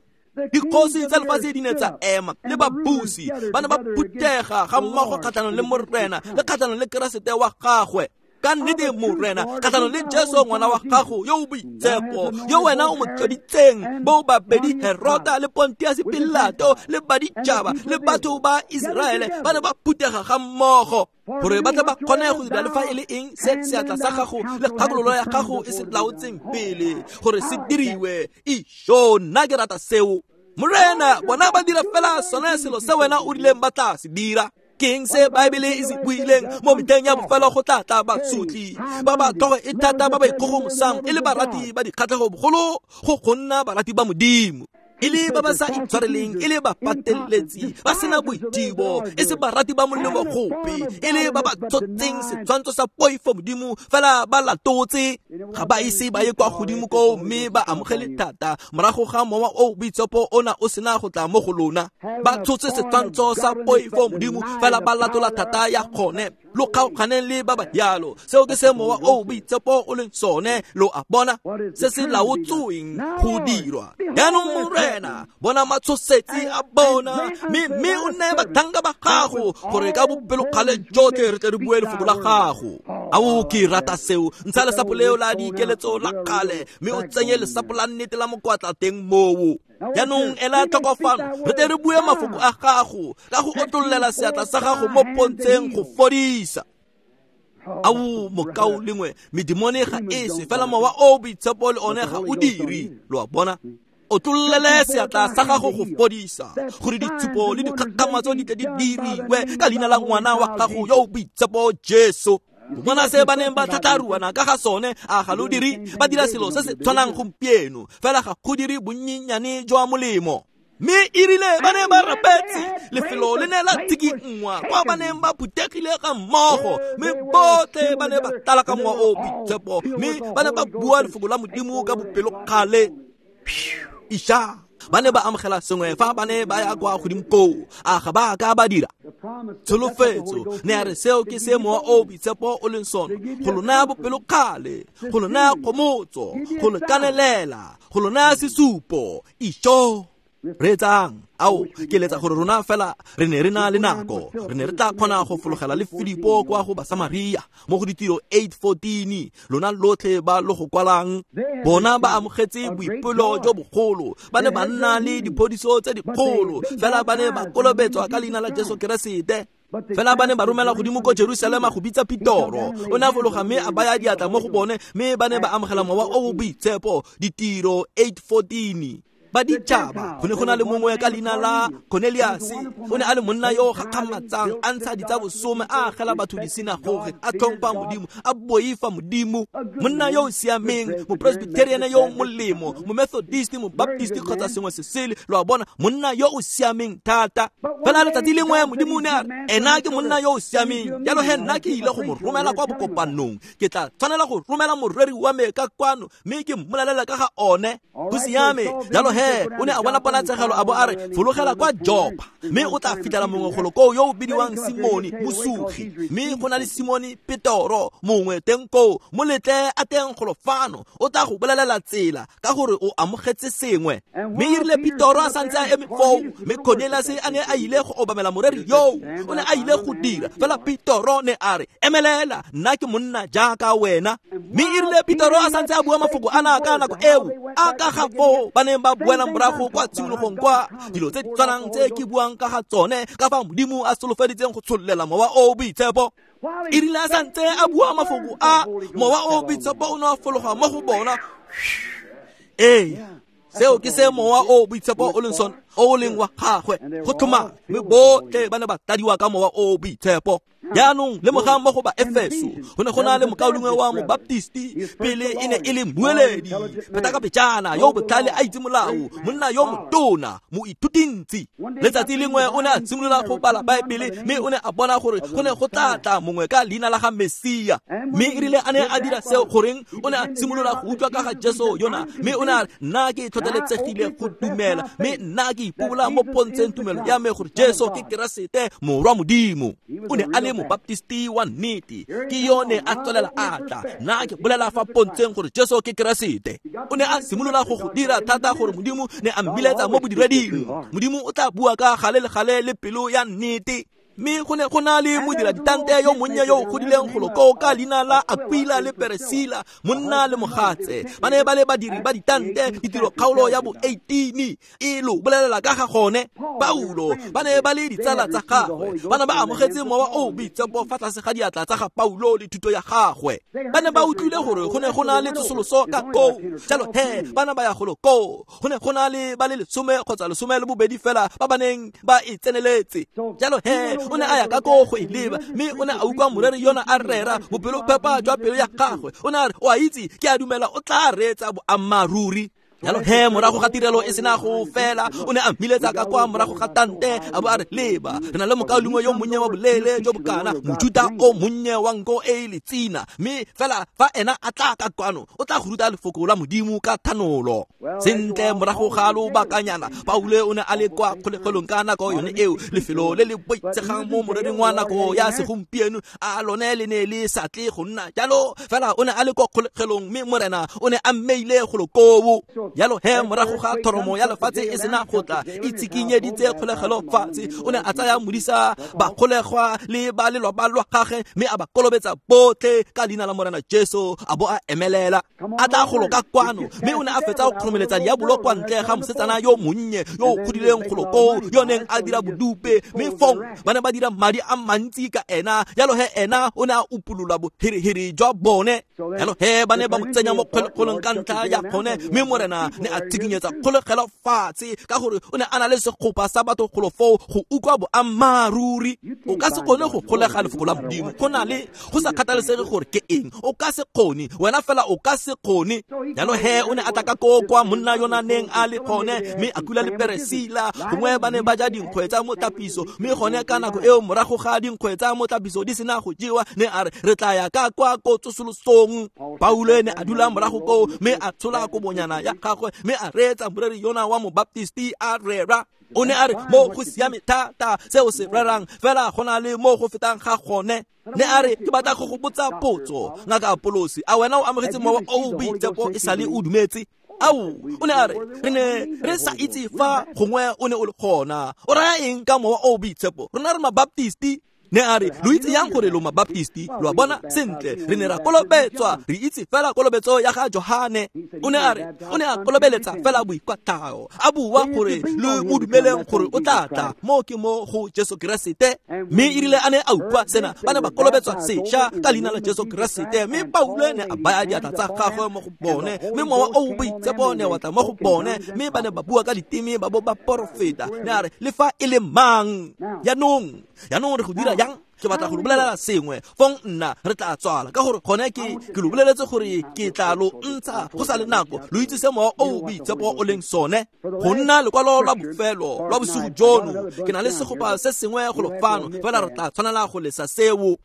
Dikgosi tsa lefatshe di ne tsa ema le babusi ba ne ba phuthega ga mmogo kgatlhanong le Morena le kgatlhanong le Keresete wa gagwe. Ka nnete Morena, kgatlhanong le Jesu ngwana wa gago yo o boitshepo, yo wena o mo tloditseng, bo babedi Herota le Pontius Pilato le baditšhaba le batho ba Iseraele ba ne ba phuthega ga mmogo gore ba tle ba kgone go dira le fa e le eng se seatla sa gago le kgakololo ya gago e se laotseng pele gore se diriwe. Isho, nna ke rata seo. Morena, bona ba dira fela sone selo se wena o rileng ba tla se dira. Ke eng se Baebele e se buileng mo metlheng ya bofelo go tla tla basotli ba ba tlhogo e thata ba ba ikgogomosang e le barati ba dikgatlhego bogolo go go nna barati ba Modimo, e le ba ba sa itshwareleng, e le ba pateletsi ba sena boithibo, e se barati ba molemo gope, e le ba ba tshotseng setshwantsho sa poifo Modimo fela ba latotse. Ga ba ise ba ye kwa godimo koo mme ba amogele thata morago ga mowa o boitshepo ona o sena go tla mo go lona. Ba tshotse setshwantsho sa poifo Modimo fela ba latola thata ya gone. Lo kgaoganeng le ba ba yalo. Seo ke se mowa o boitshepo o leng sone. Lo a bona se se laotsweng go dirwa. Jaanong Morena, bona matshosetsi a bona, mme mme o neye batlhanka ba gago gore ka bopelokgale jotlhe re tle re bue lefoko la gago. Ao, ke rata seo. Ntsha lesapo leo la dikeletso la kgale mme o tsenye lesapo la nnete la mokwatla teng moo. Jaanong ela tlhoko fano, re tle re bue mafoko a gago ka go otlololela seatla sa gago mo pontsheng go fodisa. Ao, mokao lengwe, medimone ga e se fela mowa o boitshepo le one ga o dire. Lo a bona? Otlolele seatla sa gago go fodisa, gore ditshupo le dikgakgamatso di tle di diriwe ka leina la ngwana wa gago yo o boitshepo Jesu. Bona se ba neng ba tlhatlaruana ka ga sone, a ga lo dire? Ba dira selo se se tshwanang gompieno, fela ga go dire bonnyenyane jwa molemo. Mme e rile ba ne ba rapetse, lefelo le ne la tshikinngwa kwa ba neng ba phuthegile ga mmogo, mme botlhe ba ne ba tlala ka mowa o boitshepo, mme ba ne ba bua lefoko la Modimo ka bopelokgale. Isha, ba ne ba amogela sengwe fa ba ne ba ya kwa godimo koo. A ga ba ka ba dira? Tsholofetso ne a re seo ke se mowa o boitshepo o leng sone, go lo naya bopelokgale, go lo naya kgomotso, go lo kanelela, go lo naya sesupo. Isho, reetsang. Ao, ke eletsa gore rona fela re ne re na le nako, re ne re tla kgona go fologela le Filipo kwa go Basamaria mo go ditiro eight fourteen. Lona lotlhe ba lo go kwalang, bona ba amogetse boipelo jo bogolo, ba ne ba nna le diphodiso tse dikgolo, fela ba ne ba kolobetswa ka leina la Jesu Keresete. Fela ba ne ba romela godimo ko Jerusalema go bitsa Petoro. O ne a fologa mme a baya diatla mo go bone, mme ba ne ba amogela mowa o o boitshepo. Ditiro eight fourteen. Baditšhaba, go ne go na le mongwe ka leina la Cornelius. O ne a le monna yo o gakgamatsang, a ntsha ditsa bosome, a agela batho disinagoge, a tlhompha Modimo, a boifa Modimo. Monna yo o siameng, mopresbyterian yo o molemo, momethodist, mobaptist kgotsa sengwe se sele. Lo a bona, monna yo o siameng thata. Fela letsatsi lengwe Modimo o ne a re, ena ke monna yo o siameng, jalo he nna ke ile go mo romela kwa bokopanong. Ke tla tshwanela go romela moreri wa me ka kwano mme ke mmolelela ka ga one. Go siame. Jalo he o ne a bona ponatshegelo a bo a re, fologela kwa Jopa mme o tla fitlhela mongwe golo koo yo o bidiwang Simone mosugi, mme go na le Simone Petoro mongwe teng koo, mo letle a teng golo fano, o tla go bolelela tsela ka gore o amogetse sengwe. Mme e rile Petoro a santse a eme foo, mme Cornelius a ne a ile go obamela moreri yoo, o ne a ile go dira fela. Petoro ne a re, emelela, nna ke monna jaaka wena. Mme e rile Petoro a santse a bua mafoko ana ka nako eo, a ka ga foo ba neng ba buela morago kwa tshimologong kwa dilo tse di tshwanang tse ke buang ka ga tsone, ka fa Modimo a solofeditseng go tshollela mowa o boitshepo. E rile a santse a bua mafoko a, mowa o boitshepo o ne a fologa mo go bona. Ee, seo ke se mowa o boitshepo o leng sone, o leng wa gagwe go tlhomame, mme botlhe ba ne ba tladiwa ka mowa o boitshepo. Jaanong lemogang mo go ba Efeso go ne go na le mokaulengwe wa mobaptisti pele e ne e le mmueledi pheta ka pejana yo botlhale a itse molao monna yo motona moithutintsi. Letsatsi lengwe o ne a simolola go bala Baebele mme o ne a bona gore go ne go tla tla mongwe ka leina la ga Mesia mme e rile a ne a dira seo goreng o ne a simolola go utlwa ka ga Jesu yona mme o ne a re nna ke tlhotlheletsegile go dumela mme nna ke ipobola mo pontsheng tumelo ya me gore Jesu ke Keresete morwa Modimo. O ne a le mobaptisti wa nnete ke yone a tswelela a tla nna ke bolela fa pontsheng gore Jesu ke Keresete. O ne a simolola go go dira thata gore Modimo ne a mmiletsa mo bodireding. Modimo o tla bua ka gale le gale le pelo ya nnete. Mme go ne go na le modira ditante yo monnye yo o godileng golo koo ka leina la Aquila le Peresila monna le mogatse ba ne ba le badiri ba ditante ditiro kgaolo ya bo eighteen e lo bolelela ka ga gone. Paulo ba ne ba le ditsala tsa gagwe ba ne ba amogetse mowa o boitshepo fa tlase ga diatla tsa ga Paulo le thuto ya gagwe. Ba ne ba utlwile gore go ne go na le tsosoloso ka koo jalo he ba ne ba ya golo koo go ne go na le ba le lesome kgotsa lesome le bobedi fela ba ba neng ba e tseneletse jalo he o ne a ya ka koo go e leba mme o ne a utlwa moreri yona a rera bopelophepa jwa pelo ya gagwe. O ne a re o a itse ke a dumela o tla reetsa boammaaruri. Jalo he morago ga tirelo e sena go fela o ne a mmiletsa ka kwa morago ga tante a bo a re leba re na le mokaulengwe yo monnye wa boleele jo bokana mojuta o monnye wa nko e e letsina mme fela fa ena a tla ka kwano o tla go ruta lefoko la Modimo ka thanolo. Sentle morago ga lobakanyana Paulo o ne a le kwa kgolegelong ka nako yone eo lefelo le le boitsegang mo morering wa nako ya segompieno a lone le ne le sa tle go nna jalo fela o ne a le kwa kgolegelong mme morena o ne a mmeile golo koo. Jalo he morago ga thoromo ya lefatshe e sena go tla e tshikinyeditse kgolegelo fatshe o ne a tsaya modisa ba kgolegwa le ba lelwapa lwa gagwe mme a ba kolobetsa botlhe ka leina la morena Jesu a bo a emelela a tla golo ka kwano mme o ne a fetsa go kgoromeletsa diabolo kwa ntle ga mosetsana yo monnye yo o godileng golo koo yo neng a dira bodupe mme fong ba ne ba dira madi a mantsi ka ena. Jalo he ena o ne a upolola bohereheri jwa bone. Jalo he ba ne ba mo tsenya mo kgolegelong ka ntlha ya gone mme morena ne a tshikinyetsa kgolegelo fatshe ka gore o ne a na le segopa sa batho golo foo go utlwa boammaaruri. O ka se kgone go golega lefoko la Modimo go na le go sa kgathalesege gore ke eng o ka se kgone wena fela o ka se kgone. Jalo he o ne a tla ka koo kwa monna yona neng a le gone mme Aquila le Peresila gongwe ba ne ba ja dinkgwe tsa motlapiso mme gone ka nako eo morago ga dinkgwe tsa motlapiso di sena go jewa ne a re re tla ya ka kwa ko tsosolosong. Paulo ne a dula morago koo mme a tshola kobonyana ya gagwe mme a reetsa moreri yona wa mobaptisti a rera. O ne a re mo go siame thata seo se rerang fela go na le mo go fetang ga gone. Ne a re ke batla go go botsa potso ngaka Apolosi a wena o amogetse mowa o boitshepo e sale o dumetse? Ao o ne a re re ne re sa itse fa gongwe o ne o le gona o raya eng ka mowa o boitshepo rona re mabaptisti. Ne a re lo itse yang gore lo mabaptisti lo a bona sentle re ne ra kolobetswa re itse fela kolobetso ya ga Johane. O ne a re o ne a kolobeletsa fela boikwatlhao a bua gore lo mo dumeleng gore o tla tla mo ke mo go Jesu Keresete mme e rile a ne a utlwa sena ba ne ba kolobetswa sešwa ka leina la Jesu Keresete mme Paulo ne a baya diatla tsa gagwe mo go bone mme mowa o boitshepo ne wa tla mo go bone mme ba ne ba bua ka diteme ba bo ba porofeta. Ne a re le fa e le mang jaanong jaanong re go dira yang ke batla go lo bolelela sengwe fong nna re tla tswala ka gore gone ke ke lo boleletse gore ke tla lo ntsha go sa le nako lo itse se mowa o boitshepo o leng sone. Go nna lekwalo lwa bofelo lwa bosigo jono ke na le segopa se sengwe go lo fano fela re tla tshwanela go lesa seo.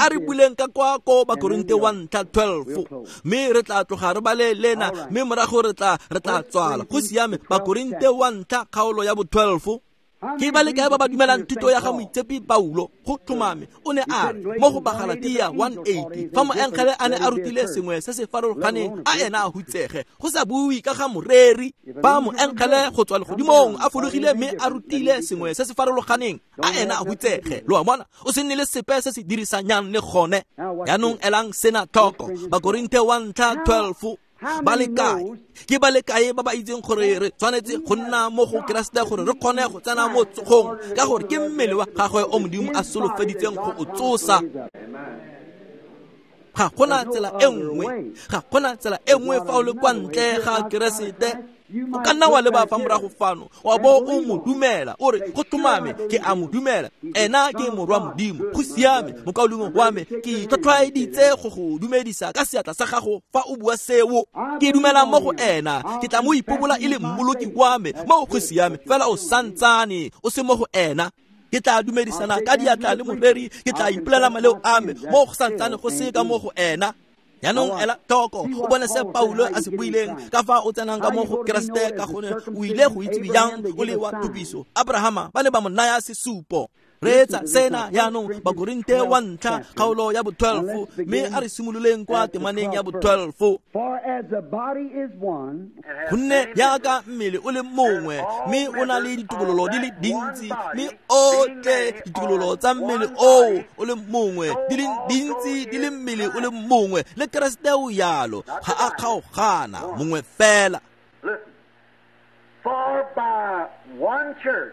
A re buleng ka kwa ko Bakorinte wa ntlha twelve mme re tla tloga re bale lena mme morago re tla re tla tswala. Go siame Bakorinte wa ntlha kgaolo ya bo twelve. Ke ba le kae ba ba dumelang thuto ya ga moitshepi Paulo go tlhomame o ne a re mo go Bagalatia one eighty fa moengele a ne a rutile sengwe se se farologaneng a ena a hutsege go sa bue ka ga moreri fa moengele go tswa legodimong a fologile mme a rutile sengwe se se farologaneng a ena a hutsege. Lo a bona o se nne le sepe se se dirisanyang le gone. Jaanong elang sena tlhoko Bakorinte wa ntlha twelve ba le kae ke ba le kae ba ba itseng gore re tshwanetse go nna mo go Keresete gore re kgone go tsena mo tsogong ka gore ke mmele wa gagwe o Modimo a solofeditseng go o tsosa. Ga gona tsela e nngwe ga gona tsela e nngwe fa o le kwa ntle ga Keresete. O ka nna wa leba fa morago fano wa bo o mo dumela, o re go tlhomame ke a mo dumela, ena ke morwa Modimo. Go siame, mokaulengwe wa me, ke tlhotlhwaeditse go go dumedisa ka seatla sa gago fa o bua seo. Ke dumela mo go ena, ke tla mo ipobola e le mmoloki wa me. Mo go siame, fela o santsane o se mo go ena. Ke tla dumedisana ka diatla le moreri, ke tla ipolela maleo a me, mo go santsane go se ka mo go ena. Jaanong ela tlhoko, o bone se Paulo a se buileng ka fa o tsenang ka mo go Keresete, ka gonne o ile go itse jang o le wa tupiso. Abrahama ba ne ba mo naya sesupo. Reetsa sena jaanong, Bakorinte wa ntlha kgaolo ya bo twelve, mme a re simololeng kwa temaneng ya bo twelve. Gonne jaaka mmele o le mongwe, mme o na le ditokololo di le dintsi, mme otlhe ditokololo tsa mmele oo o le mongwe di le dintsi di le mmele o le mongwe, le Keresete o jalo, ga a kgaogana, mongwe fela. For by one church.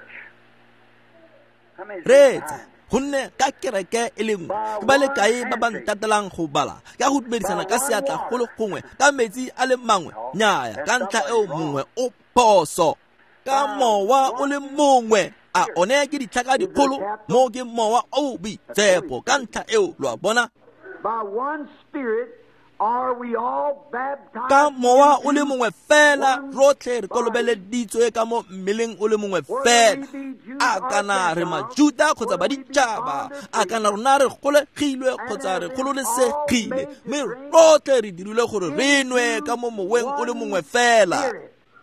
Reetsa, gonne ka kereke e le nngwe ke ba le kae ba ba ntatelang go bala ka go dumedisana ka seatla go le gongwe ka metsi a le mangwe? Nnyaya, ka ntlha eo mongwe o phoso. Ka mowa o le mongwe, a one ke ditlhaka dikgolo, mo ke mowa o boitshepo, ka ntlha eo lo a bona. By one spirit are we all baptized? Ka mowa o le mongwe fela rotlhe re kolobeleditswe ka mo mmeleng o le mongwe fela. A kana re Majuda kgotsa baditšhaba, a kana rona re golegilwe kgotsa re gololesegile, mme rotlhe re dirilwe gore re nwe ka mo moweng o le mongwe fela.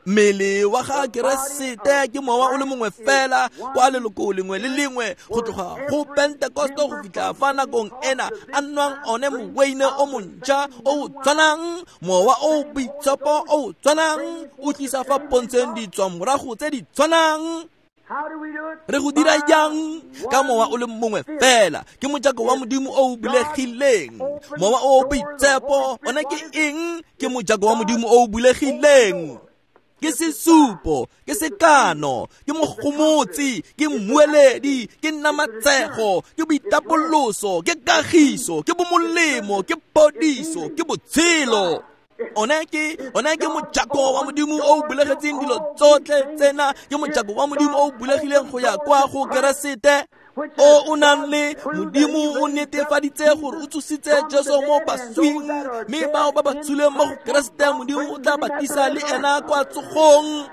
Mmele wa ga Keresete ke mowa o le mongwe fela kwa leloko lengwe le lengwe, go tloga go Pentekoste go fitlha fa nakong ena a nwang one moweine o montšha o o tshwanang, mowa o boitshepo o o tshwanang, o tlisa fa pontsheng ditswamorago tse di tshwanang. Re go dira jang? Ka mowa o le mongwe fela, ke mojako wa Modimo o o bulegileng. Mowa o boitshepo one ke eng? Ke mojako wa Modimo o o bulegileng. Ke sesupo, ke sekano, ke mogomotsi, ke mmueledi, ke namatsego, ke boitapoloso, ke kagiso, ke bomolemo, ke phodiso, ke botshelo. One ke one ke mojako wa Modimo o o bulegetseng dilo tsotlhe tsena, ke mojako wa Modimo o o bulegileng go ya kwa go Keresete o o nang le Modimo. O netefaditse gore o tsositse Jesu mo baswing, mme bao ba ba tswileng mo go Keresete Modimo o tla ba tlisa le ena kwa tsogong.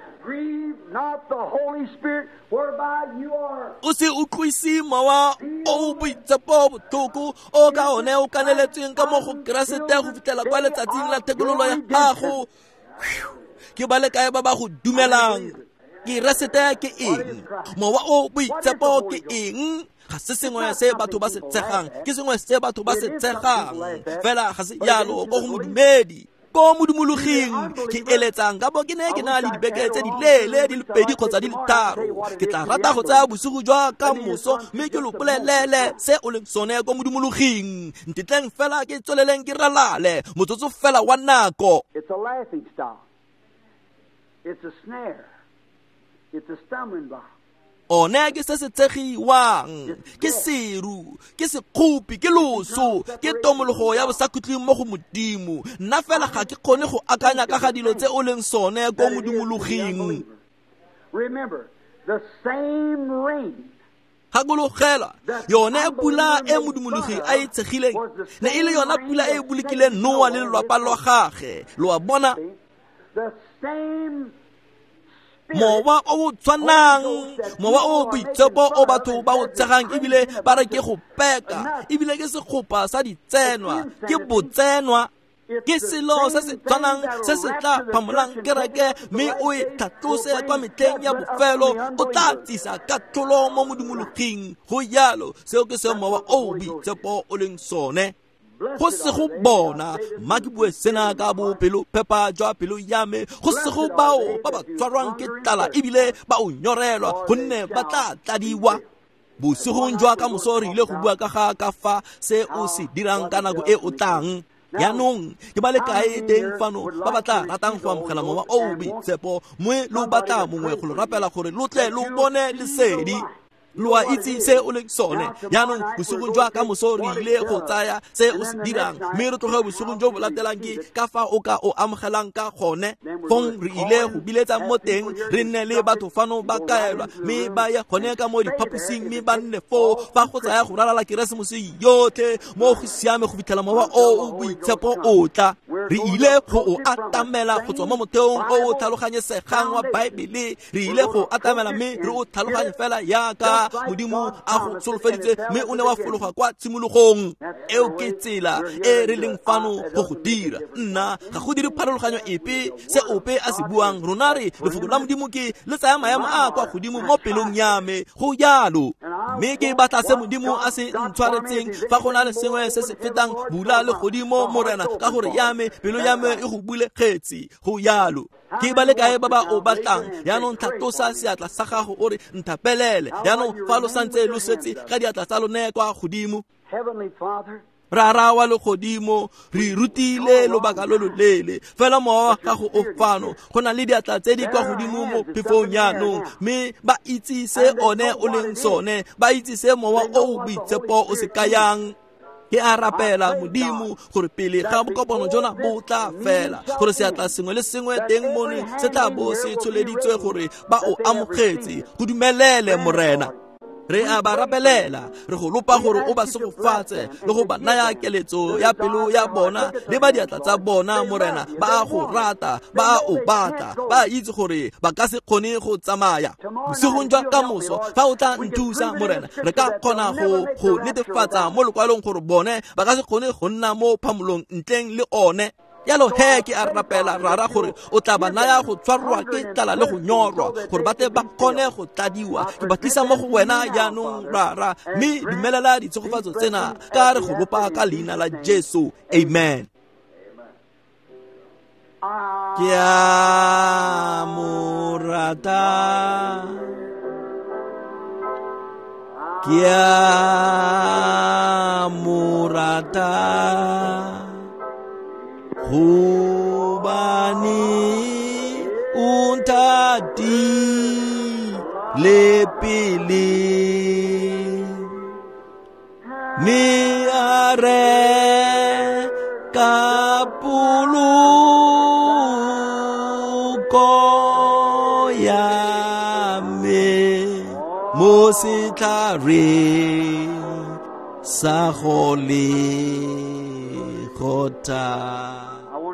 O se utlwise mowa o boitshepo botlhoko o ka one o kaneletsweng ka mo go Keresete go fitlhela kwa letsatsing la thekololo ya gago. Ke ba le kae ba ba go dumelang? Keresete ke eng? Mowa o boitshepo ke eng? Ga se sengwe se batho ba se tshegang, ke sengwe se batho ba se tshegang fela, ga se jalo ko go modumedi. Ko modumologing ke eletsang ka bo ke ne ke na le dibeke tse di leele di le pedi kgotsa di le tharo. Ke tla rata go tsaya bosigo jwa ka moso mme ke lo bolelele se o leng sone ko modumologing. Ntetleng fela ke tsweleleng ke ralale motsotso fela wa nako. It's a laughing stock. It's a snare. It's a stumbling block. One ke se se tshegiwang, ke seru, ke sekgopi, ke loso, ke tomologo ya bosakhutleng mo go Modimo. Nna fela ga ke kgone go akanya ka ga dilo tse o leng sone ko modumologing. Remember, the same rain Gakologela, yone pula e modumologi a e tshegileng ne e le yona pula e e bolokileng Noa le lelapa lwa gagwe. Lo a bona? The same Mowa o o tshwanang, mowa o boitshepo o batho ba o tshegang ebile ba re ke go peka, ebile ke segopa sa ditsenwa, ke botsenwa, ke selo se se tshwanang se se tla phamolang kereke mme o e tlhatlose kwa metlheng ya bofelo, o tla tsisa katlholo mo modumologing. Go jalo, seo ke se mowa o boitshepo o leng sone. Go se go bona, mma ke bue sena ka bopelophepa jwa pelo ya me, go se go bao ba ba tshwarwang ke tlala ebile ba o nyorelwa, gonne ba tla tladiwa. Bosigong jwa ka moso re ile go bua ka ga ka fa se o se dirang ka nako e o tlang. Jaanong ke ba le kae teng fano ba ba tla ratang go amogela mowa o o boitshepo, mme lo batla mongwe go lo rapela gore lo tle lo bone lesedi? Lo a itse se o leng sone. Jaanong bosigong jwa ka moso re ile go tsaya se o se dirang, mme re tloge bosigong jo bo latelang ke ka fa o ka o amogelang ka gone. Fong re ile go biletsa mo teng, re nne le batho fano ba kaelwa, mme ba ye gone ka mo diphaposing, mme ba nne foo fa go tsaya go ralala Keresemose yotlhe mo go siame go fitlhela mowa o o boitshepo o tla. Re ile go o atamela go tswa mo motheong o o tlhaloganyesegang wa Baebele. Re ile go atamela mme re o tlhaloganye fela yaka Modimo a go solofeditse, mme o ne wa fologa kwa tshimologong. Eo ke tsela e re leng fano go go dira. Nna ga go dire pharologanyo epe se ope a se buang. Rona re lefoko la Modimo ke le tsaya maemo a kwa godimo mo pelong ya me. Go jalo. Mme ke batla se Modimo a se ntshwaretseng. Fa go na le sengwe se se fetang bula le godimo, Morena, ka gore ya me pelo ya me e go bulegetse. Go jalo. Ke ba le kae ba ba o batlang? Jaanong tlhatlosa seatla sa gago o re nthapelele. Jaanong fa lo santse lo setse ka diatla tsa lone kwa godimo. Rara wa legodimo, re rutile lobaka lo loleele, fela mowa wa gago o fano. Go na le diatla tse di kwa godimo mo phefong jaanong, mme ba itse se one o leng sone, ba itse se mowa o o boitshepo o se kayang. Ke a rapela Modimo gore pele ga bokopano jona bo tla fela, gore seatla sengwe le sengwe teng mono se tla bo se tsholeditswe gore ba o amogetse. Go dumelele, Morena. Re a ba rapelela, re go lopa gore o ba segofatse le go ba naya keletso ya pelo ya bona le ba diatla tsa bona, Morena. Ba a go rata, ba a o batla, ba itse gore ba ka se kgone go tsamaya. Bosigong jwa ka moso fa o tla nthusa, Morena, re ka kgona go go netefatsa mo lekwalong gore bone ba ka se kgone go nna mo phamolong ntleng le one. Jalo he ke a rapela Rara gore o tla ba naya go tshwarwa ke tlala le go nyorwa, gore ba tle ba kgone go tladiwa. Ke ba tlisa mo go wena jaanong, Rara, mme dumelela ditshegofatso tsena ka re go lopa ka leina la Jesu. Amen. Ke a mo rata, ke a mo rata, hobane o nthatile pele, mme a reka poloko ya me mo setlhareng sa Golgotha.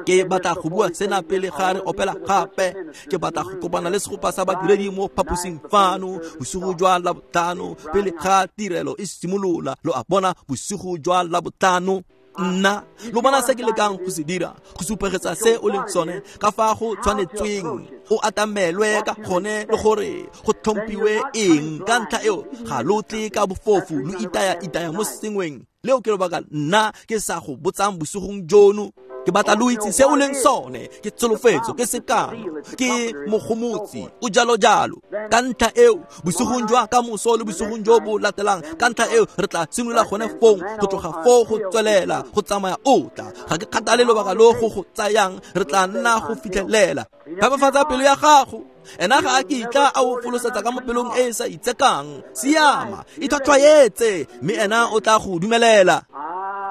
Ke batla go bua sena pele ga re opela gape. Ke batla go kopana le segopa sa badiredi mo phaposing fano bosigo jwa Labotlhano pele ga tirelo e simolola. Lo a bona, bosigo jwa Labotlhano. Nna lo bona se ke lekang go se dira, go supegetsa se o leng sone, ka fa go tshwanetsweng o atamelwe ka gone, le gore go tlhomphiwe eng. Ka ntlha eo ga lo tle ka bofofu lo itaya itaya mo sengweng. Leo ke lobaka nna ke sa go botsang bosigong jono. Ke batla lo itse se o leng sone, ke tsholofetso, ke sekano, ke mogomotsi, o jalo jalo. Ka ntlha eo bosigong jwa ka moso le bosigong jo bo latelang, ka ntlha eo re tla simolola gone fong go tloga foo go tswelela go tsamaya o tla. Ga ke kgathale lobaka lo go go tsayang, re tla nna go fitlhelela. Phepafatsa pelo ya gago. Ena ga a kitla a o folosetsa ka mo pelong e e sa itsekang. Siama, itlhwatlhwaetse, mme ena o tla go dumelela.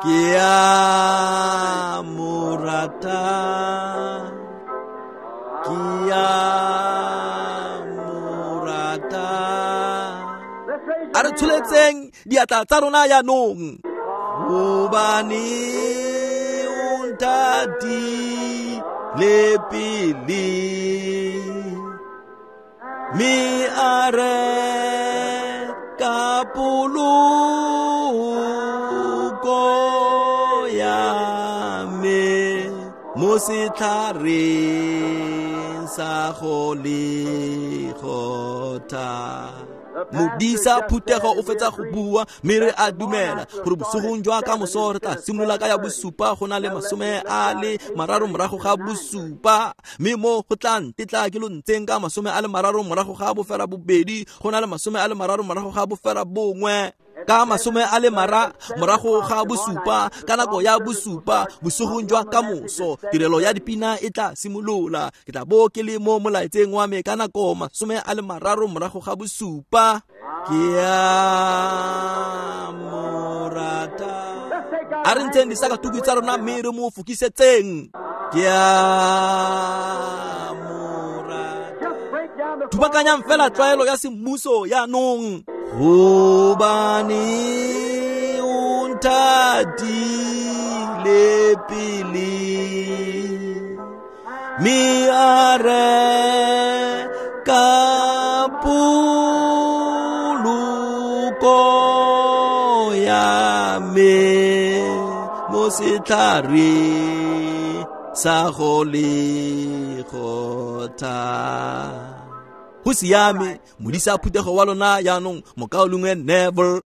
Ke a mo rata, ke a mo rata. A re tsholetseng diatla tsa rona jaanong. Hobane o nthatile pele, mme a reka poloko ya me mo setlhareng sa Golgotha. Modisa phuthego o fetsa go bua, mme re a dumela gore bosigong jwa ka moso re tla simolola ka ya bosupa go na le masome a le mararo morago ga bosupa, mme mo go tla ntetla ke lo ntseng ka masome a le mararo morago ga bofera bobedi go na le masome a le mararo morago ga bofera bongwe. Ka masome a le mara morago ga bosupa ka nako ya bosupa bosigong jwa kamoso tirelo ya dipina e tla simolola. Ke tla bo ke le mo molaetseng wa me ka nako masome a le mararo morago ga bosupa. Ke a morata. A re ntsheng disakatuku tsa rona mme re mo fokisetseng. Ke a morata. Thubakanyang fela tlwaelo ya semmuso yaanong. Hobane o nthatile pele mme a reka poloko ya me mo setlhareng sa Golgotha. Go siame, modisa phuthego wa lona yaanong, mokaulengwe Neville.